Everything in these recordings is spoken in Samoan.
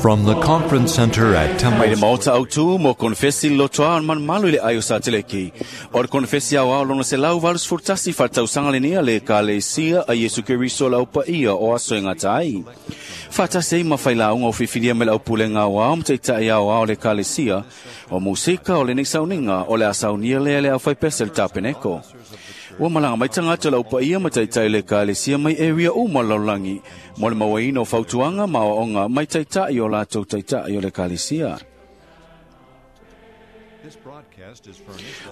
From the Conference Center at Temple Mai le maota autu mo konfesi lotoa o malumalu i le ai o Sateleki. O le konfesi au ao lona 181 whaatausanga le nea le ekalesia a Iesu Keriso lau paia o aso e gata ai. Faatasi ai ma failauga o filifilia mai le aupulega aoao ma taitai aoao o le ekalesia, o musika o lenei sauniga o le a saunia lea le aufaipese le tapeneko. Ua malaga mai tagata o le aupaia ma taitai o le ekalesia mai area uma o le lalolagi mo le mauaina o fautuaga ma aoaoga mai taitai o latou taitai o le ekalesia.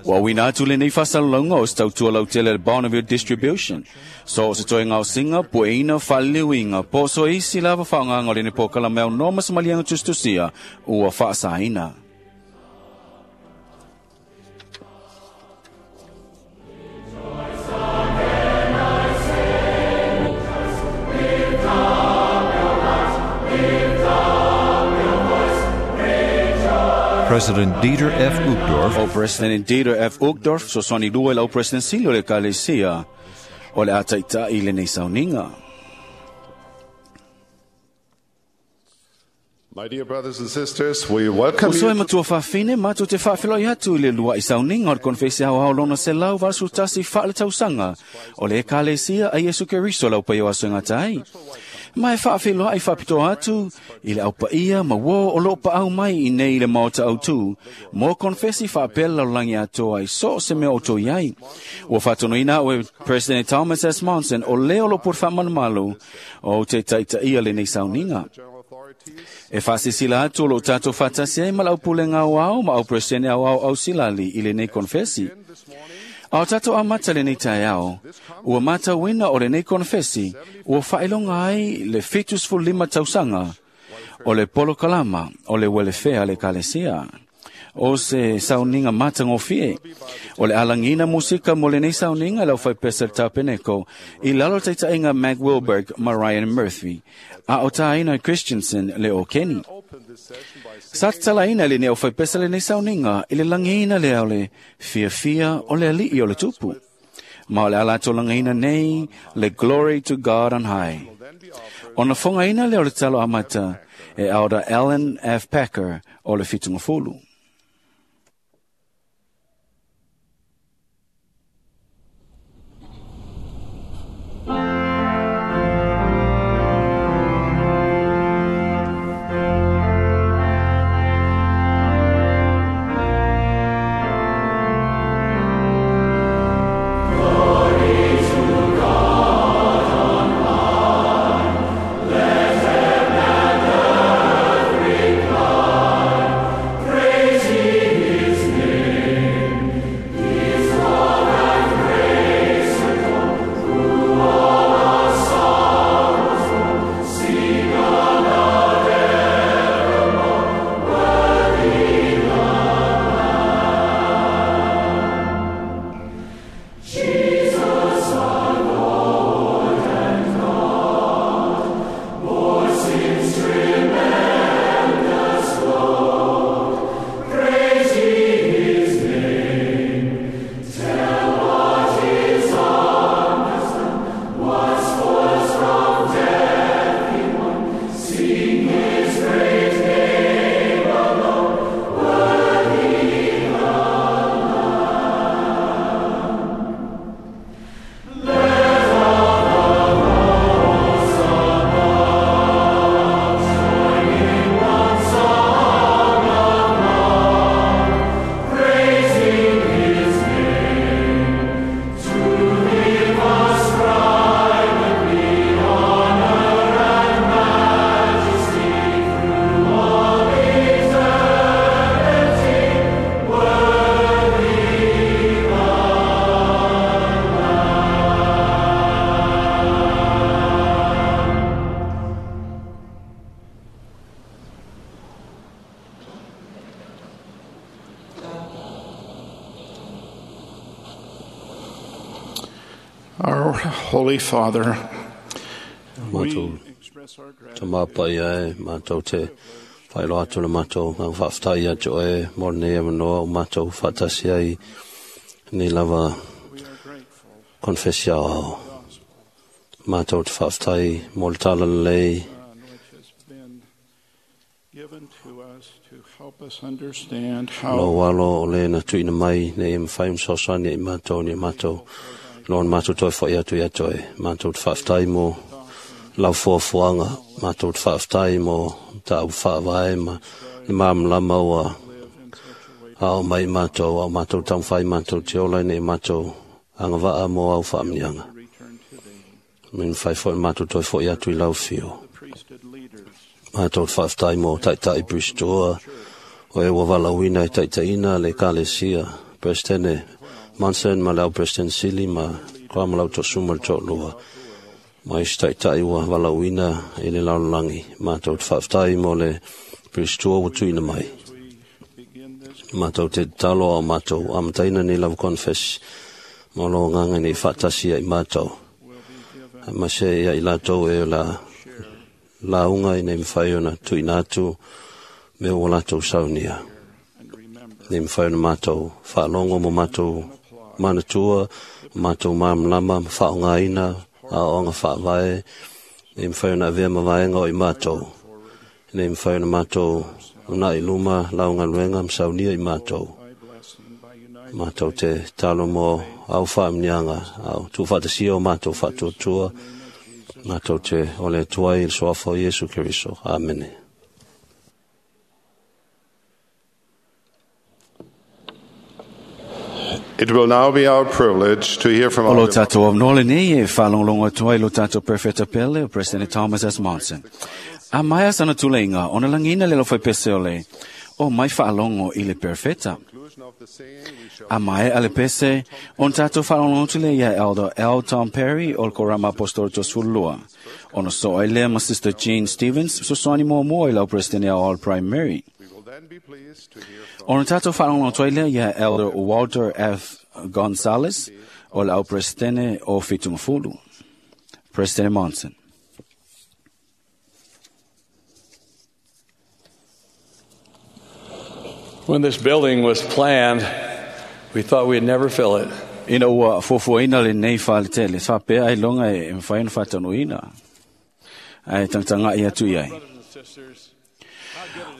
Ua auina atu lenei faasalalauga o se tautua lautele a le Bonneville Distribution. So o se toe gaosiga, pueina, faaliliuiga, po o so isi lava faaaogaga o lenei polokalame aunoa ma se maliega tusitusia ua faasaina. President Dieter F. Uchtdorf. O President Dieter F. Uchtdorf, fesoasoani lua i lau President sili o le Ekalesia o le a taitai i lenei sauniga. My dear brothers and sisters, we welcome Uso e you. matua faafine, matou te faafeiloai atu i le lua'i sauniga o le konefesi aoao lona 181 faaletausaga o le Ekalesia a Iesu Keriso lau paia o aso e gata ai. Ma e faafeiloai faapitoa atu i le au paia ma uo o loo paau mai i nei i le maota autu mo konefesi faapea le lalolagi atoa i so o se mea o outou i ai. Ua faatonuina au e President Thomas S. Monson o lea o loo pule faamalumalu o te taitaia lenei sauniga. E faasilasila atu o loo tatou faatasi ai ma le aupulega aoao ma au Peresetene aoao ausilali i lenei konefesi. A o tatou amata lenei taeao, ua matauina o lenei konefesi ua faailoga ai le 75 tausaga o le polokalama o le welefea a le ekalesia. O se sauniga matagofie. O le alagina musika mo lenei sauniga e le aufaipese le tapeneko i lalo o le taitaiga Mac Wilberg ma Ryan Murphy, a o tāina Christensen le o Kenny. Sa tatalaina e lenei aufaipese lenei sauniga i le lagiina lea o le fiafia o le alii o le tupu. Ma o le a latou lagaina nei le Glory to God on High. Ona fogaina lea o le talo amata e Elder Alan F. Packer o le Fitungafulu. Our Holy Father, Matou tama paia e, matou te whailoa atu le matou ngā whaaftai ia te oe mō nei e manoa o matou whaatasi ai nei lava konfesia o matou te whaaftai mō le tala lelei Lou alo o le na tuuina mai nei e mafai ona fesoasoani i matou ni matou lona matou toe fo'i atu ia toe. Matou te faafetai mo lau fuafuaga, matou te faafetai mo mataupu faavae ma le malamalama ua ao mai matou, ao matou taumafai matou te ola ina ia matou agavaa mo au faamanuiaga. Me mafai foi ona matou toe fo'i atu i lau afio. Matou te faafetai mo taitai Bristoa, o e ua valaauina e taitaiina le Ekalesia, Peresetene Monson ma le au Peresetene Sili ma Koa ma lau toasuma le toalua. Ma isi taitai ua valaauina i le lalolagi. Matou te faafetai mo le Bristoa ua tuuina mai. Matou te tatalo ao matou amataina nei lava konefesi ma o lo agaga nei faatasi ia i matou. Ma se ia i latou e la lauga ina ia mafai ona tuuina atu mea ua latou saunia. Nei mafai ona matou faalogo ma matou manatua, matou malamalama ma faaaogaina aoaoga faavae, nei mafai ona avea ma vaega o i matou. Nei mafai ona matou uunai i luma lau galuega ma saunia i matou. Matou te tatalo mo au faamanuiaga, au tuufaatasia o matou faatuatua, matou te ole atu ai i le suafa o Iesu Keriso. Amene. It will now be our privilege to hear from O our lo tātou avanoa lenei e whaalongolongo atu ai lo tātou Perfeta Pele o President Thomas S. Monson. A mai asana tuleiga, ona lagina le lofai pese o le, o mai whaalongo i le Perfeta. A mai a le pese, on tātou whaalongo atu le ia Elder L. Tom Perry o le Korama Apostolo Tosulua. Ona so ai lea ma Sister Jean Stevens, sosoani mua mua i lau President All Primary. Ona tātou whaalongo atu ai lea ia Elder Walter F. Gonzalez o le au Presidente o Fitumafulu. President Monson. When this building was planned, we thought we'd never fill it. Ina ua fuafuaina lenei fale tele, faapea ai loga e mafai ona faataunuuina. Ae tagatagai atu i ai.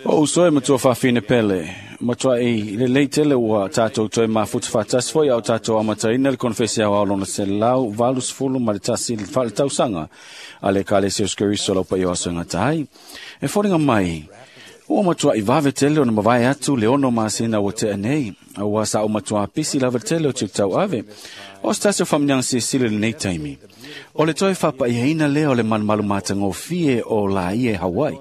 O uso e matua faafine pele, matuai lelei tele ua tātou toe mafuta faatasi foi au tātou amataina le konefesi aoao lona 181 faaletausaga a le Ekalesia o Iesu Keriso lau paia o aso e gata ai. E foliga mai, ua matuai vave tele ona mavae atu le 6 masina ua tea nei, aua sa o matua pisi lava tele o tau ave. O se tasi o faamanuiaga silisili lenei taimi. O le toe faapaiaina lea o le malumalu matagofie o Laie Hawaii.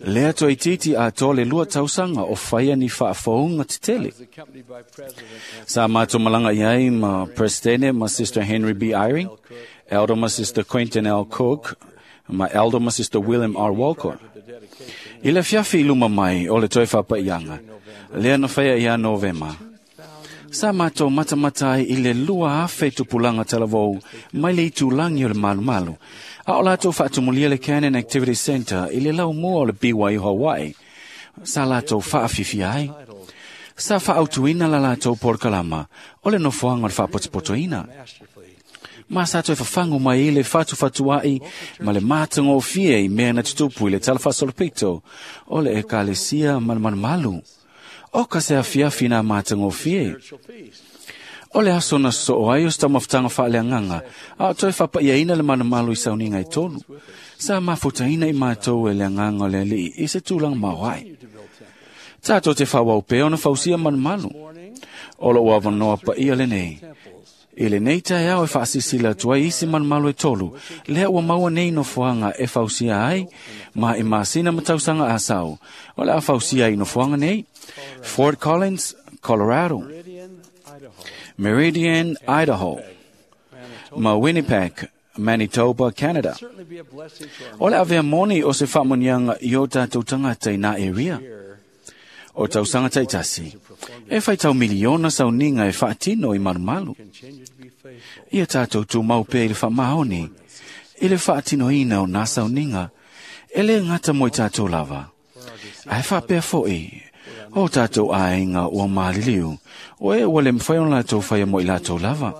Lea toe itiiti atoa le 2 tausaga o faia ni faafouga tetele. Sa mātou malaga i ai ma Presidente ma Sister Henry B. Eyring, Elder ma Sister Quentin L. Cook, ma Elder ma Sister William R. Walker. I le fiafi i luma mai o le toe faapaiaga, lea na faia ia Novema. Sa mātou matamata ai i le 2,000 tupulaga talavou mai le itulangi o le malumalu. A o latou faatumulia le Canon Activity Center i le laumua o le BYU Hawaii. Sa latou faafifia ai. Sa faautuina la latou polokalama o le nofoaga o le faapotopotoina. Ma sa toe fafagu mai i le fatufatua'i ma le matagofie i mea na tutupu i le talafaasolopito o le Ekalesia ma le malumalu. O ka se afiafi nā matagofie. O le aso na soo ai o se taumafataga faaleagaga, a o toe faapaiaina le malumalu i sauniga e 3. Sa mafutaina i matou e le agaga o le Alii i se tulaga maoae. Tātou te faaauau pea ona fausia malumalu. O lou avanoa paia lenei. I lenei taeao e faasilasila atu ai isi malumalu e 3, lea ua maua nei nofoaga e fausia ai, ma i masina ma tausaga asau. O le a fausia ai nofoaga nei, Fort Collins, Colorado, Meridian, Idaho, ma Winnipeg, Manitoba, Canada. O le avea moni o se faamanuiaga i o tātou tagata i nā area. O tausaga taitasi, e faitau miliona sauniga e faatino i malumalu. Ia tātou tumau pea i le faamaoni, i le faatinoina o nā sauniga, e le gata mo i tātou lava. Ae faapea foi, o tātou aiga ua maliliu, o e ua le mafai ona latou faia mo i latou lava.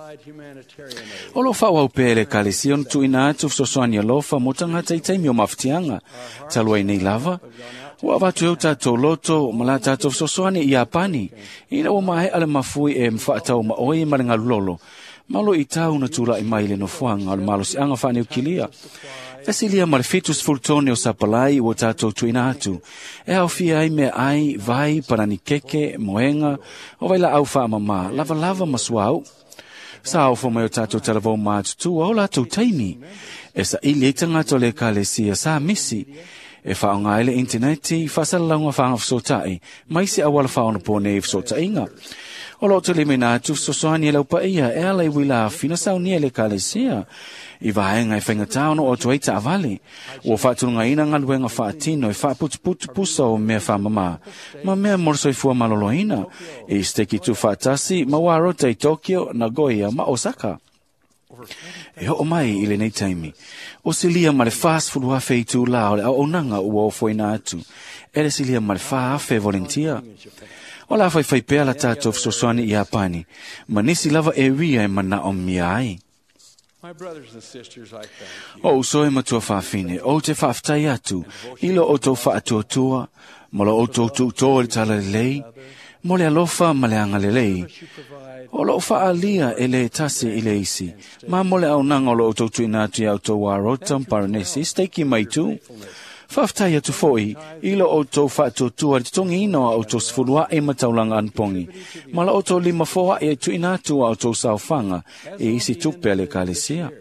O lo faaauau pea e le Ekalesia ona tuuina atu fesoasoani alofa mo tagata i taimi o mafatiaga, talu ai nei lava, Ua avatu e o tātou loto ma la tātou fesoasoani i Iapani, ina ua maea le mafui e mawhaatau maoi ma le ngalulolo, malo i tau na tūlai mai le nofoaga o le malosiaga faaniukilia. E silia ma le 70 tone o sapalai ua tātou tuina atu, e aofia ai mea ai, vai, panani keke, moenga, o vai la au whaamama, lava lava ma suau. Sa ofo mai o tātou talavou mātutua o lātou taimi. E sa ili e tangata o le ekalesia sa misi. E whaonga ai le interneti, whasalalaunga whaanga whasotai, mai se awala whaona pōne i whasotaiga. O lo te lime nā atu fesoasoani e laupaia e ala i wila awhina saunia le ekalesia. I vaenga e whaingatā ono o tuei taavale. Ua whaatulungaina ngaluenga whaatino e whaaputuputu pusa o mea whaamama. Ma mea morosoifua maloloina. I steki tu whaatasi ma warota i Tokyo, Nagoya ma Osaka. E ho mai i lenei taimi. O silia ma le 40,000 i tūlā o le auaunaga ua ofoina atu. E le silia ma le 4,000 volunteer. O la whai whai pea la tātou fesoasoani i Iapani. Ma nisi lava e ria e mana o mia ai. My brothers and sisters, I thank you. O uso e matua whawhine, o te whaaftai atu, i lo o tō whaatuatua, ma lo o tō tūtō le tala lelei, mo le alofa ma le anga lelei. You provide O lo whaalia e le tasi i le isi, ma mo le aunanga o lo o tō tuina atu i au tō warota paranesi, steiki mai tū. Whaaftai atu foi, i lo o tō whaatuatua le totongi ina o tō sefulua e mataulanga anpongi, ma lo o tō lima foa e tuina atu au tō saofanga e isi tupe a le ekalesia.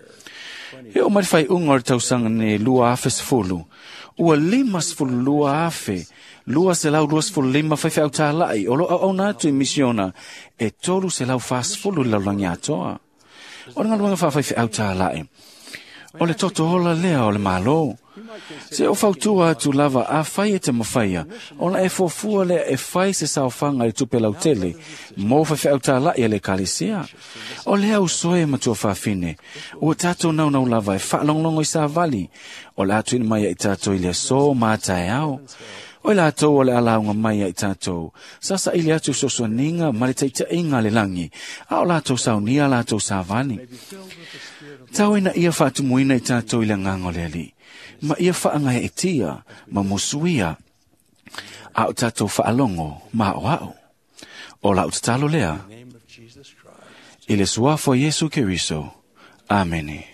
E o mai whai unga o le tausanga ne 2010, ua 52,000, 225 whaiwhai au tālai o lo au au nātu i misiona e 340 i laulangi atoa. O le ngaluenga whawhaiwhai au tālai. O le toto hola lea o le malo. Se o fautua atu lava a whai e te mawhaia, ona e fuafua lea e whai se saofanga i tupe lautele, mō whaiwhai au tālai e le ekalesia. O lea usoe matua whawhine, ua tātou naunau lava e whaalonglongo i sāvali, o le atu ina mai i tātou i le so mātae ao. O i lātou o le alaunga mai i tātou, sasa i le atu sosoaninga ma le taitainga le langi, a o lātou saunia lātou sāvali. Tau ina ia whaatumuina i tātou i le nganga o le ali. Ma ia whaangai e tia, ma musuia, a o tātou whaalongo, ma o au. O la o tatalo lea, the name of Jesus Christ. i le suafo Yesu Keriso. Amene.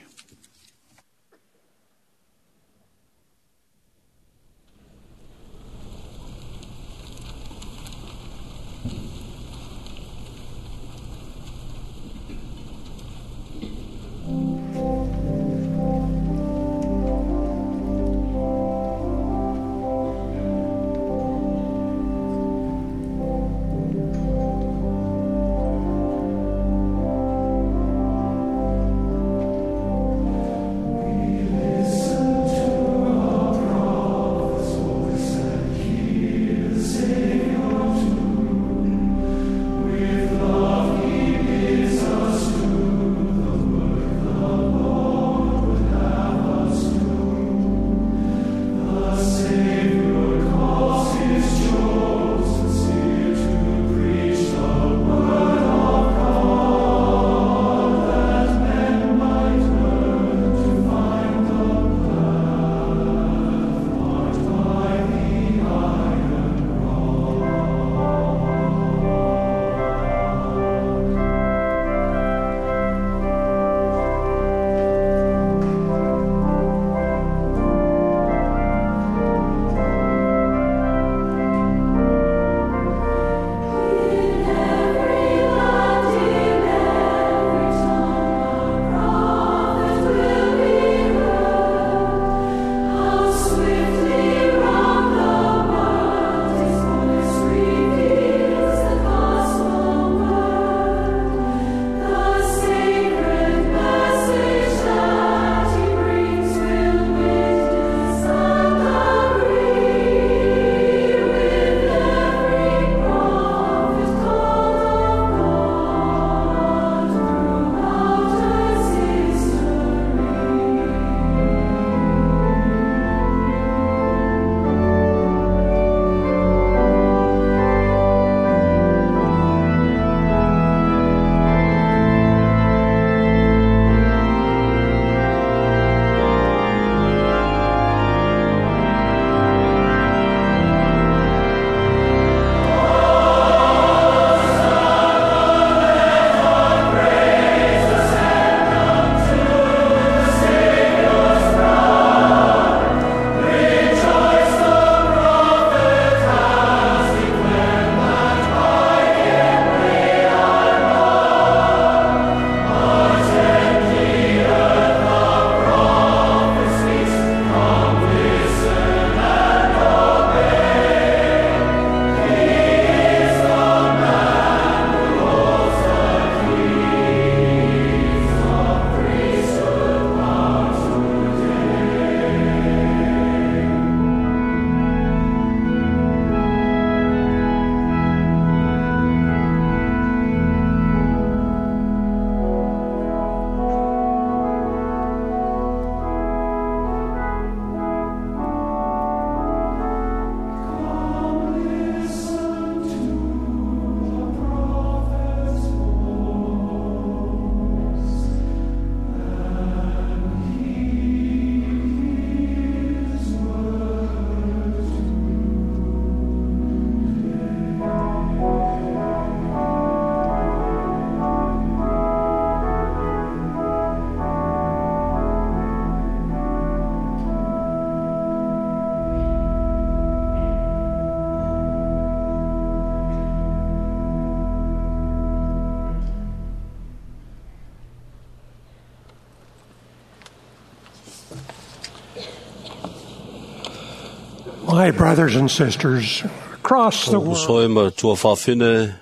My brothers and sisters across the world, Uso e ma tua whawhine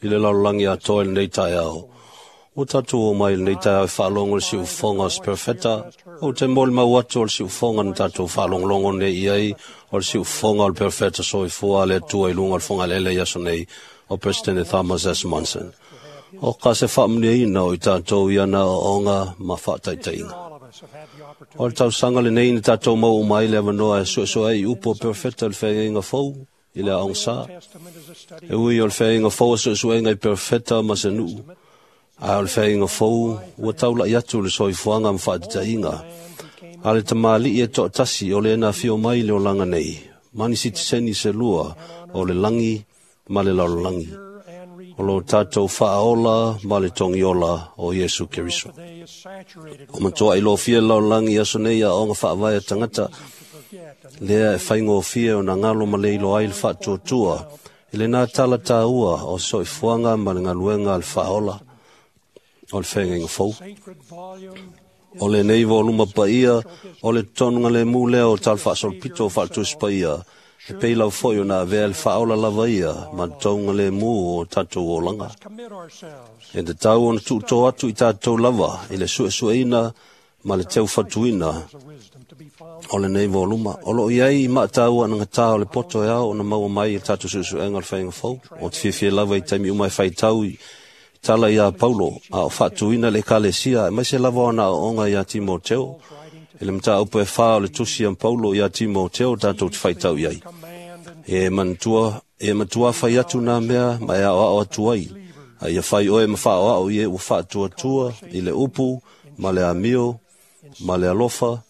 i le lalolagi atoa i lenei taeao. Ua tatou o mai i lenei taeao e faalogo i le siufofoga o se perofeta, ou te molimau atu o le siufofoga na tatou faalogologo nei i ai, o le siufofoga o le perofeta soifua a le Atua i luga o le fogalele i aso nei, o Presidente Thomas S. Monson. O ka se faamuniaina o i tatou i ana aoaoga ma faataitaiga. all of us have had the opportunity O le tausaga lenei na tatou mau uma ai le avanoa e suesue ai i upu o perofeta o le feagaiga fou i le aoga Testament is a study E ui o le feagaiga fou o suesuega i perofeta ma se nuu, a o le feagaiga fou ua taulai atu le soifuaga ma faataitaiga. A le tamalii e toatasi o le na afio mai i le olaga nei, mani sitiseni se lua o le lagi ma le lalolagi. and read O lo tatou faaola ma le togiola o Iesu Keriso. today is saturated O matua i lofia le lalolagi i aso nei aoga faavae a tagata, to forget and lea e faigofie o na ngalo ma le iloa ai le faatuatua i lena tala tāua o soifuaga ma le galuega a le faaola o le feagaiga fou. sacred volume O lenei voluma paia o le tonuga lemu lea o tala faasolopito o faaletusi paia, e pei lau foi o na avea le faaola lava ia ma le touga lemu o tatou olaga. commit ourselves E tatau ona tuutō atu i tatou lava i le suesueina ma le teufatuina the wisdom to be found o lenei voluma. O loo iai i maataua na gatā o le poto e ao ona maua mai i le tatou suesuega o le faiga fou. O te fiafia lava i taimi uma e faitau i tala ia Paulo, a o faatuina le ekalesia, e maise lava ona aoaoga ia Timoteo. I le mataupu e whā o le tusi a Paulo ia Timoteo tatou te faitau i ai. command and E manatua, e matua whai atu nā mea ma e ao atu ai. A ia whai oe ma whaoao i e ua whaatuatua i le upu, ma le amio, ma le alofa,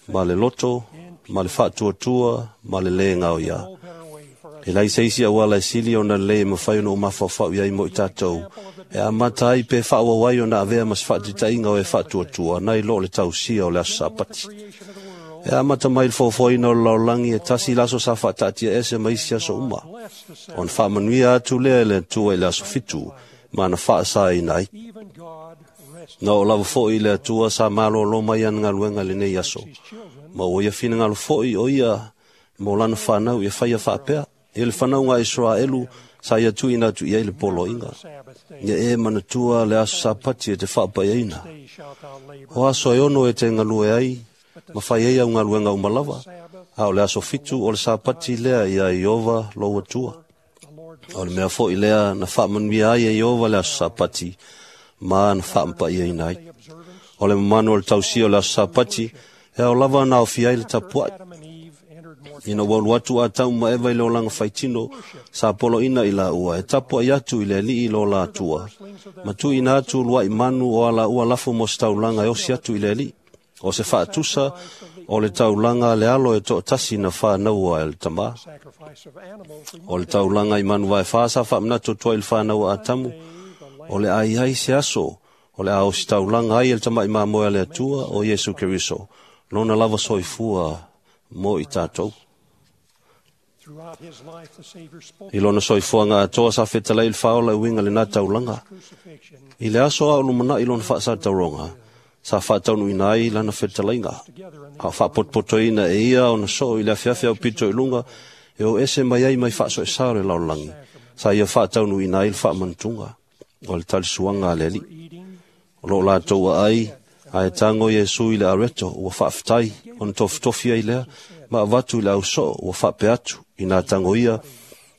ma le loto, ma le whaatuatua, ma le le ngao ia. no better way for us E lai seisi au ala e sili o na le ma whai ono o mawhawhau iai mo i tātou. E a mata ai pe whaawawai o na avea mas whaatitainga o e whaatuatua, nai lo le tausia o le aso sapati. creation of the world E a mata mai le fōfoina o le laolangi e tasi laso sa whaataatia ese mai isi aso uma. bless the O na whaamanuia atu lea e le Atua i le aso fitu, ma na whaasa ina ai. even God rested Na o lava foi le Atua sa malōlō mai ana galuega i lenei aso. his children Ma o ia finagalo foi o ia mo lana whanau ia whaia whaapea. E le whanau ngā Israelu sa ia tuina atu i ai le poloinga. Sabbath day Ia e manatua le aso sapati e te whaapaiaina. day shalt thou labor O aso e ono e te ngalue ai, ma whai ai au ngaluenga umalava. A o le aso fitu o le sapati lea ia Iova lo atua. the Lord O le mea foi lea na whaamanuia ai e Iova le aso sapati, ma na whaampaiaina ai. the observance O le mamanu o le tausia o le aso sapati, e au lava na ofi ai le tapuai. Adam and Eve entered more Ina ua alu atu a tau ma eva i le olaga faitino, sa poloina i la ua, e tapu ai atu i le alii i lo la atua. Ma tuuina atu luai manu o ala ua lafo mo se taulaga e osi atu i le alii. O se faatusa o le taulaga a le alo e toatasi na whānaua e le tamā. sacrifice of animals O le taulaga i manu vae whā sa whaamanatu tua i le whānaua a tamu. O le ai ai se aso, o le ao si taulaga ai e le tamai mamoe a le Atua o Iesu Keriso. Lona lava soifua mo i tātou. throughout his life the Savior spoke I lona soifuaga atoa sa fetalai i le faaola e uiga lenā taulaga. crucifixion I le aso a o lumanai lona faasatauroga, sa faataunuuina ai lana fetalaiga. together in the A o faapotopotoina e ia ona soo i le afiafi au pito i luga, e o ese mai ai mai faasoesa o le lalolagi. Sa ia faataunuuina ai le faamanatuga o le talisuaga a le Alii. eating O loo latou aai, ae tago Iesu i le areto ua faafetai ona tofitofi ai lea, ma avatu i le ausoo ua faapea atu ina tago ia,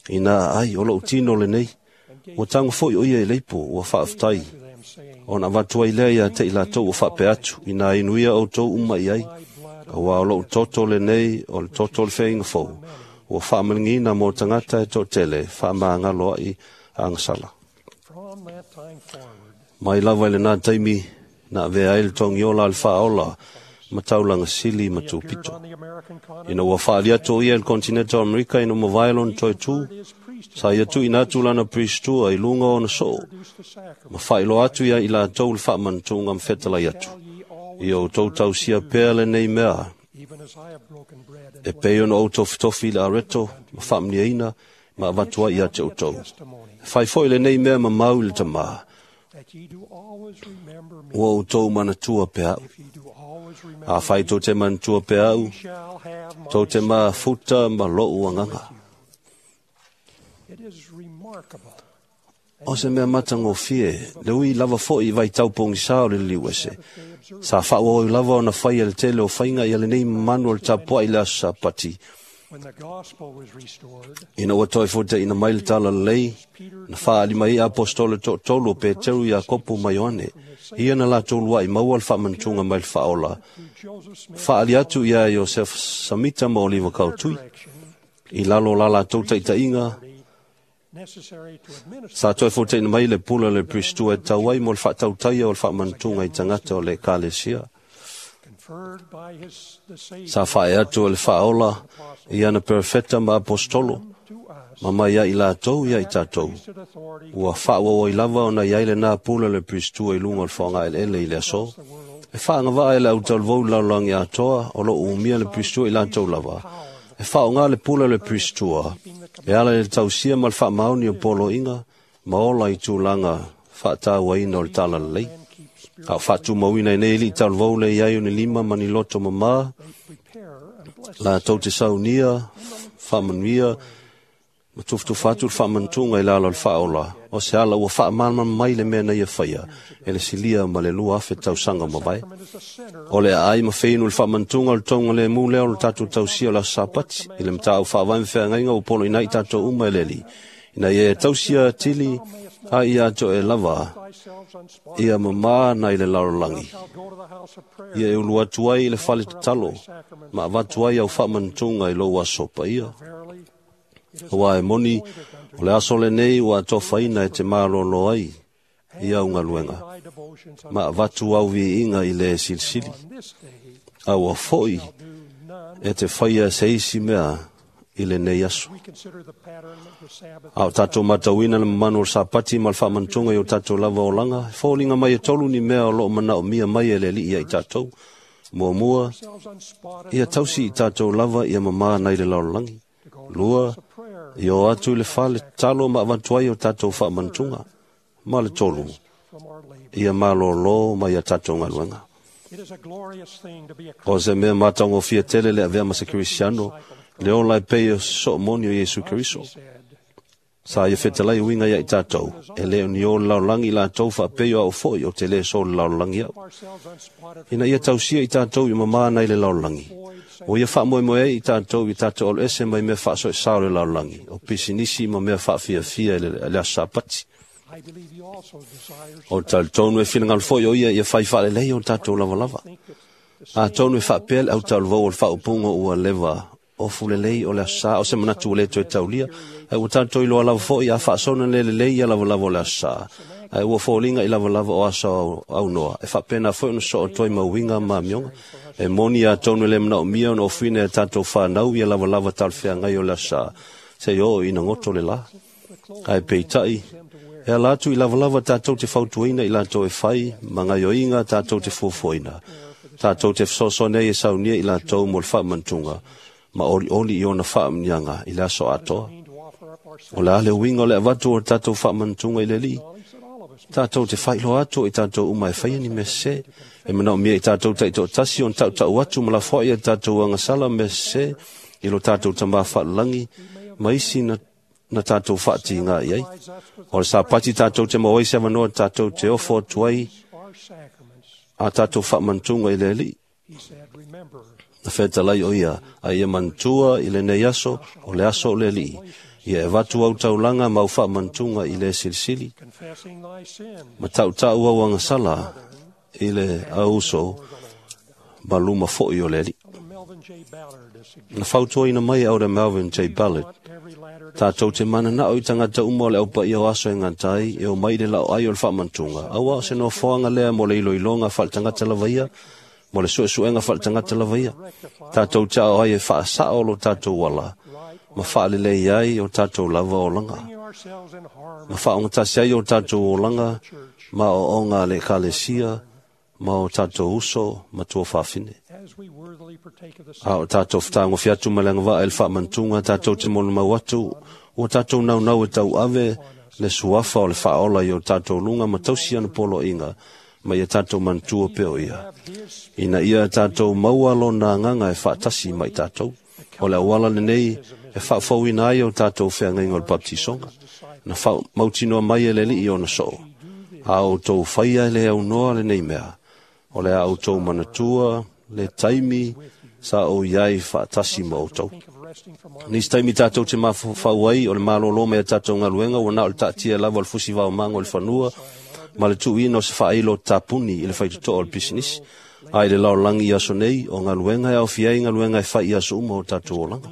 ina aai o lou tino lenei. Ua tago foi o ia i leipo ua faafetai to them saying ona avatu ai lea ia te i latou ua faapea atu ina inuia outou uma i ai. Auā o lou toto lenei o le toto o le feaiga fou, ua faamaligiina mo tagata e toatele faamagalo ai agasala. from that time forward Mai lava i lenā taimi na avea ai le togiola a le faaola ma taulaga sili ma he appeared tupito. on the American continent Ina ua faali atu o ia i le kontineta o Amerika ina mavae lona toe tū, his priesthood sa ia tuuina atu lana pristua i luga o ona soo, introduced the sacrament ma faailoa atu ia i latou le faamanatuga ma fetalai atu. shall ye always Ia outou tausia pea lenei mea, even as I have broken bread and e pei ona ou tofitofi i le areto, ma faamaniaina, ma avatu ai ia te outou. testimony E fai foi lenei mea ma mau i le tamā. Ua outou manatua pe au. Afai tou te manatua pe au, tou te mafuta ma lo'u agaga. O se mea matagofie, le ui lava fo'i i vaitau pogisā o le liliuese. Sa faaauau lava ona faia le tele o faiga ia lenei mamanu o le tapuai i le aso Sapati. Ina ua toe fotaina mai le talalelei, na faaali mai ai apostola toatolu o Peteru, Iakopo ma Ioane. Ia na latou lua'i maua le faamanatuga mai le faaola. Faaali atu ia Iosefa Samita ma Oliva Kautui. I lalo o la latou taitaiga, sa toe fotaina mai le pule o le Peristua e tau ai mo le faatautaia o le faamanatuga i tagata o le Ekalesia. Sa faaee atu e le faaola i ana perofeta ma apostolo, ma mai ai latou ia i tatou. Ua faaauau ai lava ona i ai lena pule o le Peristua i luga o le foagaeleele i le aso. E faagavaa e le autalavou i le lalolagi atoa o lo o umia le Peristua i latou lava. E faaaoga le pule o le Peristua e ala i le tausia ma le faamaoni o poloaiga ma ola i tulaga faatauaina o le talalelei. A o faatumauina ai nei alii talavou le i ai o ni lima ma ni loto mamā, latou te saunia, faamanuia, ma tufutufa atu le faamanatuga i lalo o le faaola, o se ala ua faamalamalama mai le mea na ia faia e le silia ma le 2,000 tausaga mavae. O le aai ma feinu le faamanatuga o le tonga lemu lea o le tatou tausia o le aso Sapati, i le matau faavae ma feagaiga ua poloina ai tatou uma e le Alii, ina ia tausia atili a ia atoe lava ia mamā nai le lalolagi. Ia e ulu atu ai i le fale tatalo, ma avatu ai au faamanatuga i lou aso paia. Aua e moni, o le aso lenei ua atofaina e te malolo ai i au galuega, ma avatu au viiga i le silisili. A ua fo'i e te faia se isi mea i lenei aso. A o tatou matauina le mamanu o le Sapati ma le faamanatuga i o tatou lava olaga, e foliga mai e tolu ni mea o loo manaomia mai e le Alii ia i tatou. Muamua, ia tausi i tatou lava ia mamā nai le lalolagi. Lua, ia o atu i le fale tatalo ma avatu ai o tatou faamanatuga. Ma le tolu, ia malōlō mai ia tatou galuega. O se mea matagofie tele le avea ma se Kerisiano, le ola e pei o soomoni o Iesu Keriso. Sa ia fetalai uiga ia i tatou, e le o ni o le lalolagi i latou faapei o au fo'i o te le so le lalolagi au. Ina ia tausia i tatou i mamā nai le lalolagi. O ia faamoemoe ai i tatou i tatou alo ese mai mea faasoesā o le lalolagi, o pisinisi ma mea faafiafia i le aso Sapati. O le talitonu e finagalo fo'i o ia ia fai faalelei o tatou lavalava. Atonu e faapea le autalavou o le faaupuga ua leva ofu lelei o le aso sa, o se manatu ua le toe taulia. Ae ua tatou iloa lava fo'i a faasona le lelei ia lavalava o le aso sa. Ae ua foliga i lavalava o aso aunoa, e faapena foi ona soo atu ai ma uiga ma amioga. E moni atonu e le manaomia ona ofuina e tatou whanau ia lavalava talafeagai o le aso sa, se i oo ina goto le la. Ae peitai, e ala atu i lavalava tatou te fautuaina i latou e fai, ma gaioiga tatou te fuafuaina. Tatou te fesoasoani ai e saunia i latou mo le faamanatuga, ma olioli i ona faamuniaga i le aso atoa. O le a le uiga o le avatu o le tatou faamanatuga i le Alii, tatou te faailoa atu i tatou uma e faia ni mea sese, e manaomia i tatou taitoatasi ona tautau atu ma lafoai a tatou agasala mea sese i lo tatou tamā faalelagi ma isi na tatou faatiga i ai. O le Sapati tatou te maua ai se avanoa tatou te ofo atu ai a tatou faamanatuga i le Alii. Na fetalai o ia, a ia manatua i lenei aso, o le aso o le Alii. Ia e avatu au taulaga ma au faamanatuga i le silisili. Ma tautau au agasala i le auso ma luma fo'i o le Alii. Na fautuaina mai e Elder Melvin J. Ballard, tatou te mananao i tagata uma o le aupaia o aso e gata ai, e o mai le lao ai o le faamanatuga. Aua o se nofoaga lea mo le iloiloga faaletagata lava ia, mo le suesuega faaletagata lava ia. Tatou te ao ai e faasao lo tatou ala, ma faalelei ai o tatou lava olaga. Ma faaogatasi ai o tatou olaga, ma ooga a le Ekalesia, ma o tatou uso ma tuafafine. A o tatou fetagofi atu ma le agavaa i le faamanatuga, tatou te molimau atu, ua tatou naunau e tauave Le suafa o le faaola i o tatou luga ma tausi ana poloaiga ma ia tatou manatua pea o ia. Ina ia tatou maua lona agaga e faatasi ma i tatou. O le auala lenei e faafouina ai o tatou feagaiga o le baptisoga. Na faamautinoa mai e le Alii ona soo. A outou faia le aunoa lenei mea, o le a outou manatua le taimi sa ou iai faatasi ma outou. Nisi taimi tatou te mafaufau ai o le malolo mai a tatou galuega ua na o le taatia lava o le fusi vaomaga o le fanua ma le tuuina o se faailo tapuni i le faitotoa o le pisinisi. A i le lalolagi i aso nei, o galuega e aofia ai galuega e fai i aso uma o tatou olaga.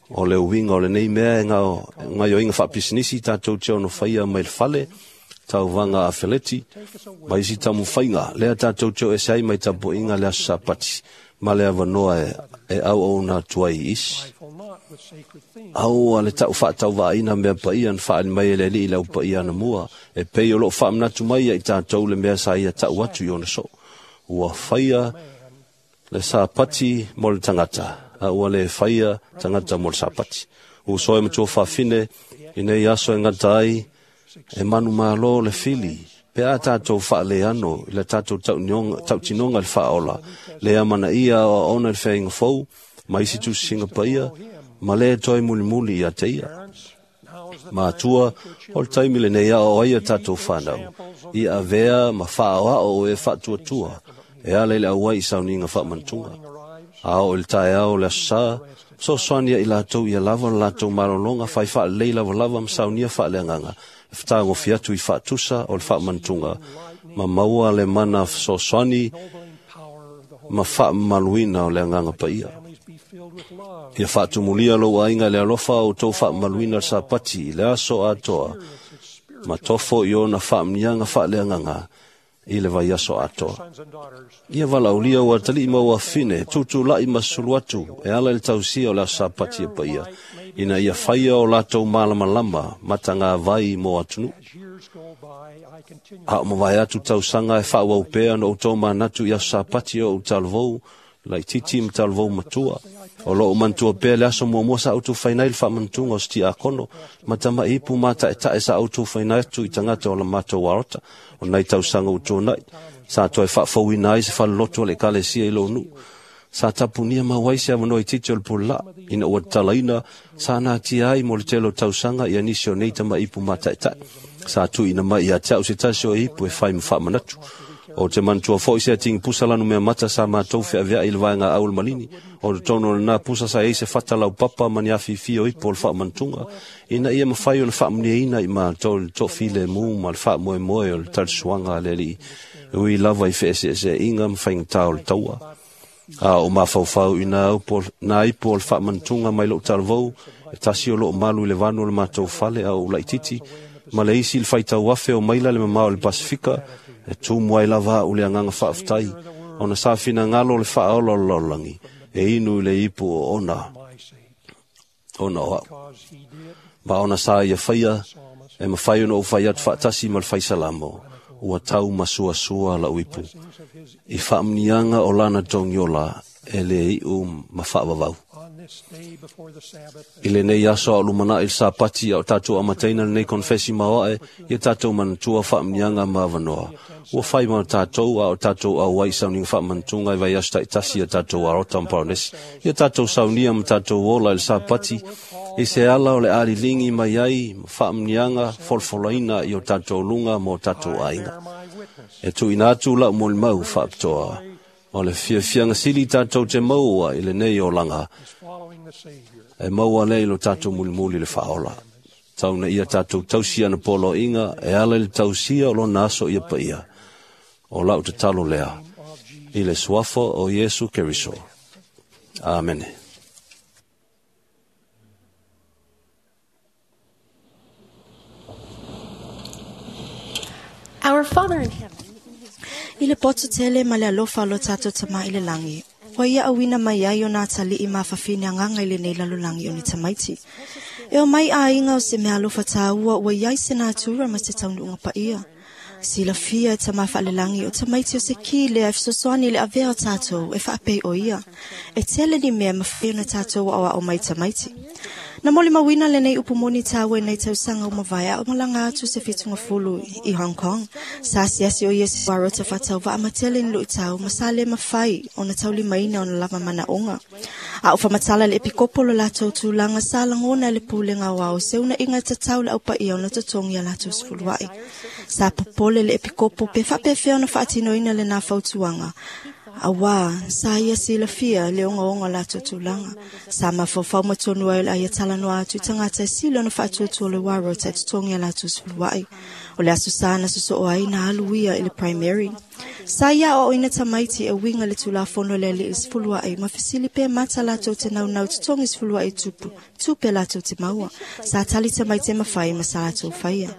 O le uiga o lenei mea e gaoioiga faapisinisi tatou te ono faia mai le fale, tauvaga a feleti, ma isi taumafaiga lea tatou te o ese ai mai tapuaiga le aso Sapati, ma le avanoa e auauna atu ai i isi. Aua le tau faatauvaaina mea paia na faaali mai e le Alii i le aupaia anamua, e pei o loo faamanatu mai ia i tatou le mea sa ia tau atu i ona soo. Ua faia le Sapati mo le tagata, a ua le faia tagata mo le Sapati. Uso e matua faafine, i nei aso e gata ai, e manumalo le fili, pe a tatou faaleano i le tatou tautinoga le faaola, le amanaia o aona le feaiga fou, ma isi tusisiga paia, ma le toe mulimuli ia te ia. Matua, o le taimi lenei ao ai a tatou whanau, i avea ma whaoao o e faatuatua, e ala i le auai i sauniga faamanatuga. A o i le taeao le aso sa, fesoasoani ia i latou ia lava le latou malologa fai faalelei lavalava ma saunia faaleagaga, e fetagofi atu i faatusa o le faamanatuga, ma maua le mana fesoasoani ma faamamaluina o le agaga paia. Ia faatumulia lou aiga i le alofa o outou faamamaluina le Sapati i le aso atoa, ma tofo i ona faamniaga faaleagaga i le vaiaso atoa. Ia valaaulia ua atalii ma ua fine, tutulai ma sulu atu, e ala i le tausia o le aso Sapati e paia, ina ia faia o latou malamalama matagavai mo atunuu. A o mavae atu tausaga e faauau pea na outou manatu i aso Sapati o ou talavou, laititi ma talavou matua. O loo manatua pea le aso muamua sa outou fainai le faamanatuga o se tiakono, ma tama'i ipu ma ta'eta'e sa outou fainai atu i tagata o la matou aota, o nai tausaga ua tuana'i. Sa toe faafouina ai se faleloto o le ekalesia i lou nuu. Sa tapunia mau ai se avanoa itiiti o le pulelaa, ina ua tatalaina, sa natia ai mo le tele o tausaga ia nisi o nei tama'ipu ma ta'eta'e. Sa tuuina mai ia te au se tasi o ipu e fai ma faamanatu. O te manatua foi se atigi pusa lanu mea mata sa matou feaveai i le vaega au le malini. O totonu o lena pusa sa i ai se fata laupapa ma ni afifi o ipu o le faamanatuga, ina ia mafai ona faamuniaina i matou le toafilemu ma le faamoemoe o le talisuaga a le Alii, e ui lava i feeseeseaiga ma faigata o le taua. A o mafaufau i nā ipu o le faamanatuga mai lou talavou, e tasi o loo malu i le vanu o le matou fale a ou laititi, ma le isi le faitau afe o maila le mamao o le Pasifika, e tumu ai lava au le agaga faafetai, ona sa finagalo le faaola o le lalolagi, e inu i le ipu o ona o au. Ma ona sa ia faia, e mafai ona ou fai atu faatasi ma le faisalamo, ua tau masuasua lau ipu, i faamniaga o lana togiola e le iu ma faavavau. I lenei aso a o lumanai le Sapati a o tatou amataina lenei konfesi maoae, ia tatou manatua faamniaga ma avanoa. Ua fai ma tatou a o tatou auai i sauniga faamanatuga i vaiaso taitasi ia tatou arota ma Paronesi. Ia tatou saunia ma tatou ola i le Sapati, i se ala o le aliligi mai ai ma faamniaga folafolaina i o tatou luga ma o tatou aiga. E tuuina atu lau molimau faapitoa, o le fiafiaga sili tatou te maua i lenei olaga, e maua lea i lo tatou mulimuli le faaola. Tau na ia tatou tausi ana poloaiga, e ala i le tausia o lona aso ia paia. O lau tatalo lea, i le suafa o Iesu Keriso. Amene. Our Father in heaven, I le poto tele ma le alofa o lo tatou tama i le lagi, ua ia auina mai ai o nā tali'i mafafine agaga i lenei lalolagi o ni tamaiti. E o mai aiga o se mea alofa tāua ua iai se natura ma se taunuuga paia. Silafia e tama faalelagi o tamaiti o se ki lea e fesoasoani i le avea o tatou e faapei o ia. E tele ni mea mafai ona tatou aoao mai tamaiti. Na molimauina lenei upu moni taua i nei tausaga ua mavae a o malaga atu se fitugafulu i Hong Kong. Sa asiasi o ia i Warota faatauvaa ma tele ni luitau ma sa le mafai ona taulimaina ona lava manaoga. A o faamatala le epikopo lo latou tulaga sa lagona e le pulega aoao se unaiga e tatau le aupaia ona totogi a latou sefuluai. Sa popole le epikopo pe faapefea ona faatinoina lena fautuaga auā sa ia silafia le ogaoga o latou tulaga. Sa mafaufau ma tonu ai o le a ia talanoa atu i tagata e sili ona faatuatua le Warota e totogi a latou sefuluai. O le aso sa na sosoo ai na alu ia i le primary. Sa ia aoaoina tamaiti e uiga i le tulafono le alii sefuluai ma fesili pe mata latou te naunau totogi sefuluai tupu tupe latou te maua. Sa tali tamaiti e mafai ma sa latou faia.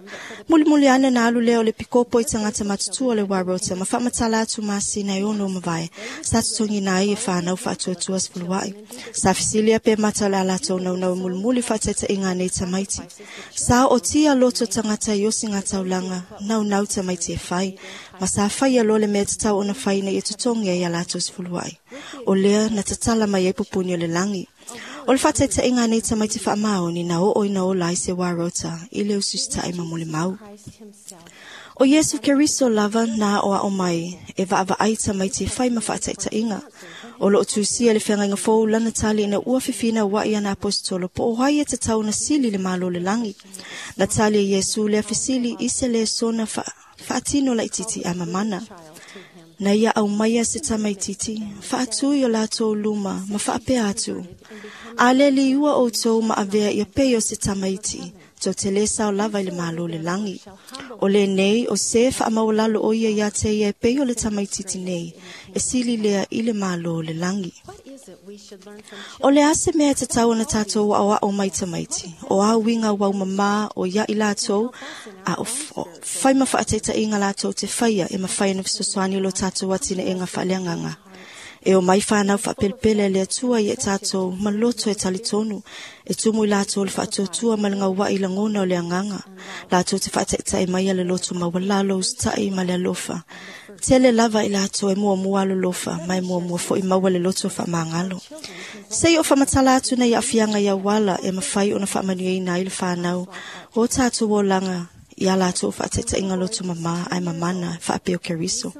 Mulimuli ane na alu lea o le pikopo i tagata matutua o le Warota ma faamatala atu masina e 6 mavae. Sa totogiina ai e whanau faatuatua sefuluai. Sa fesilia pe mata o le a latou naunau e mulimuli faataitaiga a nei tamaiti. Sa ootia loto tagata i osiga taulaga naunau tamaiti e fai. Ma sa faia loa le mea tatau ona fai ina ia totogi ai a latou sefuluai. O lea na tatala mai ai pupuni o le lagi. O le faataitaiga a nei tamaiti faamaoni na oo ina ola ai se Warota i le usiusitai ma molimau. O Iesu Keriso lava na aoao mai e vaavaai tamaiti e fai ma faataitaiga. O loo tusia le feagaiga fou lana tali ina ua fefinauai ana aposetolo po o ai e tatau ona sili le Malo o le lagi. Na tali e Iesu lea fesili i se lesona faatino laititi a mamana. Na ia aumaia se tamaititi, faatui o latou luma ma faapea atu. A le liua outou ma avea ia pei o se tamaiti, tou te lē sao lava i le Malo o le lagi. O lenei o se faamaualalo o ia ia te ia e pei o le tamaititi nei, e sili lea i le Malo o le lagi. O le a se mea e tatau ona tatou aoao mai tamaiti, o a uiga uaumamā o ia i latou, a o fai ma faataitaiga latou te faia e mafai ona fesoasoani o lo tatou atinaega faaleagaga. E o mai whanau whaapelepele le Atua i e tātou ma loto e talitonu, e tumu i latou le faatuatua ma le ngauai lagona o le agaga. Latou te faataitai mai a le loto maualalo usitai ma le alofa. Tele lava i latou e muamua alolofa, ma e muamua foi maua le loto faamagalo. Sei o faamatala atu nei aafiaga i auala e mafai ona faamanuiaina ai le whanau o tātou olaga i a latou faataitaiga loto mamā ae mamana faapea o Keriso.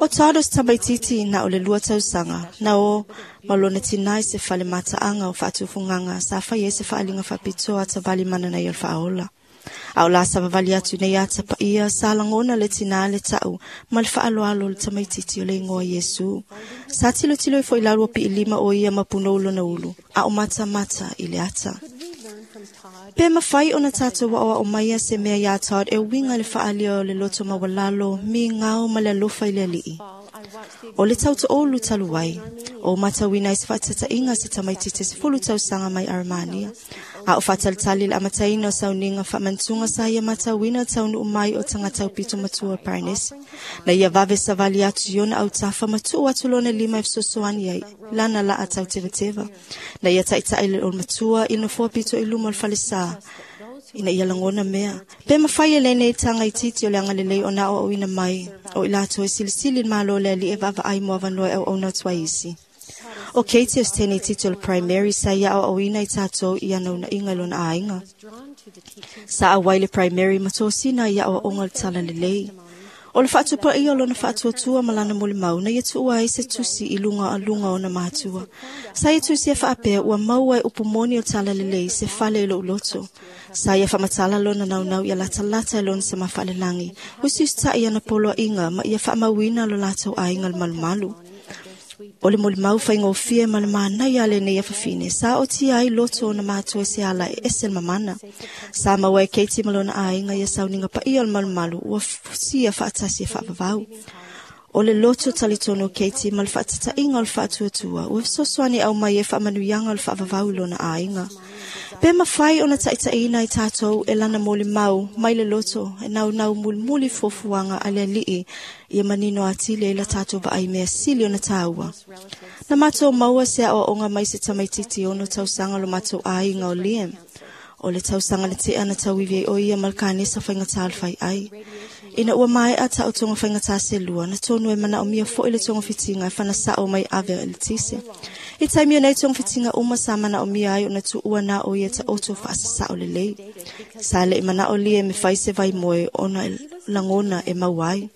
O Todd o se tamaititi na o le 2 tausaga na o ma lona tinā i se fale mataaga o faatufugaga sa fai ai se faaliga faapitoa atavali mananai o le faaola. A o la savavali atu nei ata paia sa lagona le tinā le ta'u ma le faaaloalo o le tamaititi o le igoa Iesu. Sa tilotilo ifo i lalo o piilima o ia ma punou lona ulu, a o matamata i le ata. Pe mafai ona tatou aoao maia se mea iā Todd e uiga i le faaalia o le loto maualalo, migao ma le alofa i le alii. O le tautoolu talu ai, o matauina ai se faataitaiga se tamaititi 10 tausaga mai Armania. A o faatalitali le amataina o sauniga faamantuga sa ia matauina taunuu mai o tagata aupito matua o Paranesi. Na ia vave savali atu i ona autafa ma tuu atu lona lima e fesoasoani ai lana laa tautevateva. Na ia taitai le matua i le nofoa pito i luma o le falesā ina ia lagona mea. Pe mafai e lenei taga itiiti o le agalelei ona aoaoina mai o i latou e silisili le Malo o le Alii e vaavaai mo avanoa e auauna atu ai isi. O Katie o se teine itiiti o le primary sa ia aoaoina i tatou i ana unaiga i lona aiga. Sa auai le primary ma tosina i aoaoga o le talalelei. O le faatupaia o lona faatuatua ma lana molimau na ia tuua ai se tusi i luga a luga ona matua. Sa ia tusi e faapea ua maua e upu moni o talalelei se fale i lou loto. Sa ia faamatala lona naunau ia latalata e lona sama faalelangi. Usiusitai ana poloaiga ma ia faamauina lo latou aiga le malumalu. O le molimau faigofie ma le manaia a lenei afafine sa otia ai loto ona matua se ala e ese le mamana. Sa maua e Katie ma lona aiga ia sauniga paia o le malumalu ua fusia faatasi e faavavau. O le loto talitonu o Katie ma le faatataiga o le faatuatua ua fesoasoani aumai e faamanuiaga o le faavavau i lona aiga. Pe mafai ona taitaiina i tatou e lana molimau mai le loto e naunau mulimuli fuafuaga a le alii ia manino atili ai la tatou vaai mea sili ona taua. Na matou maua se aoaoga mai se tamaititi 6 tausaga lo matou aiga o Liam. O le tausaga le tea na tauivi ai o ia ma le kanesa faigatā o le faiai. Ina ua maea ta'u togofaigata selua na tonu e manaʻomia foʻi le togafitiga e fanasa'o mai ave a eletise. I taimi o nei togafitiga uma sa manaʻomia ai ona tuʻua na o ia taʻoto faasasa'o lelei. Sa leʻi manaʻo lie me fai se vaimoe ona e lagona e mau ai.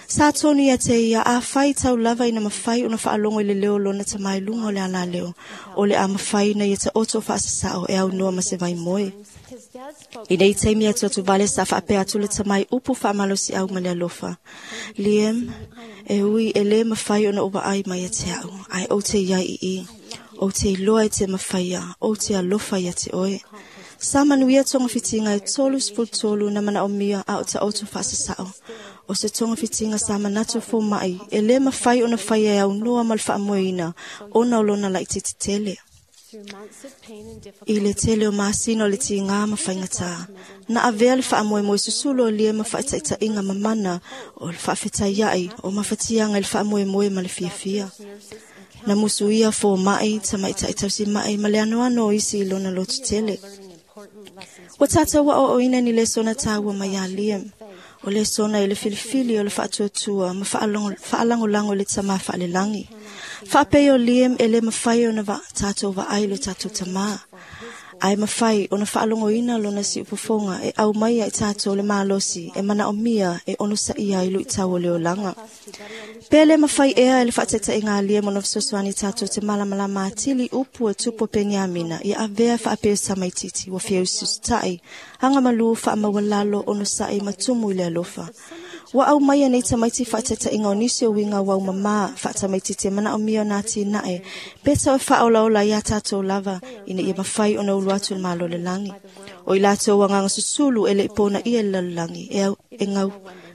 Sa tonu ia te ia a fai tau lava ina mafai ona faalogo i le leo lona tamai luga o le alaleo. O le a mafai na ia taʻoto faasasa'o e aunoa ma se vaimoe. I nei taimi atu atu vale sa faapea atu le tamai upu faamalosiʻau ma le alofa. Liam, e ui e lē mafai ona ou vaai mai ia te aʻu, ae ou te iai iī. Ou te iloa e te mafaia, ou te alofa ia te oe. Sa manuia togafitiga e 33 na manaʻomia a o taʻoto faasasa'o. O se togafitiga sa manatu fomaʻi e lē mafai ona faia e aunoa ma le faamoeina ona o lona laʻititi tele. I le tele o masina o le tigā ma faigatā. Na avea le faamoemoe susulu o lie ma faataʻitaʻiga mamana o le faafetaiaʻi o mafatiaga i le faamoemoe ma le fiafia. Na musuia fomaʻi tamaʻitaʻi tausimaʻi ma le anoano o isi i lona lotu tele. Ua tatou aʻoaʻoina ni lesona tāua mai iā Liam. O lesona i le filifili o le faatuatua ma faalagolago i le tamā faalelagi. Faapei o Liam e lē mafai ona tatou vaai lo tatou tamā. Ae mafai ona faalogoina lona siufofoga e au mai ai tatou le malosi e manaʻomia e onosaʻia ai luʻitau o le olaga. Pe lē mafai ea e le faataitaʻiga a Liam ona fesoasoani tatou te malamalama atili upu e tupu o Peniamina ia avea faapea samaititi ua fia usiusitaʻi agamalū faamaualalo onosaʻi ma tumu i le alofa. Ua au mai nei tamaiti faataitaʻiga o nisi o uiga ua umamā faatamaititi e manaʻomia ona atinae pe tau e faaolaola iā tatou lava ina ia mafai ona ulu atu le malo le lagi. O i latou agaga susulu e leʻi ponaʻia le lalolagi e gau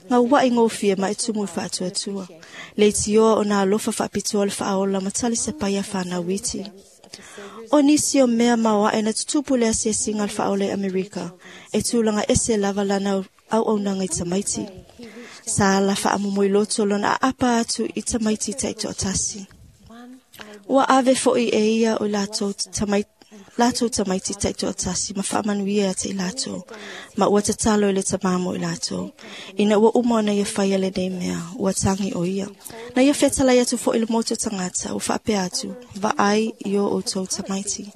gauaʻi gofie ma e tumu i faatuatua. Le itioa ona alofa faapitoa le faaola ma tali sapai a fanau iti. O nisi o mea maoaʻe na tutupu le asiasiga le faaola i Amerika e tulaga ese lava lana auaunaga i tamaiti. Sa ala faamomoiloto lona aapa atu i tamaiti taʻitoatasi. Ua ave foʻi e ia o latou tamaiti taʻitoatasi ma faamanuia ia te i latou, ma ua tatalo i le tamā mo i latou. Ina ua uma ona ia faia lenei mea, ua tagi o ia. Na ia fetalai atu foʻi le motu o tagata, ua faapea atu, vaai i o outou tamaiti.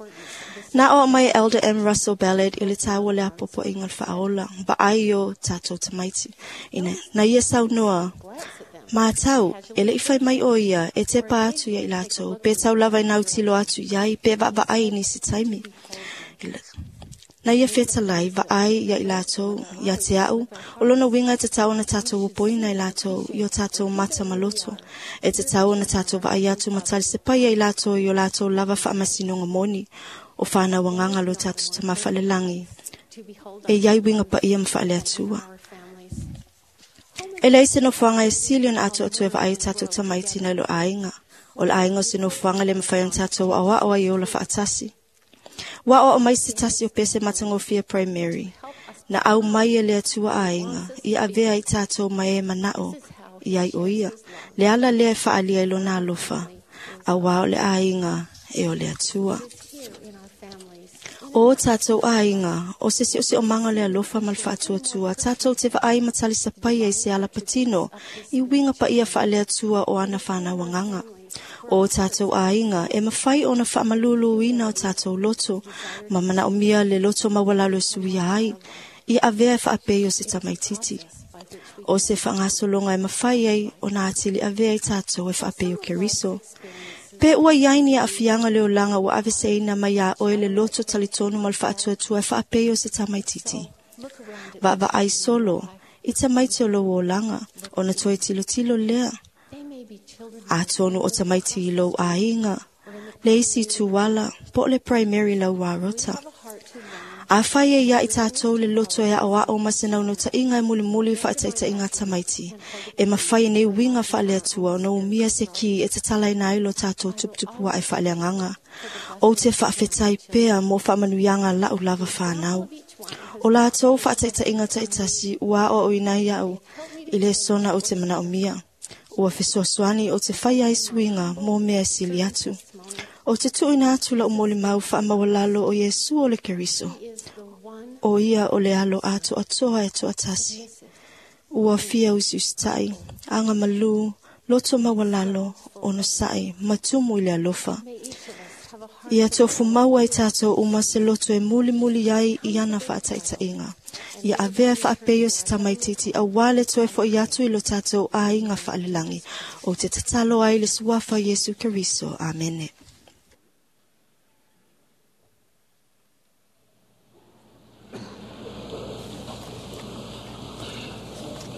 Na o mai Elder M. Russell Ballard i le tāua le apopoʻiga le faaola, vaai i o tatou tamaiti. Ina, na ia saunoa, Mātau, e leʻi fai mai o ia, e tepa atu ia i latou, pe tau lava i nautilo atu iai, pe vaavaai i nisi taimi. Na ia fetalai, vaai ia i latou, ia te aʻu, o lona uiga e tatau ona tatou opoina i latou, i o tatou mata ma loto. E tatau ona tatou vaai atu ma talisepaia i latou i o latou lava faamasinoga moni, o fanau agaga lo tatou tamā faalelagi, e iai uiga paia ma faaleatua. E leai se nofoaga e sili ona atoatoe vaai tatou tamaiti nai lo aiga. O le aiga o se nofoaga le mafai ona tatou aoao ai ola faatasi. Ua aoao mai se tasi o pese matagofie primary. Na au mai e le Atua aiga, ia avea i tatou mai e manaʻo i ai o ia. Le ala lea e faaalia i lona alofa, auā o le aiga e o le Atua. O tatou aiga, o se seoseomaga le alofa ma le faatuatua, tatou te vaai ma talisapaia i se ala patino, i uiga paia faaleatua o ana fanau agaga. O tatou aiga, e mafai ona faamaluluina o tatou loto, ma manaʻomia le loto maualalo e suia ai, ia avea e faapei o se tamaititi. O se faagasologa e mafai ai ona atili avea i tatou e faapei o Keriso. Pe ua iai ni aafiaga le olaga ua aveseina mai iā oe le loto talitonu ma le faatuatua e faapei o se tamaititi. Vaavaai solo i tamaiti o lou olaga, ona toe tilotilo lea. Atonu o tamaiti i lou aiga, le isi tuala, po o le primary lau arota. A fai e ia i tatou le loto e aʻoaʻo ma se naunautaʻiga e mulimuli faataitaʻiga tamaiti. E mafai nei uiga faaleatua ona umia se ki e tatalaina ai lo tatou tuputupuaʻe faaleagaga. Ou te faafetai pea mo faamanuiaga laʻu lava fanau. O latou faataitaʻiga taʻitasi ua aʻoaʻoina ai aʻu i le sona o te manaʻomia. Ua fesoasoani o te fai ai suiga mo mea e sili atu. O te tuuina atu lau molimau faamaualalo o Iesu o le Keriso. O ia o le alo atoatoa e toatasi. Ua fia usiusitai, aga malū, loto maualalo, onosa'i, ma tumu i le alofa. Ia tofumau ai tātou uma se loto e mulimuli ai i ana faataitaiga. Ia avea e faapei o se tamaititi auā le toe fo'i atu i lo tātou aiga faalelagi. Ou te tatalo ai le suafa Iesu Keriso. Amene.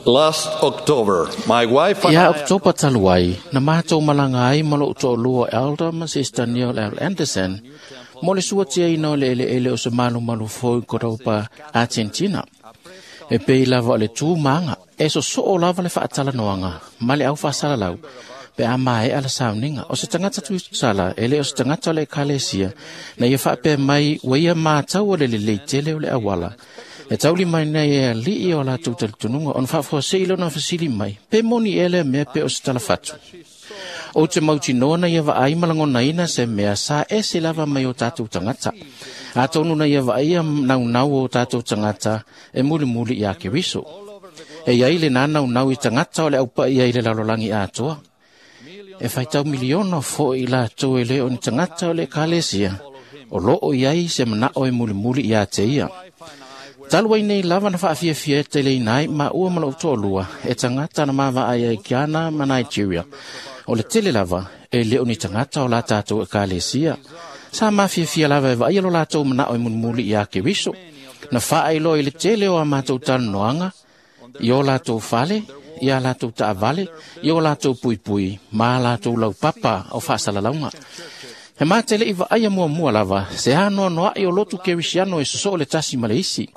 Last October, my wife and Ia I Oktopa talu ai, na mātou malanga ai ma lou to'alua Elder ma Sister Neil L. Anderson, mo le suatiaina o le eleele o se malumalu fou i Cordoba, Argentina. E pei lava o le tū maga, e sosoo lava le faatalanoaga ma le aufaasalalau, pe a maea le sauniga. O se tagata tuisala, e le o se tagata o le ekalesia, na ia faapea mai ua ia matau o le lelei tele o le auala. E tauli mai nei e ali'i o latou talitonuga ona faafuasei lona fesili mai, pe moni ea lea mea pe o se talafatu. Ou te mautinoa na ia vaai ma lagonaina se mea sa ese lava mai o tatou tagata. Atonu na ia vaaia naunau o tatou tagata e mulimuli iā Keriso. E iai lenā naunau i tagata o le aupa'i ai le lalolagi atoa. E faitau miliona fo'i latou e lē o ni tagata o le ekalesia, o loo iai se mana'o e mulimuli iā te ia. Talu ai nei lava na faafiafia e teleina ai maua ma lou toalua e tagata na mavaai ai Ghana ma Nigeria. O le tele lava e le o ni tagata o la tatou ekalesia. Sa mafiafia lava e vaaia lo latou mana'o e mulimuli iā Keriso. Na faailoa i le tele o a matou talanoaga, i o latou fale, i a latou taavale, i o latou puipui, ma a latou laupapa o faasalalauga. He matele i vaaia muamua lava, se anoanoa'i o lotu kerisiano e sosoo le tasi ma le isi.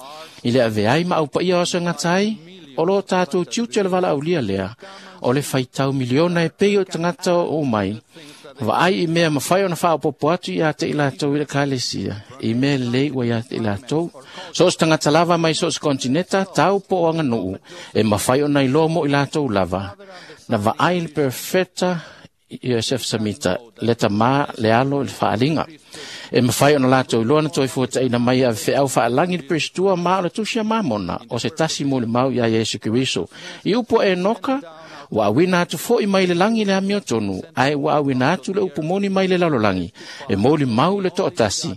I le aveai ma aupaia o aso e gata ai, o lo tatou tiute o le valaaulia lea, o le faitau miliona e pei o tagata o mai, vaai i mea mafai ona faaopoopo atu ia te i latou i le ekalesia, i mea lelei ua ia te i latou. So o se tagata lava mai so o se kontineta, tau po o aganuu, e mafai ona iloa mo i latou lava. Na vaai le perfeta Iosef Samita, le tamā le alo i le faaliga. E mafai ona latou iloa na toe fuataina mai e avefeau faalagi le Peristua ma o le tusi a Mamona, o se tasi molimau iā Iesu Keriso. I upu a Enoka, ua auina atu fo'i mai le lagi le amiotonu, ae ua auina atu le upu moni mai le lalolagi, e molimau i le to'atasi,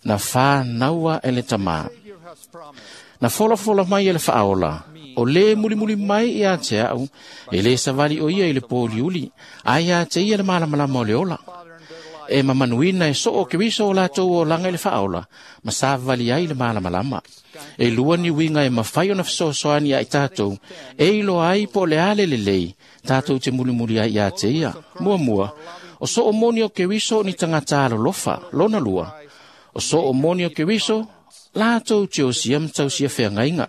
na fānaua e le tamā. Na folafola mai e le faaola, o lē mulimuli mai iā te a'u, e lē savali o ia i le pōliuli, ae iā te ia le malamalama o le ola. E mamanuina e soo Keriso o latou olaga i le faaola, ma savali ai le malamalama. E lua ni uiga e mafai ona fesoasoani ia i tatou, e iloa ai po o le a le lelei, tatou te mulimuli ai iā te ia. Muamua, o soo moni o Keriso ni tagata alolofa, lona lua. O soo moni o Keriso, latou te osia ma tausia feagaiga.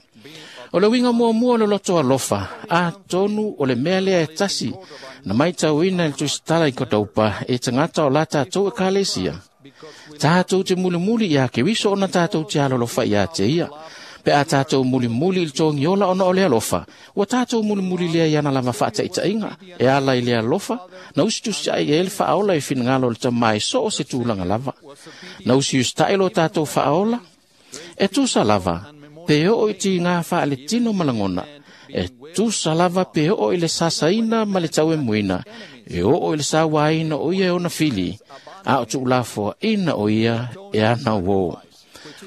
O le uiga muamua o le loto alofa, atonu o le mea lea e tasi, na maitauina i le tusitala i Kodaupa e tagata o la tatou ekalesia. Tatou te mulimuli iā Keriso ona tatou te alolofa iā te ia. Pe a tatou mulimuli i le togiola ona o le alofa, ua tatou mulimuli lea i ana lava faataitaiga, e ala i le alofa, na usitusiai ai le faaola i finagalo o le tamā e so o se tulaga lava. Na usiusita'i lo tatou faaola, e tusa lava, pe oo i tigā faaletino ma lagona, e tusa lava pe oo i le sasaina ma le tauemuina, e oo i le sauāina o ia e ona fili, a o tuulafoaʻina o ia e ana uō.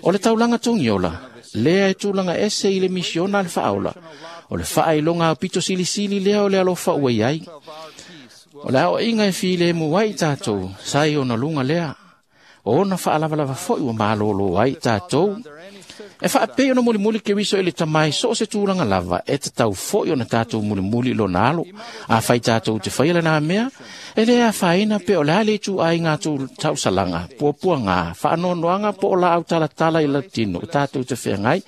O le taulaga togiola, lea e tulaga ese i le misiona a le faaola, o le faailoga aupito silisili lea o le alofa ua iai. O le aoaiga e filemu ai tatou, sa i ona luga lea, o ona faalavalava fo'i ua malōlō ai tatou. E faapei ona mulimuli Keriso i le tamai so o se tulaga lava, e tatau fo'i ona tatou mulimuli i lona alo. Afai tatou te faia lenā mea, e lē afaina pe o le a le ituaiga tausalaga, puapuagā, faanoanoaga po o laau talatala i latino tatou te feagai,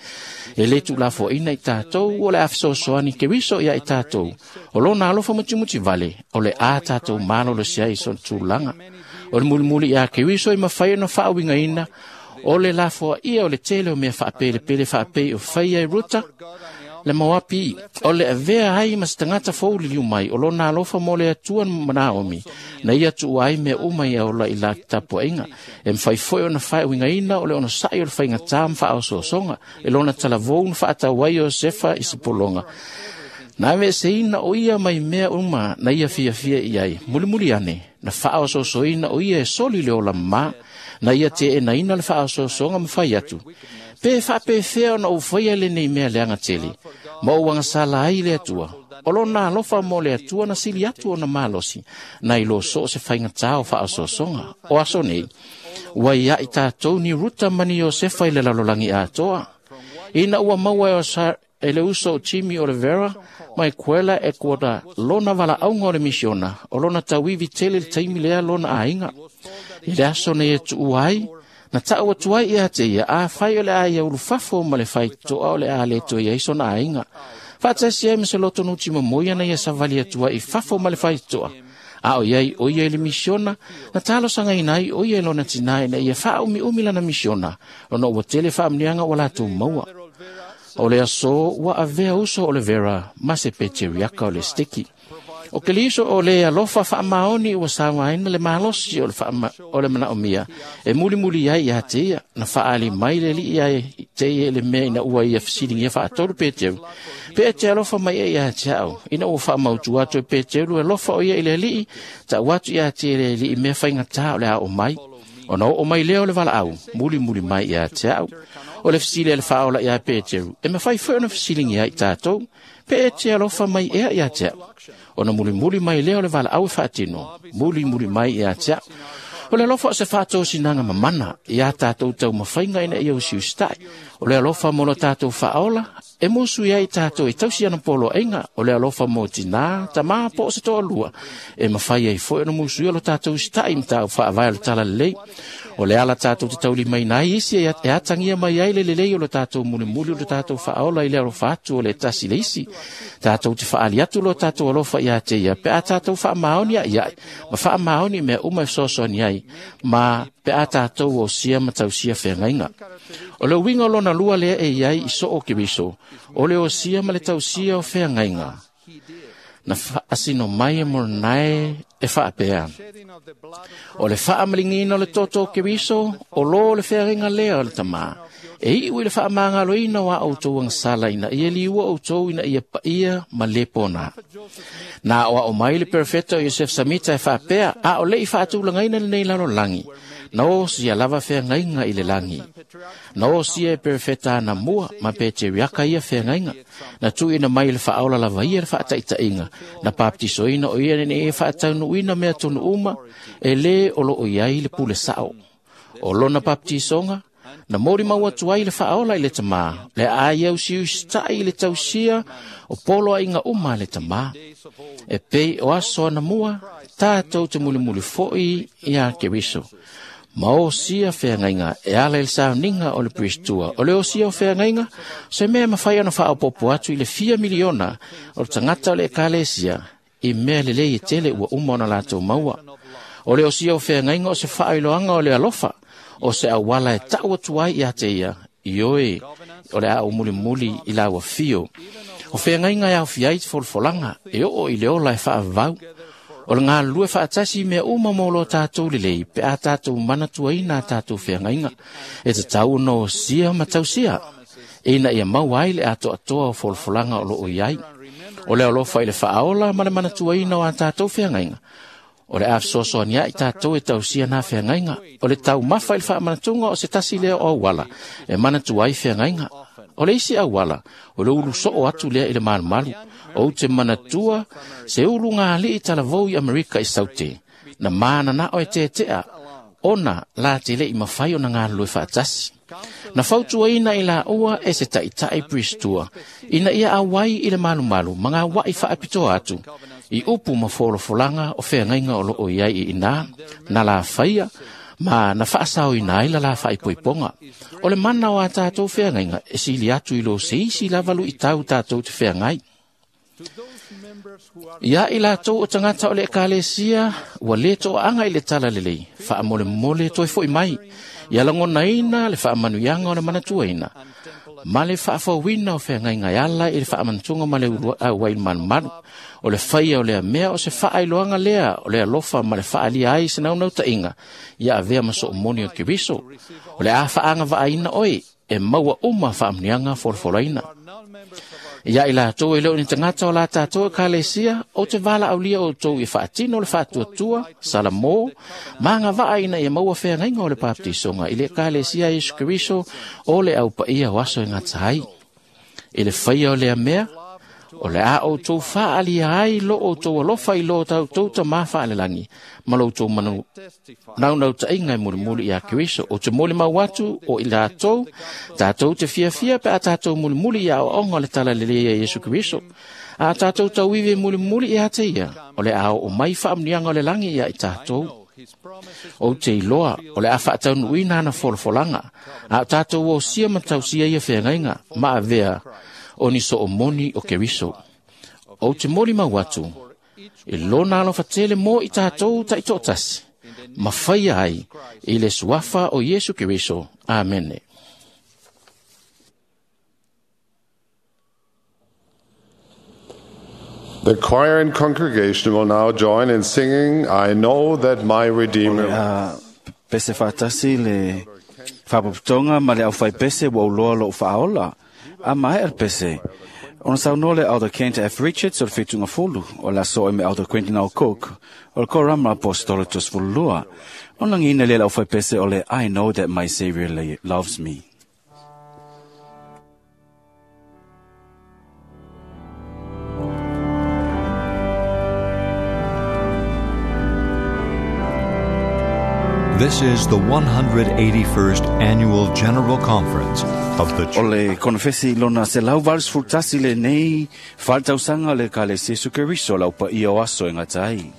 e lē tuulafoaina i tatou o le a fesoasoani Keriso ia i tatou. O lona alofa mutimuti vale, o le a tatou malolosi ai i sona tulaga. O le mulimuli iā Keriso e mafai ona faauigaina, o le lafoaia o le tele o mea faapelepele faapei o faia e Ruta, le Moapi, o le avea ai ma se tagata fouliliu mai o lona alofa mo le Atua ma Naomi, na ia tuua ai mea uma ia ola i la tapuaiga. E mafai foi ona faauigaina o le onosa'i o le faigatā ma faaosoosoga, e lona talavou na faatau ai o Iosefa i se pologa. Na aveeseina o ia mai mea uma na ia fiafia i ai, mulimuli ane, na faaosoosoina o ia e soli le ola mamā, na ia teenaina le faaosoosoga ma fai atu. Pe faapefea ona ou faia lenei mea leaga tele, ma ou agasala ai le Atua. O lona alofa mo le Atua na sili atu ona malosi, na i lo so o se faigatā o faaosoosoga. O aso nei, ua ia i tātou ni Ruta ma ni Iosefa i le lalolagi atoa. Ina ua maua e le uso o Jimmy Olivera mai Kuela Ekuata lona valaauga o le misiona, o lona tauivi tele le taimi lea lona aiga. I le aso nei e tuua ai, na tau atu ai ia te ia, afai o le a ia ulufafo ma le faitotoa o le a le toe i ai sona aiga. Faatasi ai ma se loto nuti momoi ana ia savali atu ai i fafo ma le faitotoa. A o iai o ia i le misiona, na talosagaina ai o ia i lona tinā ina ia faaumiumi lana misiona, ona ua tele faamuniaga ua latou maua. O le aso ua avea uso Olivera ma se peteriaka o le steki. O Keriso o le alofa faamaoni ua sauaina le malosi o le manaomia e mulimuli ai ia te ia, na faaali mai le alii ai te ia le mea ina ua ia fesiligia faatolu Peteru. Pe e te alofa mai e ia te au, ina ua faamautu atu e Peteru alofa o ia i le alii, tau atu ia te le alii mea faigatā o le ao mai. Ona oo mai lea o le valaau, mulimuli mai ia te au. O le fesili a le faaola ia Peteru, e mafai foi ona fesiligia ai tātou, pe e te alofa mai ea ia te au. Ona mulimuli mai lea o le valaau e faatino, mulimuli mai ia te au. O le alofa o se faatosinaga mamana ia tātou taumafaiga ina ia usiusitai. O le alofa mo lo tātou faaola, e musu ai tātou e tausi ana poloaiga. O le alofa mo tinā, tamā po o se toalua, e mafai ai foi ona musuia lo tātou usitai ma tāu faavae o le talalelei. O le ala tātou te taulimaina ai isi e atagia mai ai le lelei o lo tātou mulimuli o lo tātou faaola i le alofa atu o le tasi le isi. Tātou te faali atu lo tātou alofa ia te ia, pe a tātou faamaoni ai ai, ma faamaoni mea uma e fesoasoani ai, ma pe a tātou o sia ma tausia feagaiga. O le uiga o lona lua lea e iai i so o Keriso, o le osia ma le tausia o feagaiga. Na faasino mai e Moronae e faapea. O le faamaligina o le toto o Keriso, o lō le feagaiga lea o le tamā. E iu i le faamagaloina o a outou agasala ina ia liua outou ina ia paia ma le pona. Na o ao mai le perfeta o Iosef Samita e faapea, a o lei faatulagaina lenei lalolagi, na osia lava feagaiga i le lagi. Na osia e perfeta ana mua ma peteriaka ia feagaiga. Na tuuina mai le faaola lava ia le faataitaiga. Na papatisoina o ia ina ia faataunuuina mea tonu uma e lē o loo i ai le pule sao. O lona papatisoga, na molimau atu ai le faaola i le tamā, le a ia usiusitai i le tausia o poloaiga uma a le tamā. E pei o aso ana mua, tātou te mulimuli foi ia Keriso. Ma osia feagaiga e ala i le sauniga o le Pristua. O le osia o feagaiga, se mea mafai ona faaopopo atu i le 4 miliona o le tagata o le ekalesia i mea lelei e tele ua uma ona latou maua. O le osia o feagaiga o se faailoaga o le alofa, o se auala e tau atu ai ia te ia, i oe o le a mulimuli i lau afio. O feagaiga e aofia ai te folafolaga, e oo i le ola e faavavau. O le galulue faatasi mea uma mo lo tātou lelei, pe a tātou manatuaina a tātou feagaiga. E tatau ona osia ma tausia, e ina ia maua ai le atoatoa o folafolaga o loo i ai. O le alofa i le faaola ma le manatuaina o a tātou feagaiga. O le a fesoasoani ai tātou e tausia nā feagaiga. O le taumafa i le faamanatuga o se tasi lea o auala, e manatu ai feagaiga. O le isi auala, o le ulu soo atu lea i le malumalu. O te manatua se ulu ngā alii talavou i Amerika i Saute. Na māna o e tetea, ona la te le i mawhai o na ngā lue faatasi. Na fautuaina i la ua e se taitai Pristua, ina ia awai i le malumalu, ma ngā wai faapitoa atu, i upu ma folafolaga o feagaiga o loo i ai i ina, na la whaia, ma na faasaoina ai la la faaipoipoga. O le mana o a tātou feagaiga e sili atu i lo se isi lavalu i tau tātou te feagai. Ia i latou o tagata o le ekalesia, ua lē toaga i le talalelei, faamolemole toe fo'i mai, ia lagonaina le faamanuiaga o le manatuaina, ma le faafouina o feagaiga e ala i le faamanatuga ma le auai le malumalu. O le faia o lea mea o se faailoaga lea o le alofa ma le faaalia ai se naunautaiga, ia avea ma soomoni o Keriso. O le a faagavaaina oe e maua uma faamuniaga folafolaina. Ia i latou e leo ni tagata o la tatou ekalesia, o te valaaulia outou i faatino le faatuatua, salamo, ma agavaa ina ia maua feagaiga o le papatisoga i le ekalesia a Iesu Keriso o le aupaia o aso e gata ai. I le faia o lea mea, o le a outou faaalia ai lo outou alofa i lo tatou Tamā faalelagi ma lo outou manu naunautaiga e mulimuli iā Keriso. O te molimau atu o i latou, tatou te fiafia pe a tatou mulimuli i aoaoga o le talalelei a Iesu Keriso. A tatou tauivi e mulimuli ia te ia, o le a oo mai faamuniaga o le lagi ia i tatou. Ou te iloa o le a faataunuuina ana folafolaga, a o tatou osia ma tausia ia feagaiga ma avea o ni soomoni o Keriso. Ou te molimau atu, i lona alofa tele mo i tatou taitoatasi, ma faia ai i le suafa o Iesu Keriso. Amene. The choir and congregation will now join in singing, I Know That My Redeemer. A pese faatasi le faapopotoga ma le aufaipese ua uloa lou faaola. A maea le pese. Ona saunoa le Elder Kent F. Richards o le fetuga fulu o le aso e me Elder Quentin L. Cook o le Korama Apostolo 32. Ona lagiina lea le aufaipese o le I Know That My Savior Loves Me. This is the 181st Annual General Conference of the O le konofesi lona 181 lenei faaletausaga o le Ekalesia Iesu Keriso o le aupaia o aso e gata ai.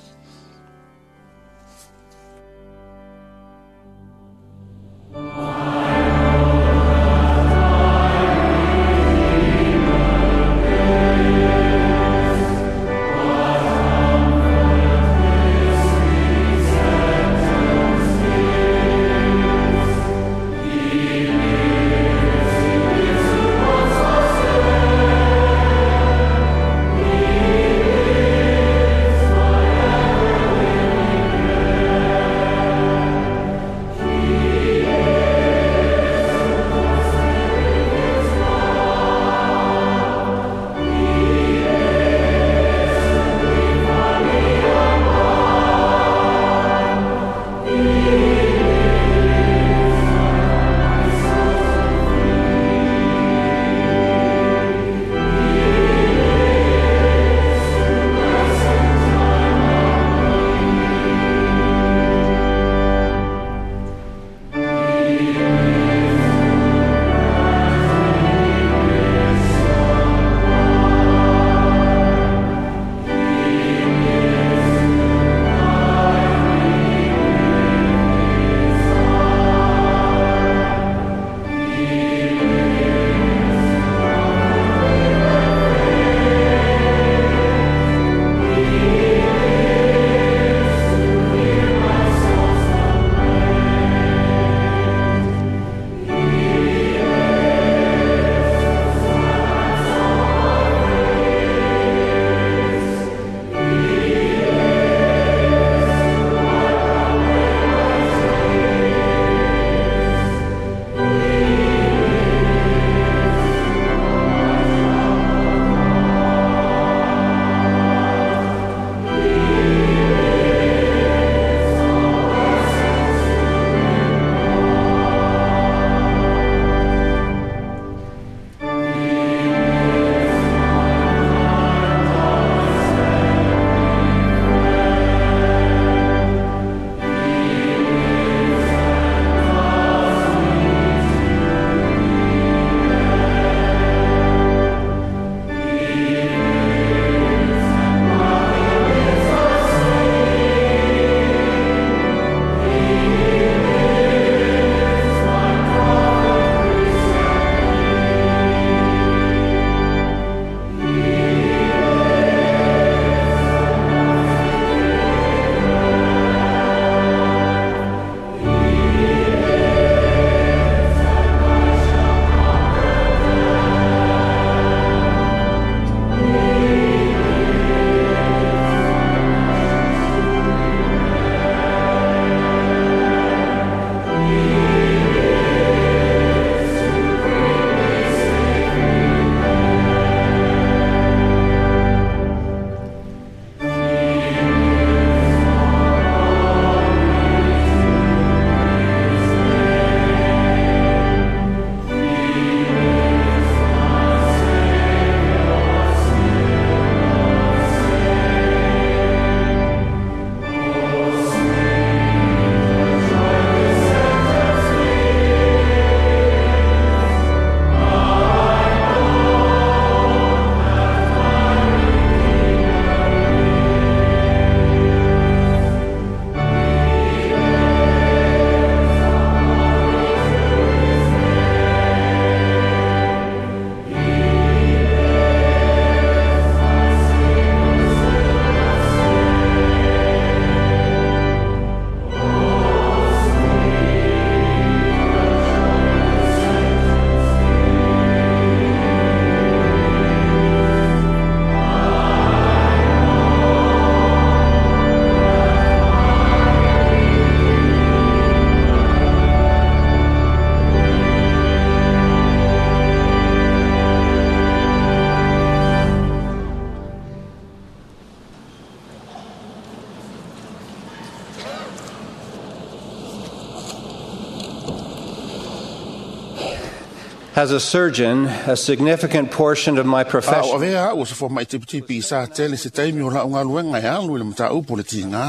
As a surgeon, a significant portion of my A o profession avea au o se fomai tipitipi i sa tele se taimi o lau galuega e alu i le mataupu o le tigā.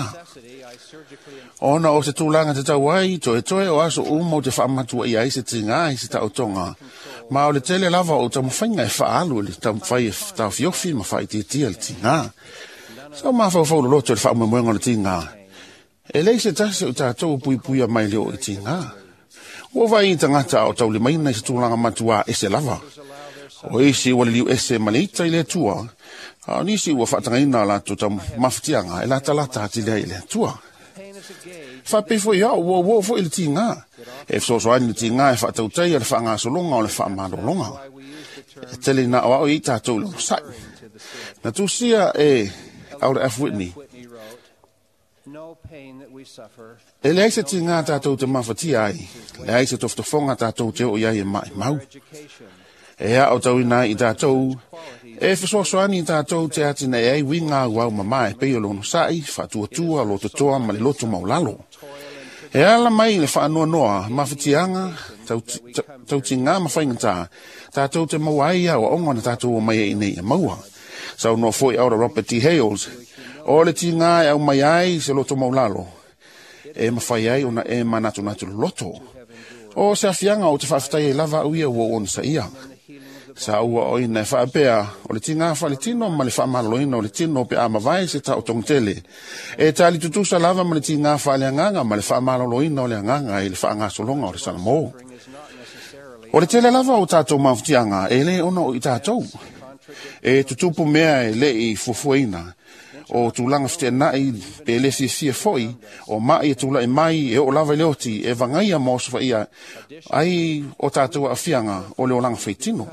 Ona o se tulaga tatau ai, toetoe o aso uma ou te faamatuaia ai se tigā i se taotoga, ma o le tele lava o taumafaiga e faaalu i le taumafai e taofiofi ma faaitiitia le tigā. Sa mafaufau loloto i le faamoemoega o le tigā. E leai se tasi o i tatou o puipuia mai le oo i tigā. Ua vaai i tagata a o taulimaina i se tulaga matuā ese lava. O isi ua liliu ese ma le ita i le Atua, a o nisi ua faatagaina a latou taumafatiaga e latalata atili ai i le Atua. Faapei foi au, ua uo foi le tigā. E fesoasoani le tigā e faatautaia le faagasologa o le faamalologa. E tele ina aoao i ai tatou i le onosai. Na tusia e Elder F. Whitney, E leai se tigā tatou te mafatia ai, leai se tofotofoga tatou te oo i ai e maʻimau. E aotauina ai i tatou, e fesoasoani i tatou te atinae ai uiga auau mamā e pei o le onosai, faatuatua, lototoa ma le loto maualalo. E ala mai i le faanoanoa, mafatiaga, tautigā ma faigata, tatou te maua ai aoaoga na tatou omai ai iinei ia maua. Saunoa foi Elder Robert D. Hales, o le tigā e aumai ai se loto maualalo, e mafai ai ona e manatunatu loloto. O se aafiaga ou te faafetai ai lava au ia ua ou onosaia. Sa ou aoaoina e faapea, o le tigā faaletino ma le faamaloloina o le tino pe a mavae se taotoga tele, e tali tutusa lava ma le tigā faaleagaga ma le faamaloloina o le agaga i le faagasologa o le Salamo. O le tele lava o tatou mafatiaga e le ona o i tatou. E tutupu mea e le i fuafuaina, o tulaga feteenai pe le fiafia foi, o maʻi e tulaʻi mai e oo lava i le oti e vagaia ma osofaia ai o tatou aafiaga o le olaga faitino.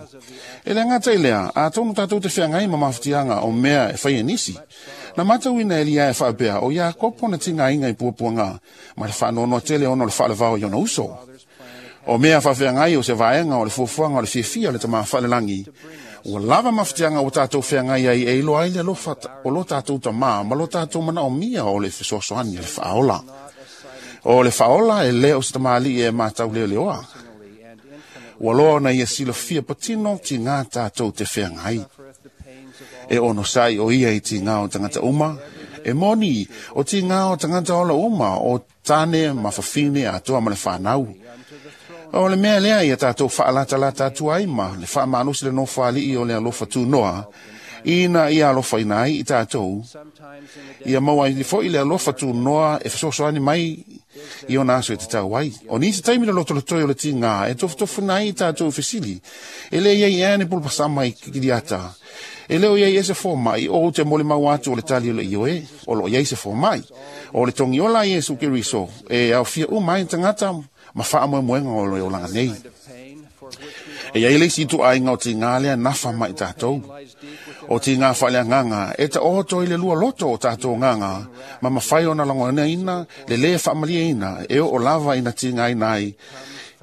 E le gata i lea, atonu tatou te feagai ma mafatiaga o mea e fai e nisi. Na matauina e Eliae faapea, o Iakopo na tigaina i puapuaga ma le faanoanoa tele ona o le faalevao i ona uso. O mea faafeagai o se vaega o le fuafuaga o le fiafia o le Tama Faalelagi, ua lava mafatiaga ua tatou feagai ai e iloa ai le alofa o lo tatou Tamā ma lo tatou manaomia o le fesoasoani a le Faaola. O le Faaola e le o se tamalii e matauleoleoa. Ua loa ona ia silafia patino tigā tatou te feagai. E onosai o ia i tigā o tagata uma, e moni o tigā o tagata ola uma o tane ma fafine atoa ma le fanau. O le mea lea ia tatou faalatalata atu ai ma le faamalosi le nofoalii o le alofa tunoa, ina ia alofaina ai i tatou, ia maua ai foi le alofa tunoa e fesoasoani mai i ona aso e tatau ai. O nisi taimi le lotolotoi o le tigā e tofutofuna ai i tatou fesili, e le iai ea ni pulupasama i Kiliata, e le o iai ea se fomai, o ou te molimau atu o le tali o le ioe, o loo iai se fomai. O le togiola a Iesu Keriso e aofia uma ai tagata ma faamoemoega o le olaga nei. E iai le isi ituaiga o tigā lea nafa ma i tatou. O tigā faaleagaga e taoto i le lua loto o tatou agaga ma mafai ona lagonaina le lē faamalieina e oo lava ina tigaina ai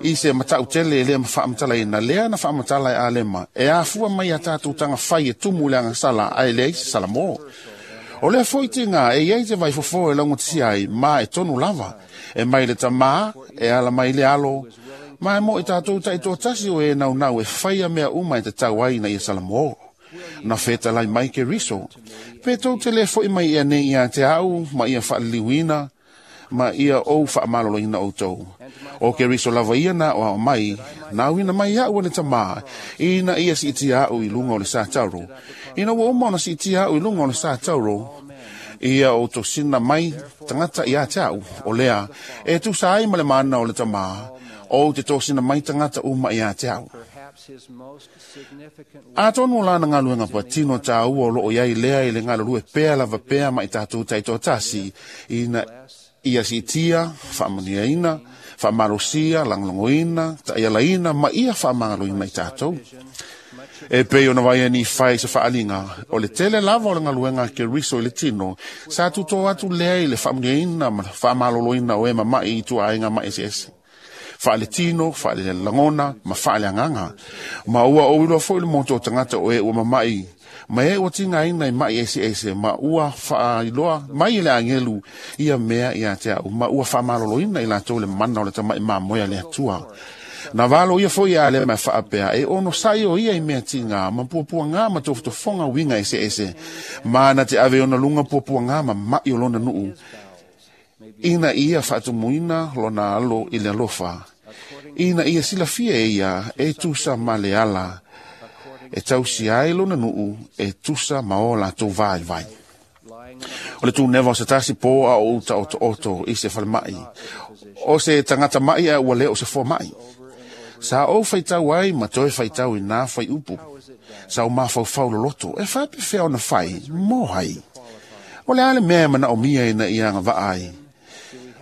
i se matautele e le faamatalaina lea na faamatala e Alema e afua mai a tatou tagafai e tumu i le agasala ae leai se Salamo. O lea foi tigā e iai se vaifofo e laugatisia ai ma e tonu lava, e mai le Tamā, e ala mai le Alo, ma e mo i tatou taitoatasi o e naunau e faia mea uma e tatau ai ina ia Salamo. Na fetalai mai Keriso, pe tou te le foi mai ea nei ia te au, ma ia faaliliuina, ma ia ou faamaloloina outou. O Keriso lava ia na aoao mai, na auina mai iaʻu e le Tamā, ina ia siitia aʻu i luga o le satauro. Ina ua uma ona siitia aʻu i luga o le satauro, ia ou tosina mai tagata ia te au, o lea, e tusa ai ma le mana o le Tamā, ou te tosina mai tagata uma ia te au. Atonu o lana galuega patino tāua o loo iai lea i le galulue pea lava pea ma i tatou taitoatasi, ina ia siitia, faamanuiaina, faamalosia, lagolagoina, taialaina ma ia faamagaloina i tatou. E pei ona vaai ai fai se faaliga, o le tele lava o le galuega a Keriso i le tino, sa tutō atu lea i le faamanuiaina ma le faamaloloina o e mamaʻi i ituaiga maeseese, faaletino, faalelagona ma faaleagaga. Ma ua ou iloa foi le moto o tagata o e ua mamaʻi, ma e ua tigaina i maʻi eseese, ma ua faailoa mai e le agelu ia mea ia te au, ma ua faamaloloina i latou le mana o le tamaʻi mamoe a le Atua. Na valo ia foi a le ma whaapea e ono sai o ia i mea tinga ma puapua ngā ma tofotofonga winga ese ese. Mana te ave ona lunga puapua ngā ma mai o lona nuu. Ina ia whaatumuina lona alo i le alofa. Ina ia silafia e ia e tusa ma le ala. E tausi ai lona nuu e tusa ma o latou vai vai. O le tūnewa o se tasi pō a o uta o to oto i se whalemai. O se tangata mai a ua leo se fō mai. Sa o whaitau ai ma toe whaitau i nā whai upu. Sa o mawhauwhau loloto e whape whea ona whai, mō hai. O le ale mea mana o mia ina i anga vaa ai.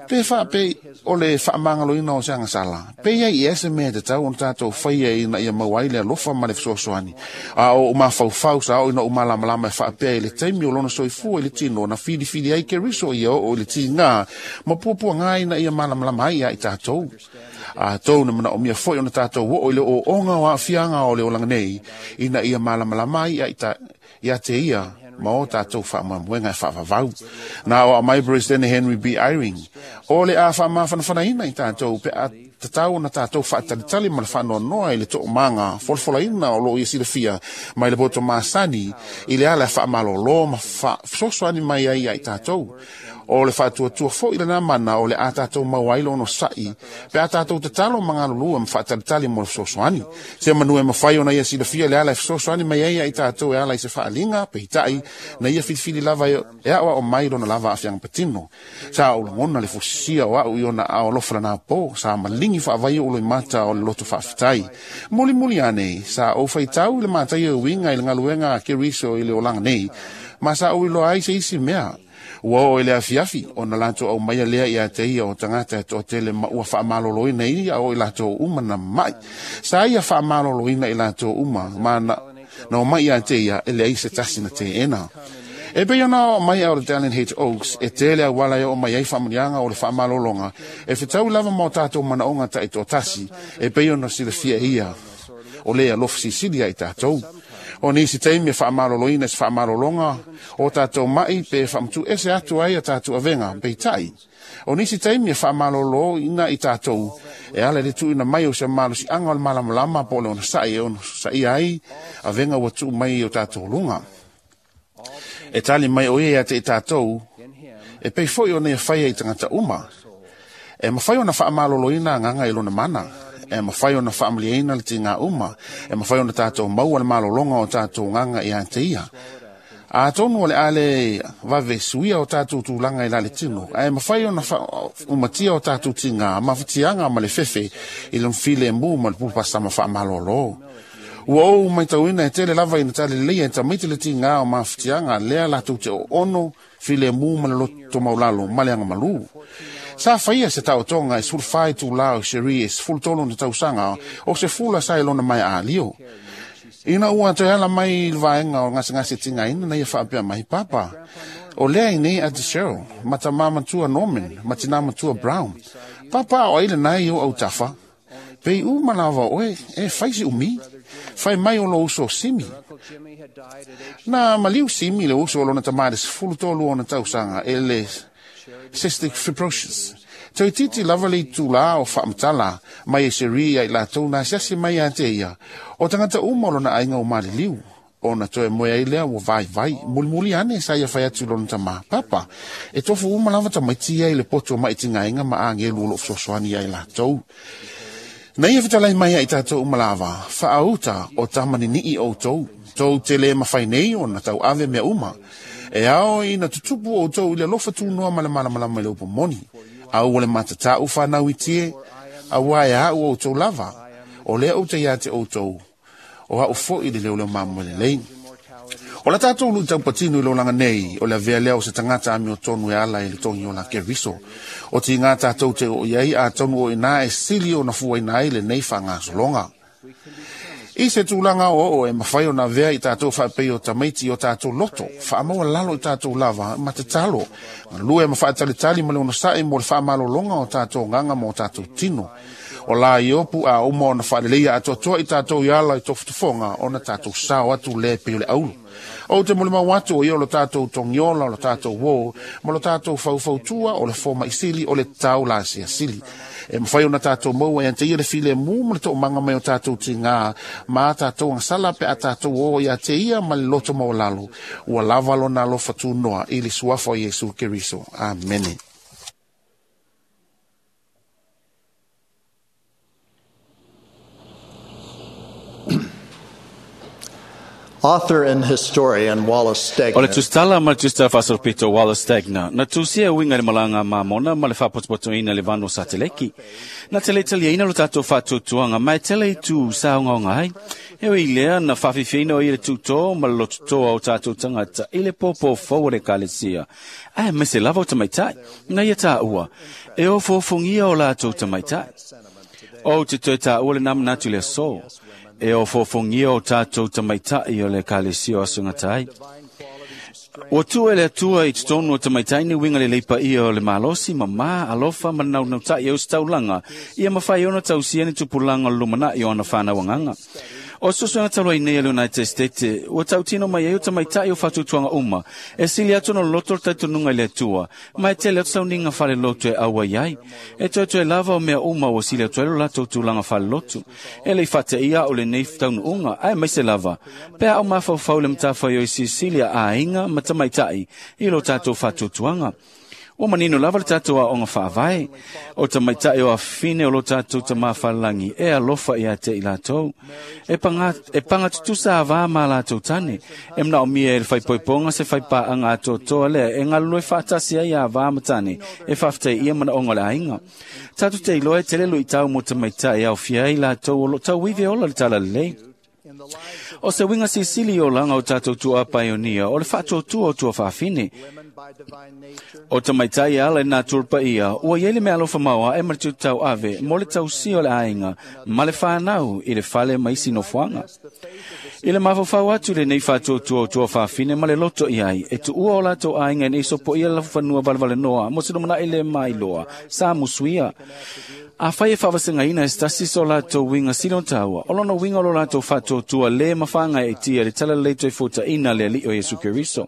Pe wha pe o le whaamangaloina o se anga sala. Pe ia i ese mea te tau on tātou whaia ina ia mauai le alofa ma le fesoasoani. A o mawhauwhau sa o ina o malamalama e whaapea i le taimi o lona soifua i le tino na whiriwhiri ai ke riso ia o i le tingā. Ma puapua ngā ina ia malamalama ai ia i tātou. A tau na mana o mia foi ona tātou o i le o onga o aafianga o le olanga nei ina ia malamalama ai ia, ia te ia ma o tātou whaamamuenga e whaavavau. Nā o a mai President Henry B. Eyring. O le a whaamawhanawhanaina i tātou pe a tatau na tātou whaatalitali ma le whaanoanoa i le to'omanga folafolaina o loo ia silafia mai le poto masani i le ala e whaamalolo ma whasosoani mai ai ia i tātou. O le whaatuatua fo i lana mana o le a tātou mau ai lono sa'i pe a tātou tatalo mangalulua ma whaatalitali mo le fesoasoani. Se manu e mawhai ona ia silafia le ala e fesoasoani mai ai ia i tātou e ala i se whaalinga pe hitai na ia filifili lava e ao o mai lona lava a whianga patino. Sa o langona le fusia o au i ona ao alofa lana pō sa malingi whaavai o loi mata o le loto whaafetai. Muli muli ane sa o whaitau i le mātai o winga i le ngaluenga a Keriso i le olanga nei ma sa o iloa ai se isi mea. Ua o ele afiafi o na lato au maia lea ia te ia o tangata e toatele ma ua whaamaloloina ia o i lato uma na mai. Sa ia whaamaloloina i lato uma ma na o mai ia te ia ele ai se tasi na te ena. E pei ona o mai au le Dallin H. Oaks e tele a wala e o mai ai whaamunianga o le whaamalolonga e whitau lava mō tātou manaonga ta i tōtasi e pei ona silafia ia o lea alofa sisili ai tātou. O nisi taimi e whaamaloloina se whaamalolonga o tātou mai pe whaamatu ese atu ai a tātou avenga peitai. O nisi taimi e whaamalolo ina i tātou e ala le tuina mai o se malosi anga o le malamalama po le ona sa'i e ona sa'i ai avenga ua tuu mai o tātou lunga. E tali mai o ia te i tātou e pei foi o nei whaia i tangata uma. E mawhai ona whaamaloloina nganga i lona mana. E mawhai ona whaamaliaina le te ngā uma. E mawhai ona tātou maua le malolonga o tātou nganga i a te ia. A tonu o le ale vave suia o tātou tūlanga i la le tino. E mawhai ona umatia o tātou tinga, mawhatianga ma le fefe i le mfile mbu ma le pupasa ma whaamalolo. Ua ou mai tauina e tele lava ina tale leia e tamaiti le tinga o mawhatianga lea latou te o ono file mbu ma le loto maulalo ma le anga malu. Sa whaia se tau tonga e sulfai tū lao seri e sfultolo na tausanga o se fula sa ilona mai a lio. Ina ua te ala mai il vaenga o ngase ngase tinga ina na ia whaapea mai papa. O lea i nei a te Cheryl, mata matua Norman, matina matua Brown. Papa o aile nai o au tafa. Pei u malawa oe, e whaisi umi. Whai mai o lo uso simi. Na maliu simi le uso o lona tamare sfultolo o na tausanga e le cystic fibrosis. Toi titi lava le tūlā o whaamatala mai e seri ai lātou nā siasi mai a te ia. O tangata uma lona ainga o mariliu. O na toe moe ai lea ua vai vai. Muli muli ane sa ia whai atu lona tama. Papa, e tofu uma lava tamaiti ai le poto mai tinga inga ma angelu o lo fesoasoani ai lātou. Na ia whitalai mai ai tātou uma lava. Whaauta o tamani nii o tau. Tau te le mawhai nei o na tau ave mea uma. E ao ina tutupu o tau i le alofa tūnoa ma le malamalama i le upo moni. Au o le matatau whanau i tie, au ai au o tau lava. O lea o te ia te o tau. O hau fo i le leo leo mamu le lei. O la tātou lu tau patinu i lolanga nei, o le avea leo se tangata ami o tonu e ala i le tongi o la keriso. O ti ngā tātou te o iai a tonu o ina e sili o na fua ina i le nei whangasolonga. I se tūlanga o o e mawhai o nā vea i tātou whaapei o tamaiti o tātou loto, whaamaua lalo i tātou lava, ma te talo. Lue ma whaatalitali ma le ona sa'i mo le whaamalolonga o tātou nganga mo tātou tino. O la iopu a uma ona faaleleia atoatoa i tatou i ala i tofotofoga ona tatou sao atu lē pei o le aulu. Ou te molimau atu o ia o lo tatou togiola, o lo tatou uō, ma lo tatou faufautua, o le fomaʻisili, o le tau lasiasili. E mafai ona tatou maua e ante ia le filemu ma le toomaga mai o tatou tigā ma a tatou agasala pe a tatou o ia te ia ma le loto maualalo. Ua lava lona alofa tunoa i le suafa o Iesu Keriso. Amene. Author and historian Wallace Stegner. O le tusitala ma le tusitala faasolopito Wallace Stegner, na tusia uiga i le malaga mamona ma le faapotopotoina le vano sateleki. Na tele taliaina lo tatou faatuatuaga ma e tele i tu saogaoga ai. E ui lea na faafifiaina o ia le tutō ma le lototoa o tatou tagata i le pōpō fou o le ekalesia. Ae aemaise lava o tamaitai, na ia taua, e ofoofogia o latou tamaitai. Ou te toe taua lenā manatu i le aso. E ofoofogia o tatou tamaitai o le ekalesia o aso gata ai. Ua tuu e le Atua i totonu o tamaitai ni uiga lelei paia o le malosi, mamā, alofa ma le naunautai e ositaulaga, ia mafai ona tausia ni tupulaga o le lumanai o ana fanau agaga. O susuega talu ai nei a le United States, ua tautino mai ai o tamaitai o faatuatuaga uma, e sili atu ona loloto le talitonuga i le Atua, ma e tele atu sauniga faalelotu e auai ai. E toetoe lava o mea uma ua sili atu ai lo latou tulaga faalelotu. E le i faateia au i lenei taunuuga, aemaise lava, pe a ou mafaufau i le matafaioi silisili a aiga ma tamaitai i lo tatou faatuatuaga. Ua manino lava le tatou aoga faavae, o tamaitai o afafine o lo tatou Tamā Falelagi e alofa ia te i latou. E paga, e paga tutusa avā ma latou tane. E manaomia e le faaipoipoga se faipaaga atoatoa lea e galulue faatasi ai avā ma tane e faafetai ia manaoga o le aiga. Tatou te iloa e tele luitau mo tamaitai e aofia ai latou o lo o tauivi e ola le talalelei. O se uiga silisili i olaga o tatou tuaa paionia o le faatuatua o tuafafine. O tamaitai e ala i nā tulu paia, ua i ai le meaalofa maoae ma le tutauave mo le tausia o le aiga ma le fanau i le fale ma isi nofoaga. I le mafaufau atu i lenei faatuatua o tuafafine ma le loto i ai, e tuua o latou aiga ina ia sopoia le lafufanua valevalenoa mo se lumanai le mailoa sa musuia. Afai e faavasegaina e se tasi so latou uiga sili ona taua, o lona uiga o lo latou faatuatua le mafagaeaetia i le talalelei toe fuataina a le Alii o Iesu Keriso.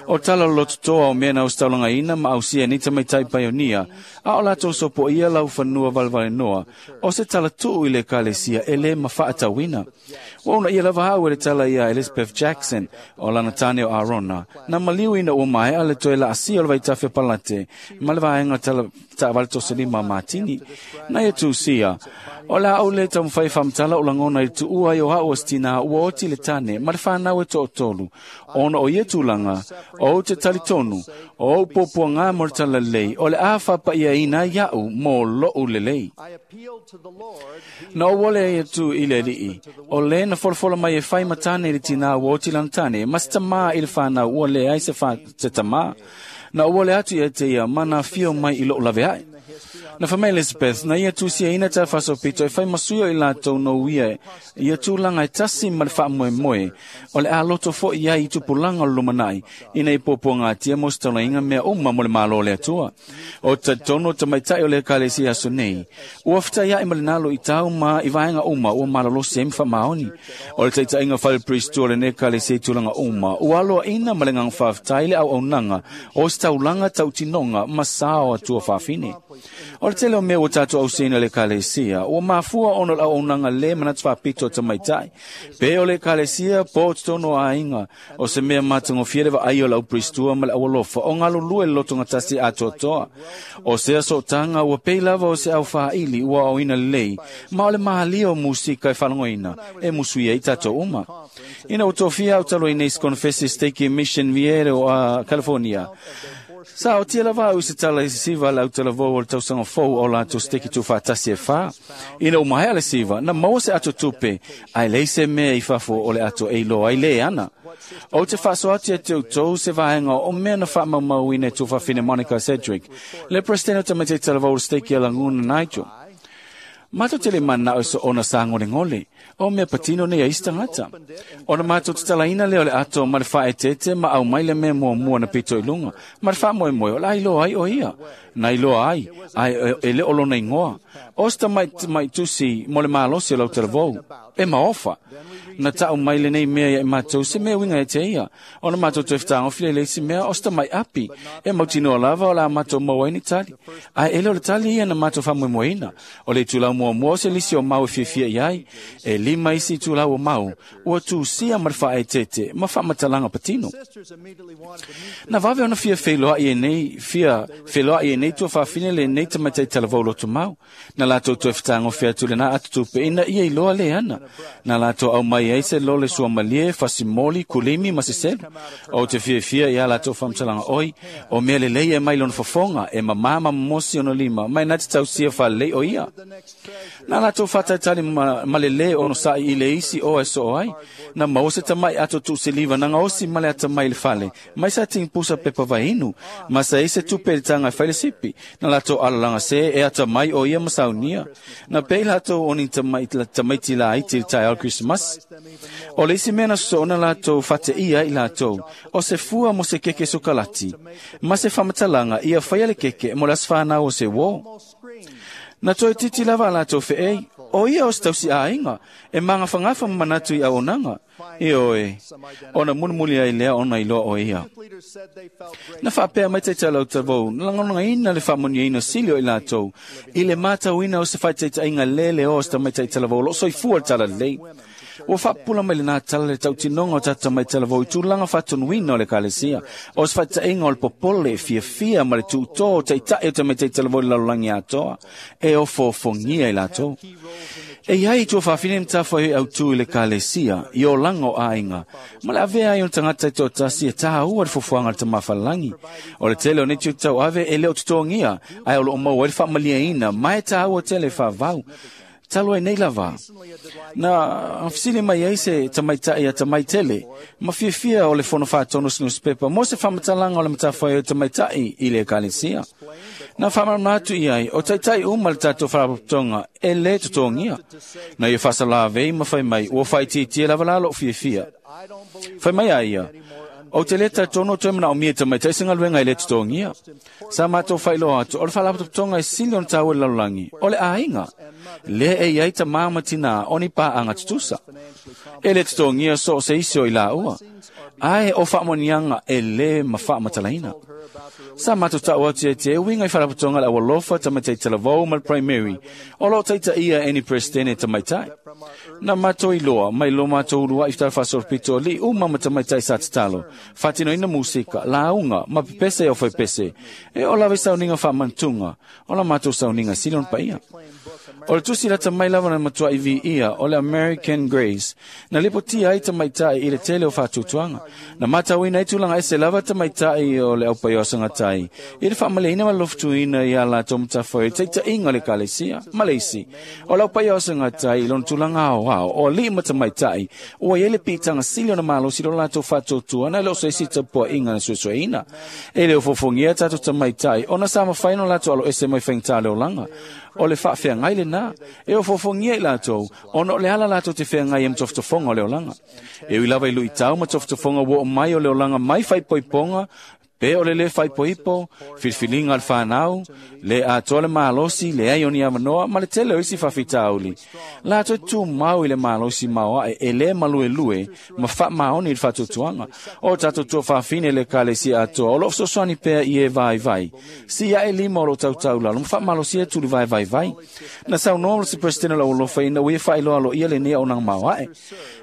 O tala lolototoa o mea na ositaulagaina ma ausia e nei tamaitai paionia, a o latou sopoia laufanua valevalenoa, o se tala tuu i le Ekalesia e le mafaatauina. Ua uunaia lava au e le tala ia Elizabeth Jackson, o lana tane o Arona, na maliu ina ua maea le toe laasia o le vaitafe palate ma le vaega tala taavale tosolima a Matini. Na ia tusia, o le a ou le taumafai e faamatala o lagona i le tuua ai o au o se tinā ua oti le tane ma le fanau e toatolu, ona o ia tulaga, ou te talitonu, o ou puapuagā mo le talalelei, o le a faapaiaina ai iaʻu mo loʻu lelei. Na ou ole ai atu i le Alii, o le na folafola mai e fai ma tane i le tinā ua oti lana tane, ma se tamā i le fanau ua leai se, fa, se tamā. Na ou ole atu ia te ia ma na afio mai i loʻu laveai. Na fai mai Elizabeth, na ia tusiaina tala faasolopito e fai ma sui o i latou no ia ia tulaga e tasi ma le faamoemoe o le a loto foi i ai i tupulaga o le lumanai ina ia puapuagatia mo se taulaiga mea uma mo le Malo o le Atua. O talitonu o tamaitai o le Ekalesia aso nei, ua fetaiaʻi ma le nalo i tau ma i vaega uma ua malolosi ai ma faamaoni. O le taitaiga fale-priest o lenei Ekalesia i tulaga uma, ua aloaina ma le agaga faafetai le auaunaga o se taulaga tautinoga ma sao a tuafafine. O le tele o mea ua tatou ausiaina i le Ekalesia, ua mafua ona o le auaunaga lē manatu faapito a tamaitai. Pe o le Ekalesia po o totonu o aiga, o se mea matagofie le vaai o le aupriestua ma le aualofa o galulue le lotogatasi atoatoa. O sea sootaga ua pei lava o se aufāili ua aoina lelei, ma o le mahalia o musika e faalogoina e musuia ai tatou uma. Ina ua tofia au talu ai nei se konofesi Stake Mission Viere o California, Sa otia lava au i se tala i se siva a le autalavou o le tausaga fou o latou steki tuufaatasi e fā. Ina ua maea le siva, na maua se ato tupe, ae leai se mea i fafo o le ato e iloa ai le ana. Ou te faasoa atu ia te outou se vaega o mea na faamaumauina e tuafafine Monica Sedgwick, le Peresetene o Tamaiti Talavou o le Steki a Laguna Nigel. Mātou te le mana o so ona sāgolegole, o mea patino nei a isi tagata. Ona mātou tatalaina lea o le ato ma le faaeteete ma aumai le mea muamua na pito i luga, ma le faamoemoe o le a iloa ai o ia. Na iloa ai, ae e le o lona igoa. O se tamaitusi mo le malosi o lau talavou, e maofa. Na ta'u mai lenei mea ia i matou se mea uiga e te ia. Ona matou toe fetagofi lea i le isi mea o se tamai api. E mautinoa lava o le a matou maua ai ni tali. Ae e le o le tali ia na matou faamoemoeina. O le itulau muamua o se lisi o mau e fiafia i ai. E 5 isi itulau o mau ua tusia ma le faaeteete ma faamatalaga patino. Na vave ona fia feiloai e nei, fia feloai e nei tuafafine lenei tamaitai talavou lotomau. Na latou toe fetagofi atu lenā atutupe ina ia iloa le ana. Na latou aumai ai se lole suamalie, fasimoli, kulimi ma se selu. O te fiafia ia latou faamatalaga oi, o mea lelei e mai lona fofoga, e mamā ma momosi ona lima, ma e na te tausia faalelei o ia. Na latou faatalitali ma le lē onosa'i i le isi oa e soo ai. Na maua se tama'i ato tuuseliva na gaosi ma le atamai i le fale, mai sa tigipusa pepa vainu, ma sa ai se tupe i le taga e fai le sipi. Na latou alalagasē e atamai o ia ma saunia. Na pei latou o ni tamaiti laiti i le taeao o le Krisimasi. O le isi mea na sosoona latou faateia ai i latou, o se fua mo se keke sokalati, ma se faamatalaga ia faia le keke mo le aso fanau o se uō. Na toe titi lava a latou fe'ei, o ia o se tausi'āiga, e magafagafa ma manatu i auaunaga. Ioe, ona mulimuli ai lea ona iloa o ia. Na faapea mai taitai o talavou, na lagonagaina le faamuniaina sili o i latou, i le matauina o se faataitaiga lē leoa o se tamaitai talavou o loo soifua le talalelei. Ua faapupula mai lenā tala le tautinoga o tatou tamaitai talavou i tulaga faatonuina o le ekalesia, o se faataitaiga o le popole, fiafia ma le tuutō o taitai o tamaitai talavou i le lalolagi atoa, e ofoofogia i latou. E iai i tuafafine matafaioi autū i le ekalesia, i olaga o aiga, ma le avea ai o le tagata i toatasi e tāua le fofoaga a le Tamafalelagi. O le tele o nei tiute tauave e le o totogia, ae o loo maua ai le faamaliaina ma e tāua tele faavau. Talu ai nei lava. Na fesili mai ai se tamaitai a tamaitele, ma fiafia o le fono faatonu o se nusipepa mo se faamatalaga o le matafaioi o tamaitai i le ekalesia. Na faamalamalama atu i ai, o taitai uma le tatou faalapotopotoga e lē totogia. Na ia faasalavei ma fai mai, ua faaitiitia lava la lou fiafia. Fai mai a ia, ou te lē talitonu o toe manaomia e tamaitai se galuega e lē totogia. Sa matou faailoa atu, o le faalapotopotoga e sili ona taua i le lalolagi, o le aiga. Lea e i ai tamā ma tinā o ni paaga tutusa. E lē totogia so o se isi o i laua. Ae o faamanuiaga e lē ma faamatalaina. Sa matou ta'u atu ia te uiga i faalapotopotoga le Aualofa, Tamaitai Talavou ma le Primary, o loo taitaia e ni Peresetene tamaitai. Na matou iloa mai lo matou ulua'i talafaasolopito ali'i uma ma tamaitai sa tatalo, faatinoina musika, lauga ma pepese e aufaipese, e oo lava i sauniga faamanatuga, o la matou sauniga sili ona paia. O le tusi lata mai lava na matua'i viia o le American Grace, na lipotia ai tamaitai i le tele o faatuatuaga. Na matauina ai tulaga ese lava tamaitai o le aupaio asagatai, i le faamaliaina ma le lofutuina ia latou matafaioi i le taitaiga o le ekalesia. Ma le isi, o le aupaio asagatai i lona tulaga aoao, o alii ma tamaitai, ua i ai le piitaga sili ona malosi lo latou faatuatua na e le o se isi tapua'iga na suesueina. E le o fofogia tatou tamaitai, ona sa mafai ona latou aloese mai faigata le olaga. O le faafeagai lenā, e ofoofogia i latou, ona o le ala latou te feagai ai ma tofotofoga o le olaga. E ui lava i luitau ma tofotofoga ua oo mai o le olaga mai faaipoipoga, pe o le lē faaipoipo, filifiliga a le fanau, le atoa le malosi, leai o ni avanoa, ma le tele o isi faafitauli. Latou te tumau i le malosi maoae e lē maluelue ma faamaoni i le faatuatuaga. O tatou tuafafine i le ekalesia atoa o loo fesoasoani pea i e vaivai. Si ae lima o loo tautaulalo ma faamalosia tulivae vaivai. Na saunoa se Peresetene o le Aualofa ina ua ia faailoa aloaia lenei auaunaga maoae.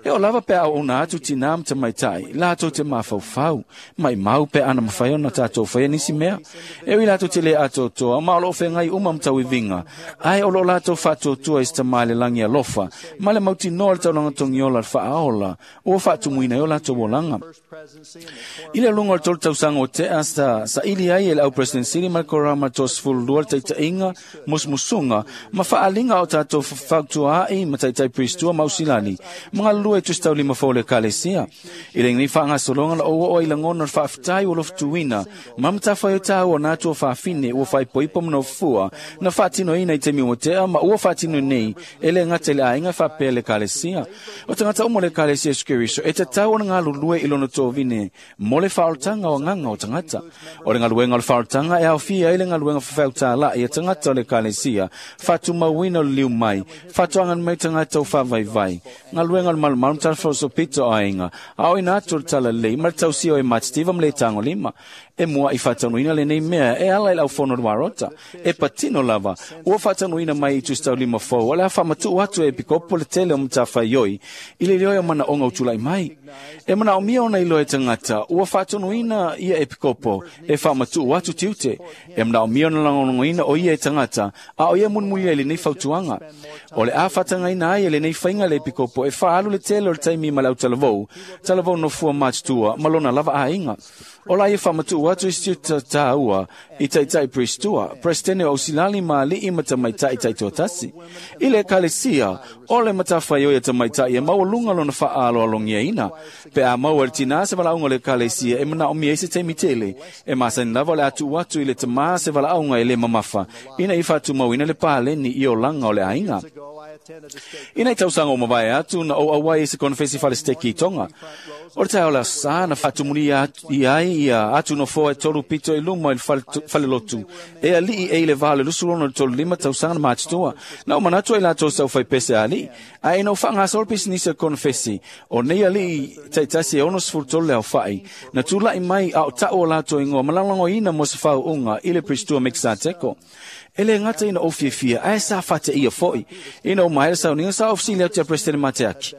E oo lava pe a auauna atu tinā ma tamaitai, latou te mafaufau, maimau pe ana mafai ona tatou faia nisi mea. E ui latou te lē atoatoa, ma o loo feagai uma ma tauiviga, ae o loo latou faatuatua i se tamā i le lagi alofa, ma le mautinoa le taulaga togiola le faaola, ua faatumuina ai o latou olaga. I le aluga o le 3 tausaga o tea sa saili ai e le au President Sili ma le Korama 32 le taitaiga, musumusuga, ma faaaliga o tatou fautuaai ma taitai Priestua ma Ausilani, ma galulue i tusitaulima fou o le ekalesia. I lenei faagasologa na ou oo ai lagona o le faafetai ua lofutuina faatuina ma matafaioi tāua na atua fafine ua faaipoipo ma nofua na faatinoina i taimi ua tea ma ua faatino nei e lē gata i le aiga faapea le ekalesia. O tagata uma o le ekalesia Iesu Keriso e tatau ona galulue i lona tovine mo le faaolataga o agaga o tagata. O le galuega o le faaolataga e aofia ai le galuega fafeautālaʻi a tagata o le ekalesia, faatumauina o le liu mai, faatoaga mai tagata o faavaivai, galuega o le malumalu ma talafalosopito o aiga, aoina atu o le talalelei ma le tausia o e matitiva ma le tagolima. E muaʻi faataunuina lenei mea e ala i le aufono o le Warota. E patino lava, ua faataunuina mai i tusitaulima fou o le a faamatuʻu atu e epikopo le tele o matafaioi i le iloe o manaʻoga o tulaʻi mai. E manaʻomia ona iloa e tagata ua faatonuina ia epikopo e faamatuʻu atu tiute. E manaʻomia ona lagolagoina o ia e tagata a o ia mulimulia i lenei fautuaga. O le a faatagaina ai e lenei faiga le epikopo e faaalu le tele o le taimi ma le autalavou, talavou nofua matutua ma lona lava aiga. O la ia faamatuʻu atu i se tiute tāua i taitai Priestua, Presidente o Ausilali ma aliʻi ma tamaitai taitoatasi. I le ekalesia, o le matafaioi a tamaitai e maualuga lona faaaloalogiaina. Pe a maua e le tinā se valaauga o le ekalesia e manaomia ai se taimi tele, e masani lava o le a tuu atu i le tamā se valaauga e lē mamafa ina ia faatumauina le paleni i olaga o le aiga. Ina i tausaga ua mavae atu na ou auai i se konofesi falesteki i Tonga. O le taeao le aso Sā na faatumulia i ai ia atu nofoa e tolu pito i luma i le falelotu e aliʻi e i le vā o le 25 tausaga na matutua. Na ou manatu ai latou sa aufaipese a aliʻi, ae ina ua faagasolo pisinisi a le konofesi, o nei aliʻi taitasi e 63 le aofaʻi na tulaʻi mai a o taʻu o latou igoa ma lagolagoina mo se faauuga i le Priestua Mekisateko. E lē gata ina ou fiafia, ae sa faateia foʻi. Ina ua maea le sauniga, sa ou fesili atu iā Peresetene Mateaki,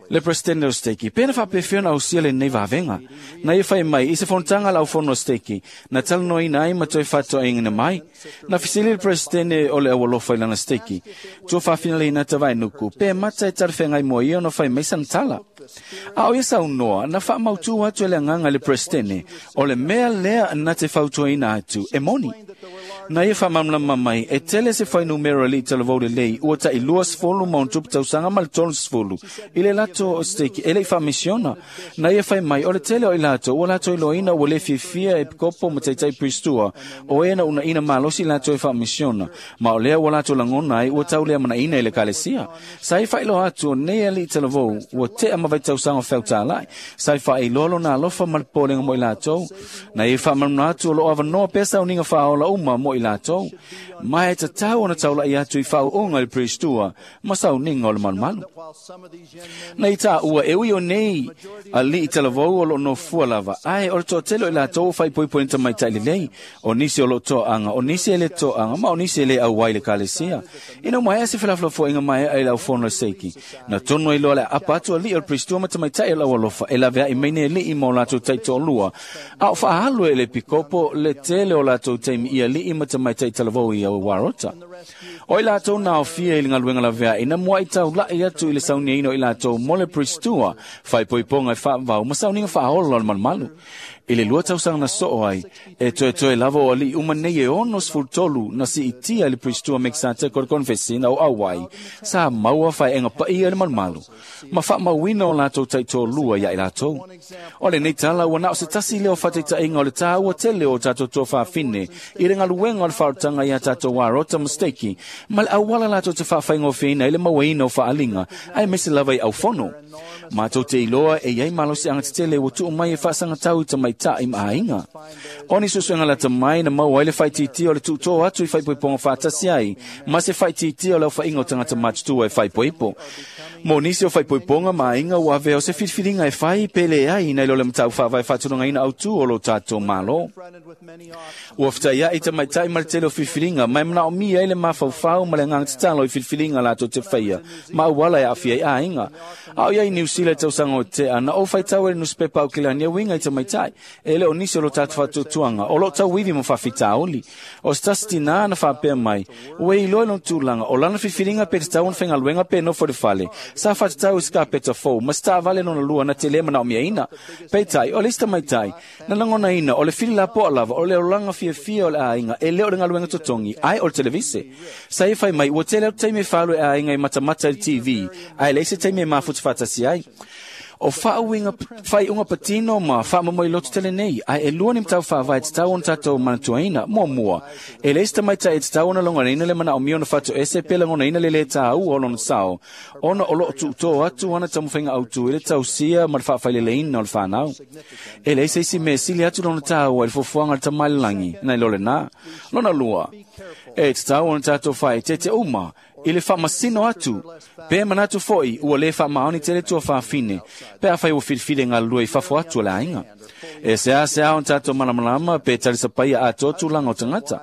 le Peresetene o Steki, pe na faapefea ona ausia lenei vavega. Na ia fai mai i se fonotaga a le aufono o Steki, na talanoaina ai ma toe faatoaigina mai. Na fesili le Peresetene o le Aualofa i lana Steki, tua faafinaleina Vaenuku, pe mata e talafeagai mo ia ona fai mai sana tala. A o ia saunoa, na faamautū atu e le agaga i le Peresetene, o le mea lea na te fautuaina atu, e moni. Na ia faamalamalama mai, e tele se fuainumera i talavou lelei ua taʻi 20 ma ona tupu tausaga ma le 30 i le latou steki e leʻi faamisiona. Na ia fai mai, o le tele o i latou ua latou iloaina ua lē fiafia e epikopo ma taitai Pristua o e na unaʻina malosi latou e faamisiona, ma o lea ua latou lagona ai ua tauleamanaʻina i le ekalesia. Sa ia faailoa atu o nei aliʻi talavou ua teʻa ma vaitausaga o feautālaʻi, sa i faailoa lona alofa ma le popolega mo i latou. Na ia faamalamalama atu o loo avanoa pea sauniga faaola uma mo i latou, ma e tatau ona taulaʻi atu i faauuga i le Priestua ma sauniga o le malumalu. Na i taua e ui o nei aliʻi talavou o loo nofua lava, ae o le toatele o i latou ua faaipoipoina tamaitai lelei, o nisi o loo toaga, o nisi e lē toaga, ma o nisi e lē auai i le ekalesia. Ina ua maea se felafolafoaiga maeaʻa i le aufono a le Seiki, na tonu ai loa le aapa atu aliʻi o le Priestua ma tamaitai o le aualofa e laveaʻi mai nei aliʻi ma o latou taitoalua, a o faaalu e le epikopo le tele o latou taimi i aliʻi ma tamaitai talavou i Warota. O i latou na aofia i le galuega laveaʻi na muaʻi taulaʻi atu i le sauniaina o i latou mo le Priestua, faaipoipoga e faavavau ma sauniga faaola o le malumalu. I le 2 tausaga na soo ai, e toetoe lava o aliʻi uma nei e 63 na siitia i le Priestua Mekisateko o le konofesi na o auai, sa maua faeʻega paia i le malumalu, ma faamauina o latou taitoalua iā i latou. O lenei tala ua na o se tasi lea o faataitaʻiga o le tāua tele o tatou tuafafine i le galuega o le faaolataga iā tatou Warota ma Steki, ma le auala latou te faafaigofieina ai le mauaina o faaaliga, aemaise lava i aufono. Matou te iloa e iai malosiaga tetele ua tuu mai e faasagatau i tamaitaʻi ma aiga. O ni suesuega lata mai na maua ai le faaitiitia o le tuutō atu i faaipoipoga faatasi ai ma se faaitiitia o le aofaʻiga o tagata matutua e faaipoipo. Mo nisi o faaipoipoga ma aiga ua avea o se filifiliga e fai pe leai nai lo le mataupu faavae faatulagaina autū o lo tatou Malo. Ua fetaiaʻi tamaitai ma le tele o filifiliga ma e manaʻomia ai le mafaufau ma le agaga tatalo i filifiliga latou te faia ma auala e aafia ai aiga. A o iai Niu Sila i tausaga o tea, na ou faitau e le nusipepa Aukilani e uiga i tamaitai, e le o nisi o lo tatou faatuatuaga, o loo tauivi ma faafitauli. O se tasi tinā na faapea mai, ua e iloa i lona tulaga, o lana filifiliga pe tatau ona faigaluega pe nofo i le fale, sa faatatau i se kapeta fou ma se taavale lona lua na te lē manaomiaina. Peitai, o le isi tamaitai, na lagonaina o le fili lapoa lava o le olaga fiafia o le aiga e le o le galuega totogi, ae o le televise. Sa ia fai mai, ua tele atu taimi e faalu e aiga e matamata i le TV, ae leai se taimi e mafuta faatasi ai. O faaiuga patino ma faamamoiloto tele nei, ae e lua ni mataupu faavae e tatau ona tatou manatuaina. Muamua, e leai se tamaitai e tatau ona logonaina le manaomia ona fatoese pe lagonaina le lē tāua o lona sao, ona o loo tuutō atu ana taumafaiga autū i le tausia ma le faafaileleina o le fanau. E leai se isi mea e sili atu lona tāua i le fuafuaga a le Tama i le lagi nai lo lenā. Lona lua, e tatau ona tatou faaeteete uma i le faamasino atu, pe manatu foi ua lē faamaoni tele tuafafine, pe afai ua filifili e galulue i fafo atu o le aiga. E seasea ona tatou malamalama pe talisapaia atoa tulaga o tagata.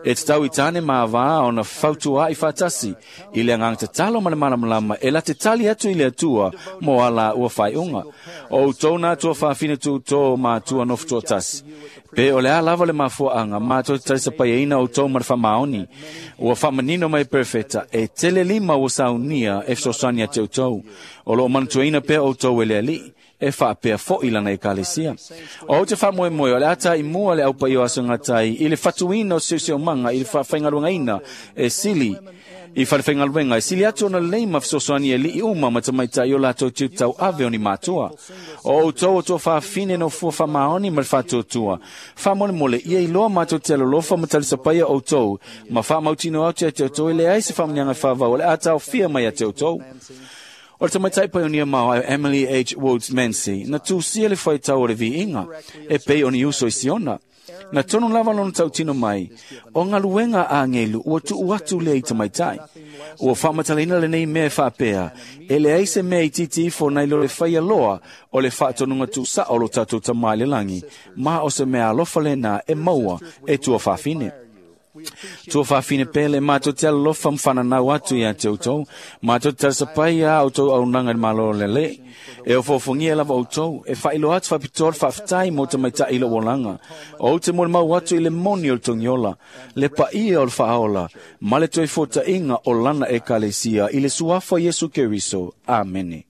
E tatau i tāne ma avā ona fautuaʻi faatasi i le agaga tatalo ma le malamalama e late tali atu i le Atua mo a laua faaiuga. O outou na tuafafine tutō matua nofo toatasi. Pe o le a lava le mafuaaga, matou te talisapaiaina outou ma le faamaoni. Ua faamanino mai e Perofeta, e tele lima ua saunia e fesoasoani ia te outou. O loo manatuaina pea outou e le Alii, e faapea foʻi lana ekalesia. O ou te faamoemoe o le a taimua le aupaia o aso gatai i le fatuina o seoseomaga i le faafaigaluegaina e sili i falefaigaluega e sili atu ona lelei ma fesoasoani e alii uma ma tamaitai o latou tiute tauave o ni matua. O outou o tuafafine nofua faamaoni ma le faatuatua. Faamolemole ia iloa matou te alolofa ma talisapaia outou ma faamautinoa atu ia te outou e leai se faamanuiaga e faavau o le a taofia mai ia te outou. O le tamaitai paionia maoae Emily H. Woods Mancy na tusia le faitau o le viiga e pei o ni uso i Siona. Na tonu lava lona tautino mai, o galuega a agelu ua tuu atu lea i tamaitai. Ua faamatalaina lenei mea e faapea, e leai se mea itiiti ifo nai lo le faia loa o le faatonuga tuusao o lo tatou Tama i le lagi, ma o se mea alofa lenā e maua e tuafafine. Tuafafine pele, matou te alolofa ma fananau atu ia te outou. Matou te talisapai a outou auaunaga i le Malo o le Alii. E ofoofogia lava outou, e faailoa atu faapitoa le faafetai mo tamaitai i lou olaga. Ou te molimau atu i le moni o le togiola, le paia o le faaola, ma le toe fuataiga o lana ekalesia i le suafa o Iesu Keriso. Amene.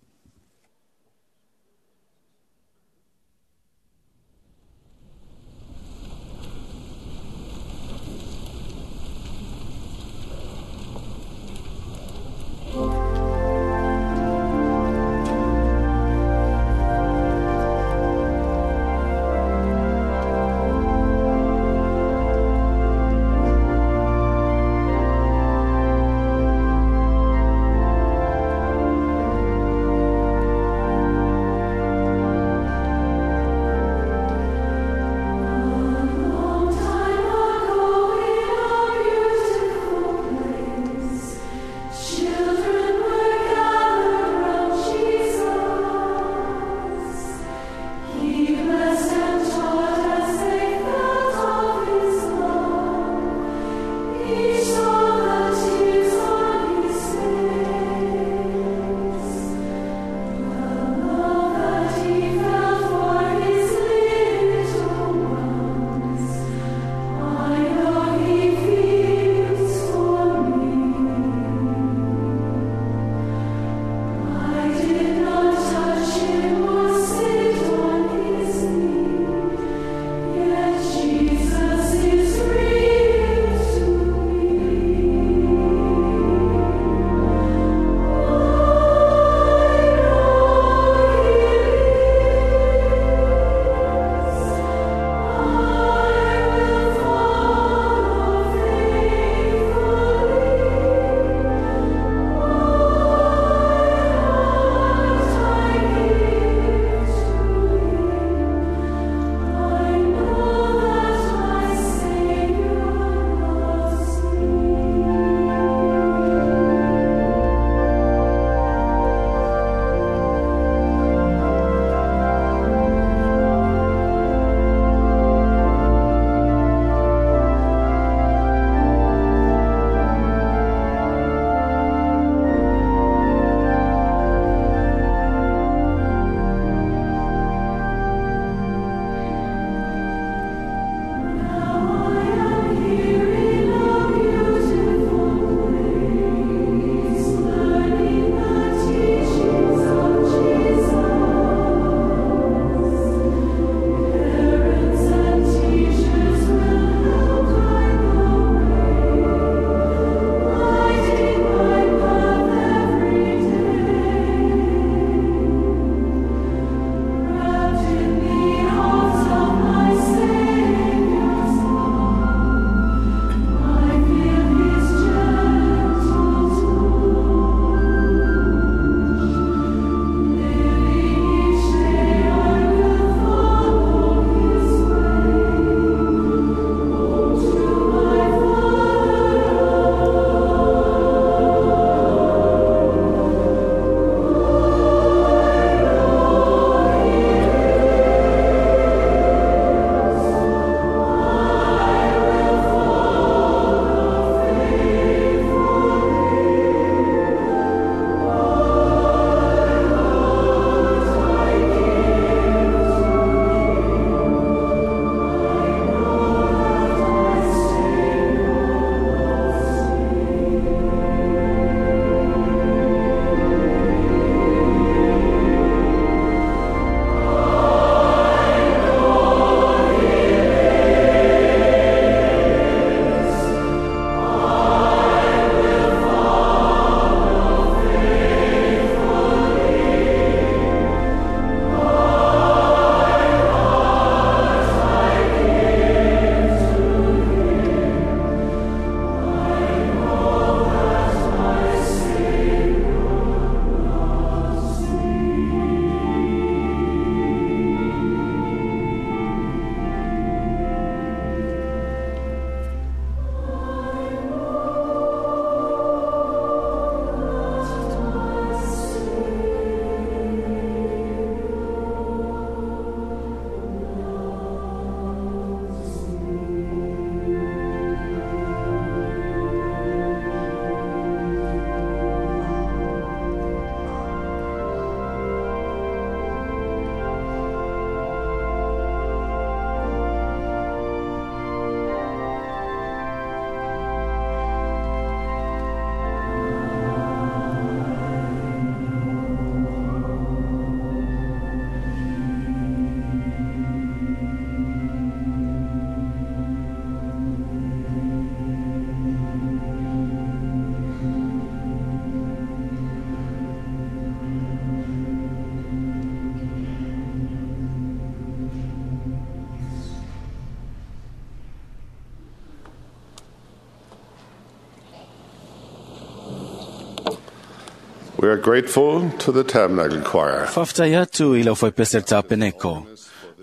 We are grateful to the Tabernacle Choir. Faafetai atu i lau faipese le tapeneko.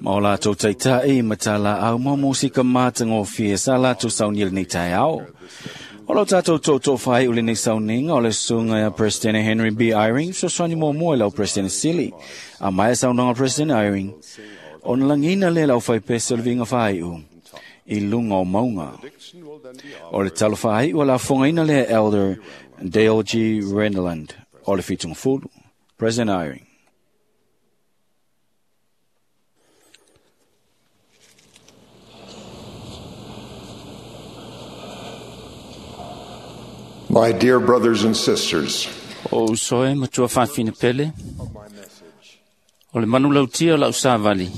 Ma o latou taita'i ma tā laau ma musika matagofie sa latou saunia lenei taeao. O lau tātou tootoo whai o lenei sauniga o le susuga ia President Henry B. Eyring, fesoasoani muamua i lau President Sili. A maea saunoaga President Eyring, ona lagiina lea lau faipese o le viiga faaiu i luga o mauga. O le talo faaiu a lafogaina lea Elder Dale G. Renlund o le Fitungafulu. President Eyring. My dear brothers and sisters, O uso e matua fa'afine pele, o le manulautia o la'u savali,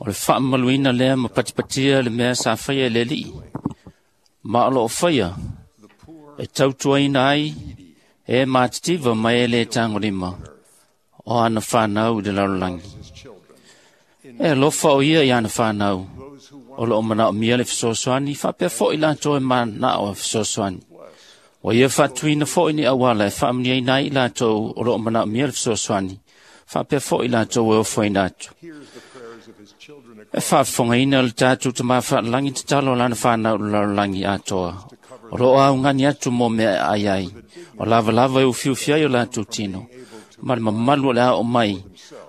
o le fa'amamaluina lea ma patipatia le mea sa faia e le Ali'i, ma o lo'o faia e tautuaina ai e matitiva ma e lē tagolima o ana fanau i le lalolagi. E alofa o ia i ana fanau, o lo'o mana'omia le fesoasoani faapea fo'i latou e mana'o e fesoasoani. Ua ia fa'atuina fo'i ni auala e fa'amanuiaina ai i latou o lo'o mana'omia le fesoasoani, faapea fo'i latou e ofoina atu. E faafofogaina le tatou Tamā fa'alagi tatalo o lana fanau i le lalolagi atoa, o lo'o augani atu mo mea e ai ai, o lavalava e ufiufi ai o latou tino, ma le mamalu o le a oo mai,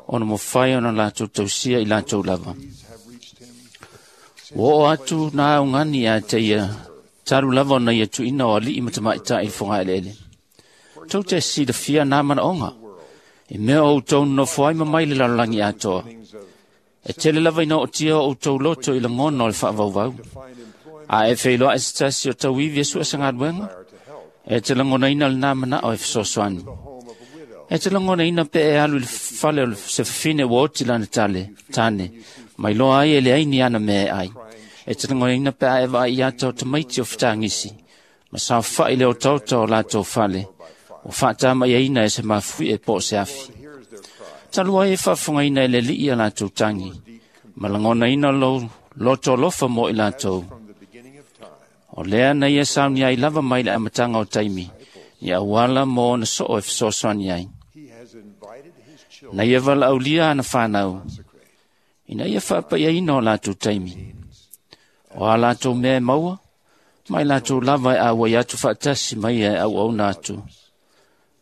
ona mafai ona latou tausia i latou lava. Ua oo atu na augani ia te ia, talu lava ona ia tuuina o ali'i ma tamaʻitaʻi i le fogaeleele. Tou te silafia na manaoga, i mea o outou nonofo ai ma mai le lalolagi atoa. E tele lava ina ootia o outou loto i lagona o le fa'avauvau. A e feiloa'i se tasi o tauivi e sua se galuega, e te lagonaina lenā mana'o e fesoasoani. E te lagonaina pe e alu i le fale o se fafine ua oti lana tale, tane, mai loa ai e leai ni ana mea e ai. E te lagonaina pe a e vaai i ata o tamaiti o fetagisi, ma saofa'i le otaota o latou fale, ua fa'atama'iaina e se mafui'e po o se afi. Talu ai e faafofogaina e le Ali'i a latou tagi, ma lagonaina lou loto alofa mo i latou. O lea na ia saunia ai lava mai le amataga o taimi, i auala mo ona so'o e fesoasoani ai. Na ia vala'aulia ana fanau, ina ia fa'apaiaina o latou taimi. O a latou mea e maua, ma i latou lava e auai atu fa'atasi ma ia e auauna atu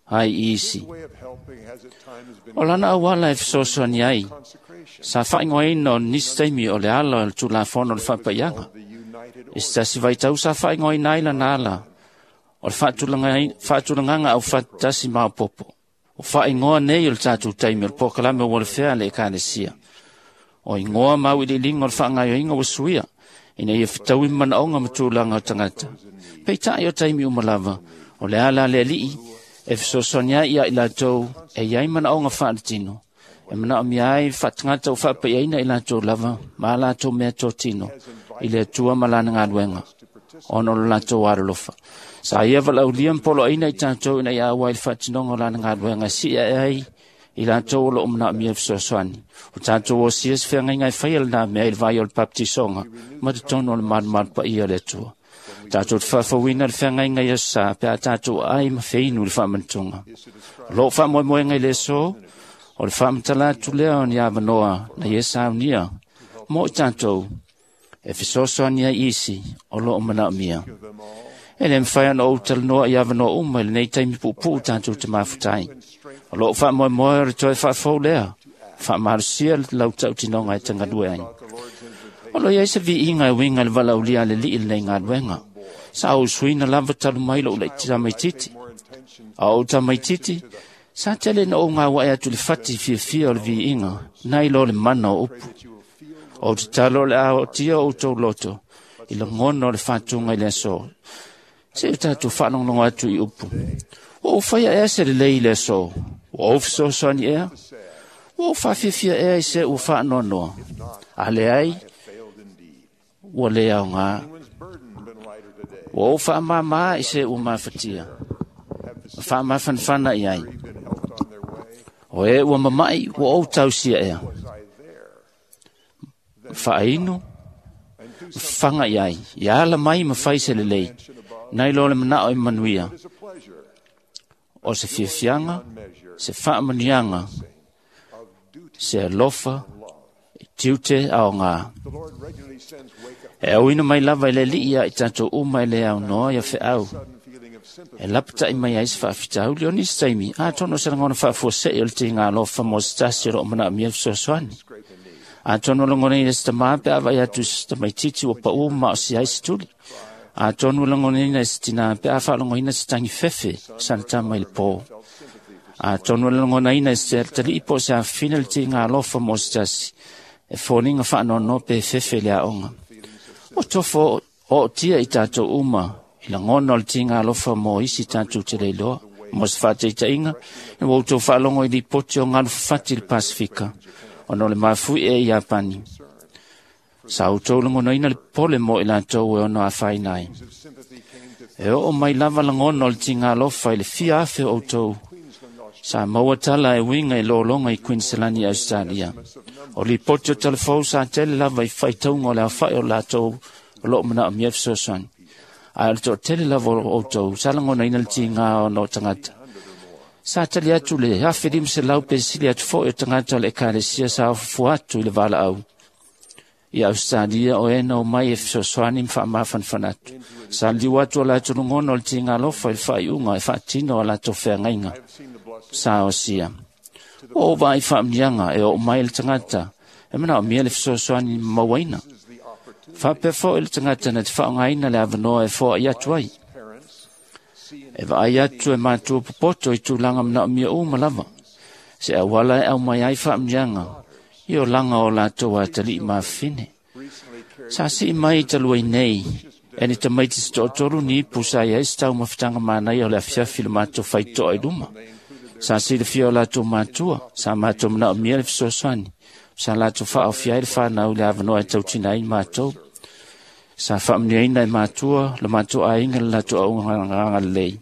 ai i isi. O lana auala e fesoasoani ai, sa fa'aigoaina o nisi taimi o le ala o le Tulafono o le fa'apaiaga. I se tasi vaitau sa fa'aigoaina ai lana ala o le fa'atulagaga aufatasi maopopo. O fa'aigoa nei o le tatou taimi o le polokalame o ualefea a le Ekalesia. O igoa ma au'ili'iliga o le fa'agaoioiga ua suia, ina ia fetaui ma manaoga ma tulaga o tagata. Peita'i o taimi uma lava, o le ala a le Ali'i e fesoasoani ai ia i latou e iai manaoga faaletino, e manaomia ai faatagata ua faapaiaina i latou lava ma a latou mea totino i le Atua ma lana galuega, ona o lo latou alolofa. Sa ia valaaulia ma poloaina i tatou ina ia auai i le faatinoga o lana galuega e si'i ae ai i latou o lo'o manaomia le fesoasoani. O tatou osia se feagaiga e faia lenā mea i le vai o le papatisoga ma totonu o le malumalu paia o le Atua. Tatou te faafouina le feagaiga i aso sa pe a tatou aai ma feinu i le faamanatuga. O loo faamoemoega i le aso, o le faamatala atu lea o ni avanoa na ia saunia mo i tatou e fesoasoani ai isi o loo manaomia. E lē mafai ona ou talanoa i avanoa uma i lenei taimi puupuu tatou te mafuta ai. O loo faamoemoe o le toe faafou lea, faamalosia le lautautinoga e tagalue ai. O lo iai se viiga e uiga i le valaaulia a le Ali'i i lenei galuega. Sa ou suina lava talu mai lo'u laʻi tamaititi. A ou tamaititi, sa tele na ou gauae atu i le fati fiafia o le viiga, nai lo le mana o upu. Ou tatalo o le a ootia outou loto i lagona o le fatuga i le aso. Se o tatou faalogologo atu i upu. Ua ou faia ea se lelei i le aso? Ua ou fesoasoani ea? Ua ou faafiafia ea i se ua faanoanoa? A leai, ua lē aogā. Ua ou faamāmā i se ua mafatia, ma faamafanafana i ai. O e ua mama'i, ua ou tausia ea. Ma faainu, ma faga i ai, ia ala mai ma fai se lelei, nai lo le mana'o e manuia. O se fiafiaga, se faamanuiaga, se alofa, e tiute aogā. E auina mai lava i le Alii ia i tatou uma e le aunoa ia feau. E lapata'i mai ai se faafitauli o nisi taimi, atonu o se lagona faafuase'i o le tiga alofa mo se tasi o loo manaomia le fesoasoani. Atonu o lagonaina se tamā pe a vaai atu i se tamaititi ua paʻu ma o si ai se tuli. Atonu o lagonaina se tinā pe a faalogoina se tagi fefe sana tama i le pō. Atonu o lagonaina se talii po o se afafine le tiga alofa mo se tasi, e foliga faanoanoa pe fefe i le aoga. O tofo ootia i tatou uma i lagona o le tiga alofa mo isi tatou te leiloa. Mo se faataitaiga, ina ua outou faalogo i lipoti o galu fafati i le Pasifika, ona o le mafui e i Iapani. Sa outou lagonaina le pole mo i latou e ono afaina ai. E oo mai lava lagona o le tiga alofa i le fia afe o outou sa maua tala e uiga i lologa i Queensland i Australia. O lipoti o talafou sa tele lava i faitauga o le aofa'i o latou o loo manaomia fesoasoani. Ae o le toatele lava o outou sa lagonaina le tigā ona o tagata. Sa tali atu le 1,500 pe sili atu fo'i o tagata o le ekalesia sa ofofua atu i le valaau i Australia o e na omai e fesoasoani ma faamafanafana atu. Sa liliu atu o latou lagona o le tiga alofa i le faaiuga e faatino a latou feagaiga sa osia. Ua ou vaai faamanuiaga e oo mai le tagata e manaomia le fesoasoani mauaina. Faapea fo'i le tagata na te faaaogaina le avanoa e foai atu ai. E vaai atu e matua popoto i tulaga manaomia uma lava. Se auala e aumai ai faamanuiaga i olaga o latou atalii ma afafine. Sa sii mai i taluai nei, e ni tamaiti se toatolu ni ipu sa i ai se taumafataga manaia o le afiafi i le matou faitoa i luma. Sa silafia o latou matua, sa matou manaomia le fesoasoani, sa latou faaofia ai le fanau i le avanoa e tautina ai matou. Sa faamanuiaina e matua le matou aiga le latou auaunaga lelei,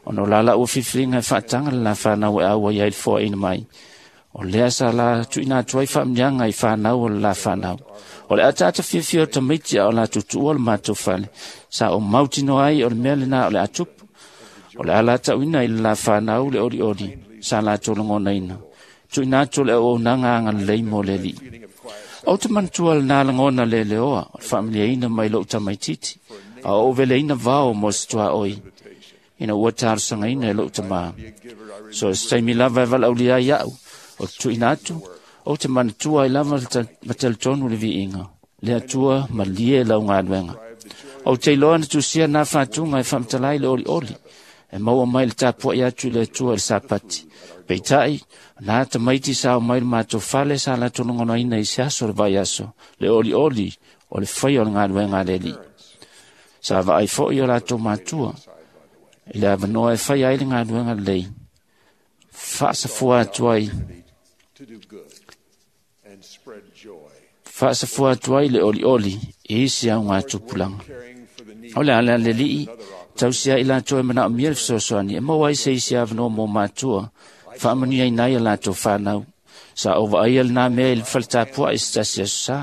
ona o la laua filifiliga e faataga le la fanau e auai ai le foaina mai. O lea sa la tuuina atu ai faamanuiaga i fanau o le la fanau. O le ataata fiafia o tamaiti a o latou tuua le matou fale, sa ou mautinoa ai o le mea lenā o le a tupu. O le a latauina i le la fanau le olioli sa latou lagonaina. Tuuina atu o le auaunaga agalelei mo le Alii. Ou te manatua lenā lagona leleoa o le faamaliaina mai lou tamaititi, a o ou veleina vao mo se tuaoi, ina ua talosagaina e lou tamā. So o se taimi lava e valaaulia ai au, o te tuuina atu, ou te manatua ai lava ma talitonu le viiga, le Atua malie lau galuega. Ou te iloa na tusia nā fatuga e faamatala ai le olioli, e maua mai le tapua'i atu i le Atua i le Sapati. Peitai, nā tamaiti sa o mai le matou fale sa latou lagonaina i se aso o le vaiaso, le olioli o le faia o le galuega a le Alii. Sa vaai fo'i o latou matua, i le avanoa e faia ai le galuega lelei, faasafua atu ai faasafua atu ai le olioli i isi augatupulaga. O le ala le Alii, tausia ai latou e manaomia le fesoasoani, e maua ai se isi avanoa mo matua, faamanuiaina ai a latou fanau. Sa ou vaaia lenā mea i le faletapua'i se tasi aso sa.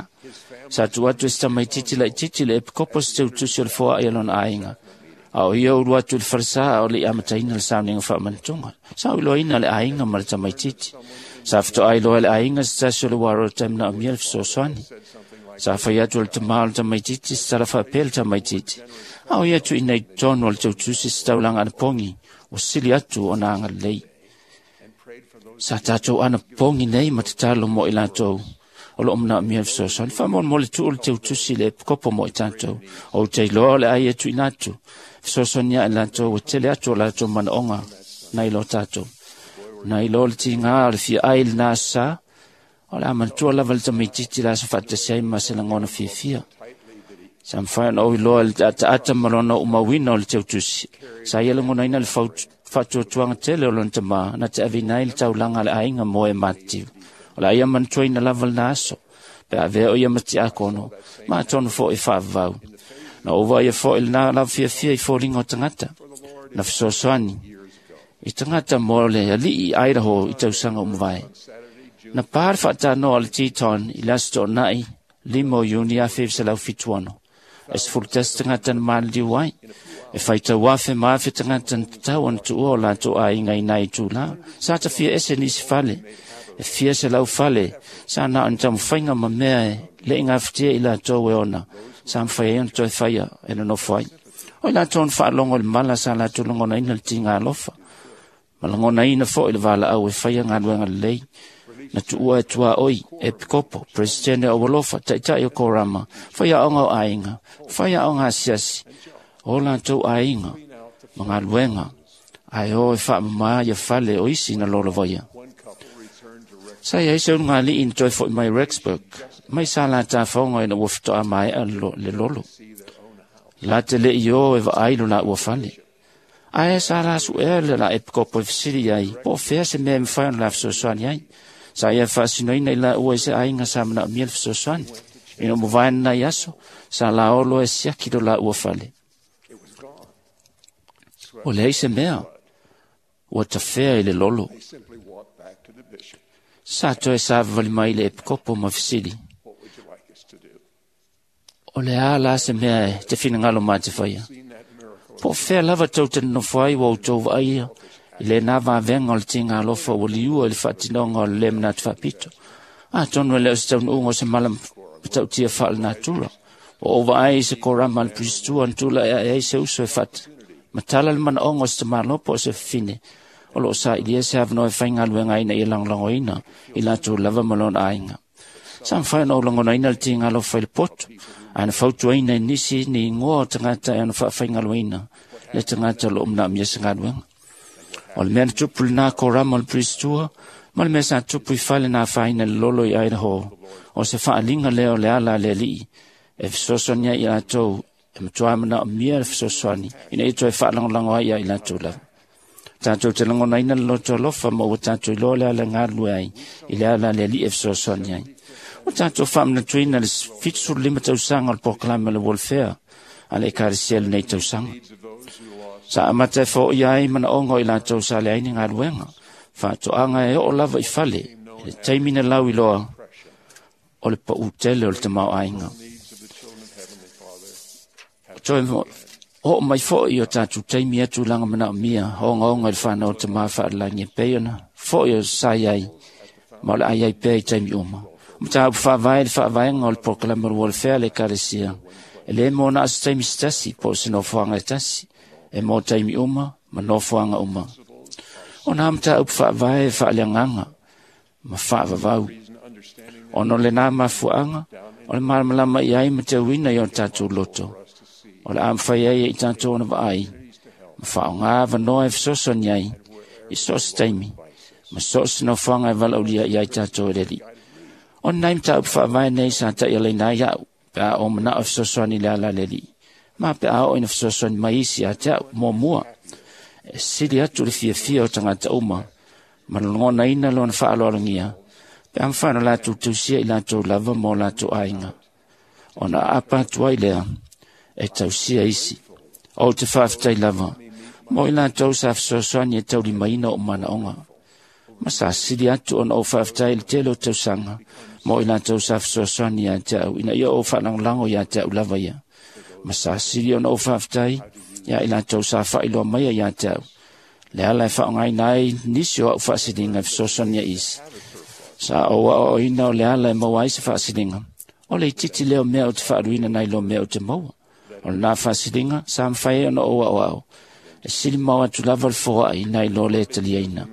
Sa tuu atu e se tamaititi laititi le epikopo se teutusi o le foa'i a lona aiga. A o ia ulu atu i le falesā a o le i amataina le sauniga faamanatuga. Sa iloaina le aiga ma le tamaititi. Sa fetoai loa e le aiga se tasi o le uarota e manaomia le fesoasoani. Sa fai atu e le tamā o le tamaititi se tala faapea le tamaititi. A o ia tuuina i totonu o le teutusi se taulaga anapogi, ua sili atu ona agalelei. Sa tatou anapogi nei ma tatalo mo i latou o loo manaomia le fesoasoani. Faamolemole tuu le teutusi i le epikopo mo i tatou. Ou te iloa o le ai e tuuina atu, fesoasoani ae latou ua tele atu o latou manaoga nai lo tatou. Nai lo le tigā o le fiaai i lenā aso sa, o le a manatua lava le tamaititi le aso faatasi ai ma se lagona fiafia. Sa mafai ona ou iloa i le ataata ma lona uumauina o le teutusi. Sa ia lagonaina le faatuatuaga tele o lona tamā na te aveina ai le taulaga a le aiga mo e matitiu. O le a ia manatuaina lava lenā aso, pe a avea o ia ma tiakono, ma atonu fo'i faavavau. Na ou vaaia fo'i lenā lava fiafia i foliga o tagata, na fesoasoani i tagata mo le alii i Idaho i tausaga ua mavae. Na pā le faatanoa a le Teton i le aso toonai 5 o Iuni 1976. E 11 tagata na maliliu ai. E faitau afe ma afe tagata na tatau ona tuua o latou aiga i nai itulā. Sa tafia ese nisi fale. E fia 100 fale. Sa na o ni taumafaiga ma mea e le'i gafatia i latou e ona. Sa mafai ai ona toe faia e nonofo ai. O i latou na faalogo i le mala sa latou lagonaina le tiga alofa. Ma lagonaina fo'i le valaau e faia galuega lelei. Na tuua e tuaoi, epikopo, presidente o alofa, ta'ita'i o korama, faiaoga o aiga, faiaoga asiasi, o latou aiga, ma galuega, ae o e faamamā ia fale o isi na lolovaia. Sa iai se ulugalii na toe fo'i mai Rexburg, mai sa latā faoga ina ua feto'a mae'a le lolo. La te le'i o e vaai lo laua fale. Ae sa la su'ea le la epikopo e fesili ai, po o fea se mea e mafai ona la fesoasoani ai. Sa ia faasinoina i laua i se aiga sa manaomia le fesoasoani. Ina ua mavae lenai aso, sa laolo e siaki lo laua fale. O leai se mea, ua tafea i le lolo. Sa toe savavali mai le epikopo ma fesili. O le a la se mea e te finagalo ma te faia. Po o fea lava tou te nonofo ai ua outou vaaia i lenā vavega o le tiga alofa ua liua i le faatinoga o le lē manatu faapito. Atonu e le o se taunuuga o se mala matautia faalenatura. Ua ou vaai i se korama a le Pusitua na tula'i ae ai se uso e fata. Matala le manaoga o se tamāloa po o se fafine o loo sailia se avanoa e faigaluega ai ina ia lagolagoina i latou lava ma lona aiga. Sa mafai ona ou lagonaina le tiga alofa i le poto, ae na fautuaina e nisi ni igoa o tagata e ona faafaigalueina le tagata o loo manaomia se galuega. O le mea na tupu lenā korama o le Pusitua, ma le mea sa tupu i fale na afaina le lolo i Idaho, o se faaliga lea o le ala a le Alii e fesoasoani ai i latou e matuā manaomia le fesoasoani ina ia toe faalagolago ai ia i latou lava. Tatou te lagonaina le loto alofa ma ua tatou iloa le ala e galulue ai i le ala a le Alii e fesoasoani ai. Ua tatou faamanatuina le 75 tausaga o le polokalame o le welfare a le Ekalesia i lenei tausaga. Sa amata e foia ai manaoga o i latou sa leai ni galuega, faatoaga e oo lava i fale i le taimi na lauiloa o le paū tele o le tamaoaiga. Toe oo mai fo'i o tatou taimi e tulaga manaomia ogaoga i le fanau o le tamā faalelagi e pei ona fo'i o sa i ai ma o le a iai pea i taimi uma. O mataupu faavae le faavaega o le polokalame o le welfare a le Ekalesia e lē mo na o se taimi se tasi po o se nofoaga e tasi, e mo taimi uma ma nofoaga uma. O nā mataupu faavae e faaleagaga ma faavavau. Ona o lenā mafuaaga, o le malamalama i ai ma teuina i o tatou loto. O le a mafai ai e i tatou ona vaai, ma faaaogā avanoa e fesoasoani ai i so o se taimi, ma so o se nofoaga e valaaulia i ai tatou e le Alii. O lenei mataupu faavae nei sa taialaina ai a'u, pe a ou manao e fesoasoani i le ala a le Alii, ma pe a oo ina fesoasoani mai isi ia te a'u muamua. E sili atu le fiafia o tagata uma, ma lagonaina lona faaaloalogia, pe a mafai ona latou tausia i latou lava ma o latou aiga. Ona aapa atu ai lea e tausia isi. Ou te faafetai lava mo i latou sa fesoasoani e taulimaina o'u manaoga. Ma sa sili atu ona ou faafetai i le tele o tausaga mo i latou sa fesoasoani ia te a'u ina ia ou faalagolago ia te a'u lava ia. Ma sa sili ona ou faafetai ia i latou sa faailoa maia ia te a'u le ala e faaaogaina ai nisi o a'u faasiliga e fesoasoani ai isi. Sa ou aoaoina o le ala e maua ai se faasiliga, o le itiiti lea o mea ou te faaluina nai lo mea ou te maua. O lenā faasiliga sa mafai ai ona ou aoao, e sili mau atu lava le foa'i nai lo le taliaina.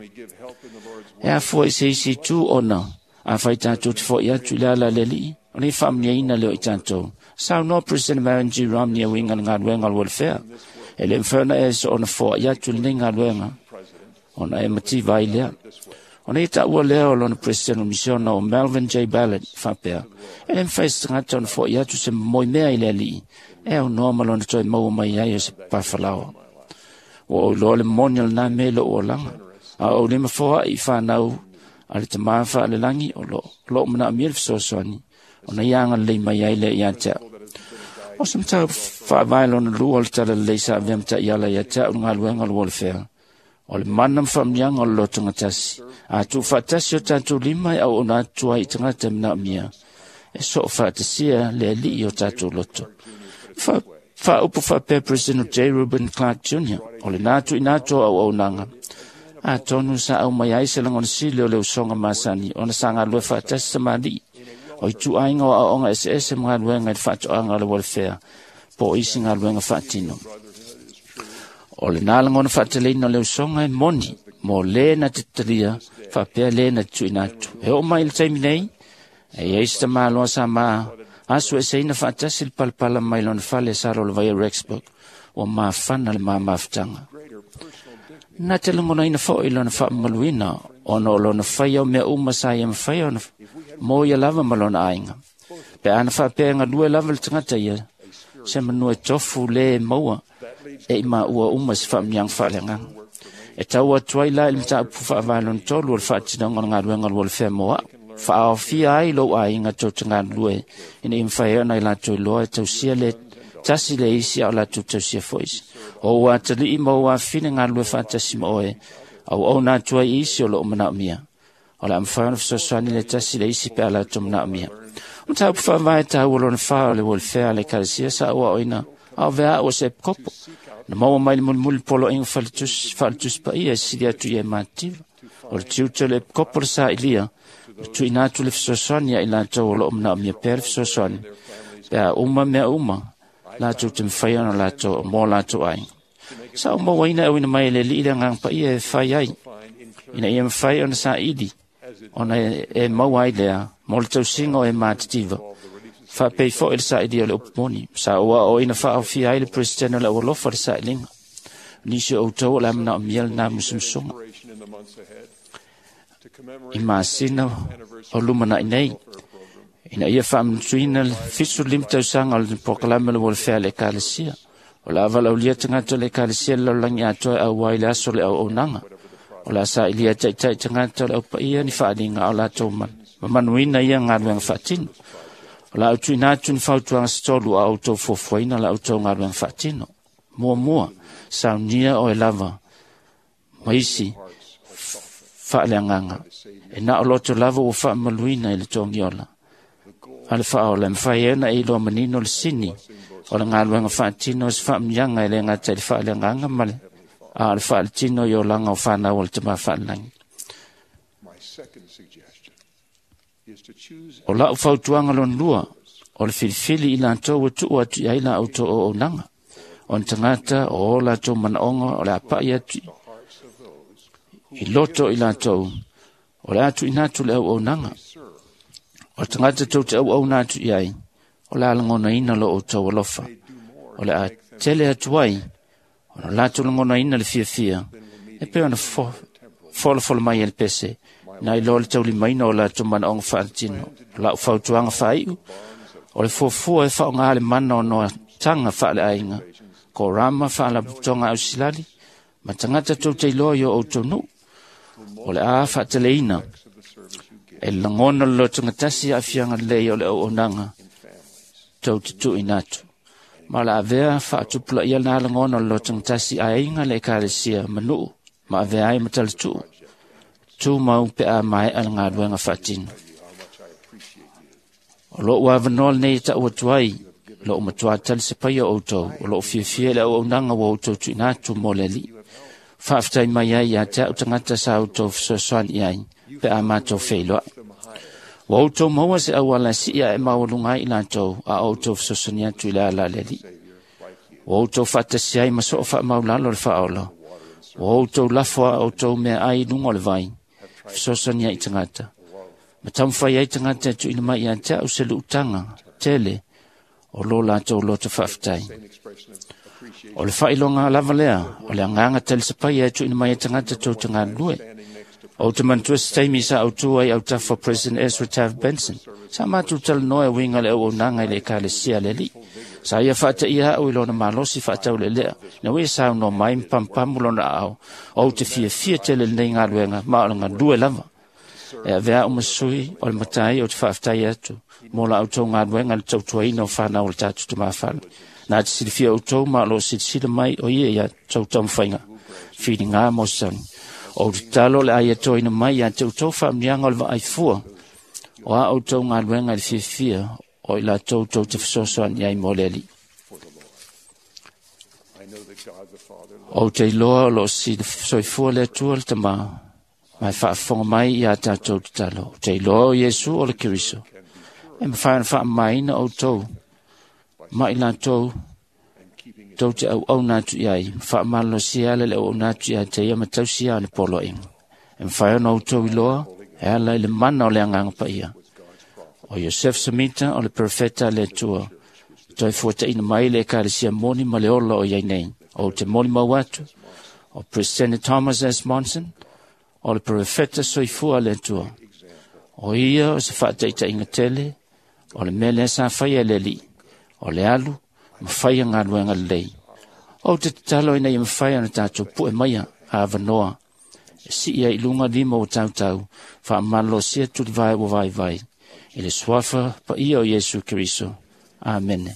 E afua i se isi itu ona, afai tatou te fo'i atu i le ala a le Alii, o le faamuniaina lea o i tatou. Saunoa President Marion G. Romney e uiga i le galuega o le welfare. E le mafai ona e soona foa'i atu i lenei galuega, ona e mativa ai lea. Ona ia taua lea o lona President o Misiona o Melvin J. Ballard faapea, e le mafai se tagata ona fo'i atu se momoi mea i le Alii, e aunoa ma lona toe maua mai ai o se papafalaoa. Ua ou iloa le moni o lenā mea i lo'u olaga, a o ou lima foa'i i fanau a le tamā faalelagi o loo manaomia le fesoasoani, ona ia agalelei mai ai lea ia te a'u. O se mataupu faavae lona lua o le talalelei sa avea ma taiala ia te a'u le galuega o le welfare. O le mana ma faamanuiaga o le lotogatasi. A tuufaatasi o tatou lima e auauna atu ai i tagata e manaomia, e soo faatasia le Alii o tatou loto. Fa'aupu fa'apea President J. Reuben Clark Jr. O lenā tu'uina atu o auaunaga atonu sa au mai ai se lagona sili o le usoga masani ona sa galue fa'atasi tamalii o itu'aiga o a'o'oga eseese ma galuega i le fa'ato'aga o le welfare po o isi galuega fa'atino. O lenā lagona fa'ateleina o le usoga e moni mo lē na te talia fa'apea lē na te tu'uina atu. E o'o mai i le taimi nei, e iai se tamāloa sa ma aso eseina fa'atasi le palapala mai lona fale sa lolovaia Rexburg ua mafana le mamafutaga. Na te lagonaina fo'i lona fa'amamaluina ona o lona faia o mea uma sa ia mafai ona mo ia lava ma lona aiga. Pe ana fa'apea e galue lava le tagata ia, se manua e tofu lē e maua e i maua uma se fa'amuiaga fa'aleagaga. E tau atu ai la i le mataupu fa'avae lona tolu o le fa'atinoga o le galuega o le welfare mo a'u. Fa'aofia ai lou aiga tou te galulue ina ia mafai ai ona i latou iloa e tausia le tasi le isi a o latou tausia fo'i isi. O ua atali'i ma ou afine galulue fa'atasi ma oe, auauna atu ai i isi o lo'o mana'omia. O le a mafai ona fesoasoani le tasi le isi pe a latou mana'omia. O mataupu fa'avae tāua lona fā o le welfare a le ekalesia sa ou a'oina a o vea a'u o se epikopo. Na maua mai le mulimuli poloaiga fa'aletusi paia e sili atu ia e mativa. O le tiute o le epikopo le sa'ilia, o tu'uina atu le fesoasoani ia i latou o lo'o mana'omia pea le fesoasoani, pe a uma mea uma, latou te mafai ona latou mo latou aiga. Sa ou mauaina e auina mai e le Alii le agaga paia e fai ai, ina ia mafai ona sa'ili, ona e maua ai lea mo le tausiga o e matitiva. Fa'apei fo'i le sa'ilia o le upu moni. Sa ou a'o'oina fa'aofia ai le Peresetene o le Aualofa le sa'iliga. Nisi o outou o le a mana'omia lenā musumusuga. I masina o lumana'i nei, ina ia fa'amanatuina le 75 tausaga o le polokalame o le welfare a le ekalesia. O le a valaulia tagata o le ekalesia i le lalolagi atoa e auai i le aso o le auaunaga. O le a sa'ilia e ta'ita'i tagata o le aupaia ni fa'aliga a o latou mamanuina ia galuega fa'atino. O la au tu'uina atu ni fautuaga se tolu a outou fuafuaina la outou galuega fa'atino. Muamua, saunia oe lava ma isi fa'aleagaga. E na o loto lava ua fa'amamaluina i le togiola a le fa'aola e mafai ai ona e iloa manino le sini o le galuega fa'atino o se fa'amuiaga e lē gata i le fa'aleagaga ma le a o le fa'aletino i olaga o fanau o le Tamā Fa'alelagi. O la'u fautuaga lona lua, o le filifili i latou ua tu'u atu i ai la outou auaunaga. O ni tagata o o latou mana'oga o le a pa'i atu i loto i latou, o le a tu'uina atu le auaunaga. O le tagata tou te auauna atu i ai, o le a lagonaina lo outou alofa. O le a tele atu ai, ona latou lagonaina le fiafia, e pei ona folafolo mai e le pese, na iloa le taulimaina o latou manaoga faaletino. O la'u fautuaga faai'u, o le fuafua e faaogā le mana o noataga faaleaiga, korama faalapotopotoga ausilali, ma tagata tou te iloa i o outou nu'u. O le a fa'ateleina e lagona le lotogatasi a'afiaga lelei o le auaunaga tou te tu'uina atu. Ma o le a avea fa'atupula'ia lenā lagona o le lotogatasi aiga le ekalesia ma nu'u ma avea ai ma talatu'u tumau pe a mae'a le galuega fa'atino. O lo'u avanoa lenei e ta'u atu ai lo'u matuā talisapaia o outou o lo'o fiafia i le auaunaga ua outou tu'uina atu mo le Alii. Fa'afetai mai ai ia te a'u tagata sa outou fesoasoani i ai pe a matou feiloa'i. Ua outou maua se auala e si'i a'e maualuga ai i latou a o outou fesoasoani atu i le ala a le Alii. Ua outou fa'atasi ai ma so'o fa'amaulalo le fa'aola. Ua outou lafo a outou meaai i luga o le vai, fesoasoani ai i tagata. Ma taumafai ai tagata e tu'uina mai ia te a'u se lu'utaga tele o lo latou loto fa'afetai. O le fa'ailoga lava lea, o le agaga talisapaia e tu'uina mai e tagata tou te galulue. Ou te manatua se taimi sa autū ai autafa o President Ezra Taft Benson. Sa matou talanoa e uiga le auaunaga i le ekalesia a le Alii. Sa ia fa'ataʻia a'u i lona malosi fa'ataulelea, ina ua ia saunoa mai ma pamupamu lona aao, ou te fiafia tele i lenei galuega ma o le galue lava. E avea a'u ma sui o le matai ou te fa'afetai atu mo la outou galuega i le tautuaina o fanau o le tatou tamāfale. Na te silafia outou ma o lo'o silasila mai o ia ia tou taumafaiga filigā mo se sauni. O te tatalo o le a ia toina mai ia te outou fa'amuiaga o le va'aifua o a outou galuega i le fiafia o i latou tou te fesoasoani ai mo le Alii. Ou te iloa o loo soifua le Atua le Tamā, ma e faafofoga mai iā tatou tatalo. Ou te iloa o Iesu o le Keriso, e mafai ona faamamaina outou ma i latou tou te auauna atu i ai, ma faamalolosia ala le auauna atu ia te ia ma tausia ana poloaiga. E mafai ona outou iloa e ala i le mana o le Agaga Paia. O Iosefo Semita o le perofeta a le Atua, toe fuataina mai le ekalesia moni ma le ola o iai nei. Ou te molimau atu, o President Thomas S. Monson, o le perofeta soifua a le Atua. O ia o se faataitaiga tele, o le mea lea sa faia e le Alii, o le alu ma faia galuega lelei. Ou te tatalo ina ia mafai ona tatou pue maia avanoa e sii ai i luga lima o tautau faamalolosia tulivae ua vaivai i le suafa paia o Iesu Keriso. Amene.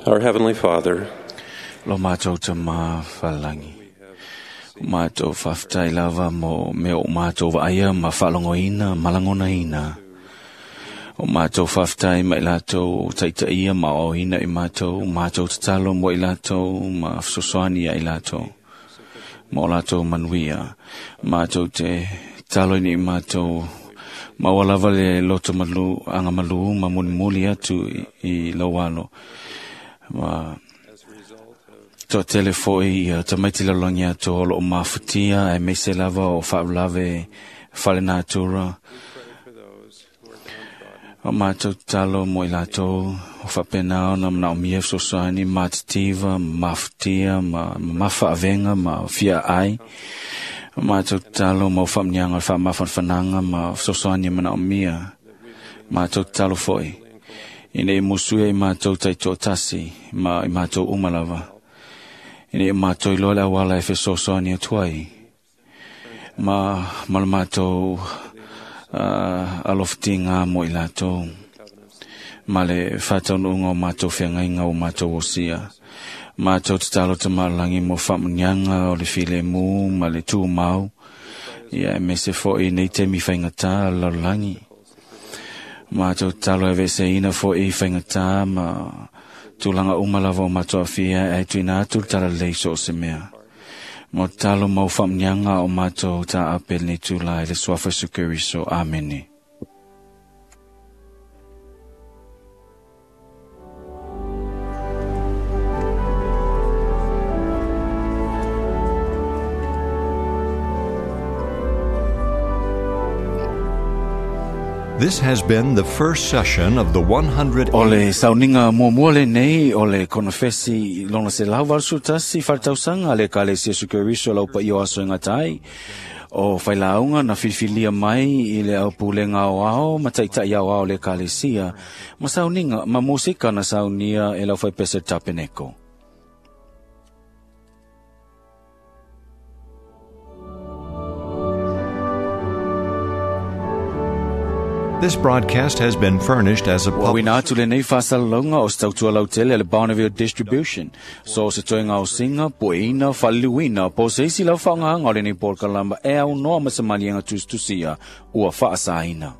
Our Heavenly Father, Lo mātou tama whalangi. Mātou whawhtai lava mo me o mātou waaia ma whalongoina, malangonaina. O mātou whawhtai mai lātou taitaia ma oina i mātou, mātou tatalo mo i lātou, ma fesoasoani i lātou. Ma o lātou manuia. Mātou te talo ni i mātou maua lava le loto malu, anga malu ma mulimuli atu i laualo. Ma toa tele foi ia tamaiti lalongi atu o loo mafutia e meise lava o whaulave whale natura. O mātou talo mo i lātou o whapena ona mana o mia fesoasoani mātitiva, mafutia, ma mawhaavenga, ma fia ai. O mātou talo mo whamnianga, whamawhanwhananga, ma fesoasoani mana o mia. Mātou talo foi. Ina i musuia i mātou taito tasi, ma i mātou umalava. Ina i mātou iloa le awala e fesoasoani atu ai. Ma ma le mātou alofatinga mo i lātou. Ma le whataunuunga o mātou whiangainga o mātou osia. Mātou tatalo te malangi mo whamunianga o le file mū ma le tūmau. Ia e mese foi nei te mi whaingata lalolagi. Mātou tatalo e veseina foi whaingata ma tūlanga umalava o mātou awhia e tuina atu le tala lei so o se mea. Mo talo mau whamunianga o mātou tā apel nei tūla e le suafa Sukeriso. Amene. This has been the first session of the 100. O le sauninga muamua lenei o le konofesi lona se lau valu tasi whaletausanga le Ekalesia Iesu Keriso lau paia o aso e gata ai. O failauga na filifilia mai i le aupulega aoao ma taitai aoao le Ekalesia ma sauninga ma musika na saunia e lau faipese tapeneko. This broadcast has been furnished as a Ua public uina atu lenei faasalalauga o se tautua lautele a le Bonneville Distribution. So o se toega o singa, pueina, faaliliuina, po o se isi lau faaaogāga o lenei polokalama e aunoa ma se maliega tusitusia ua faasaina.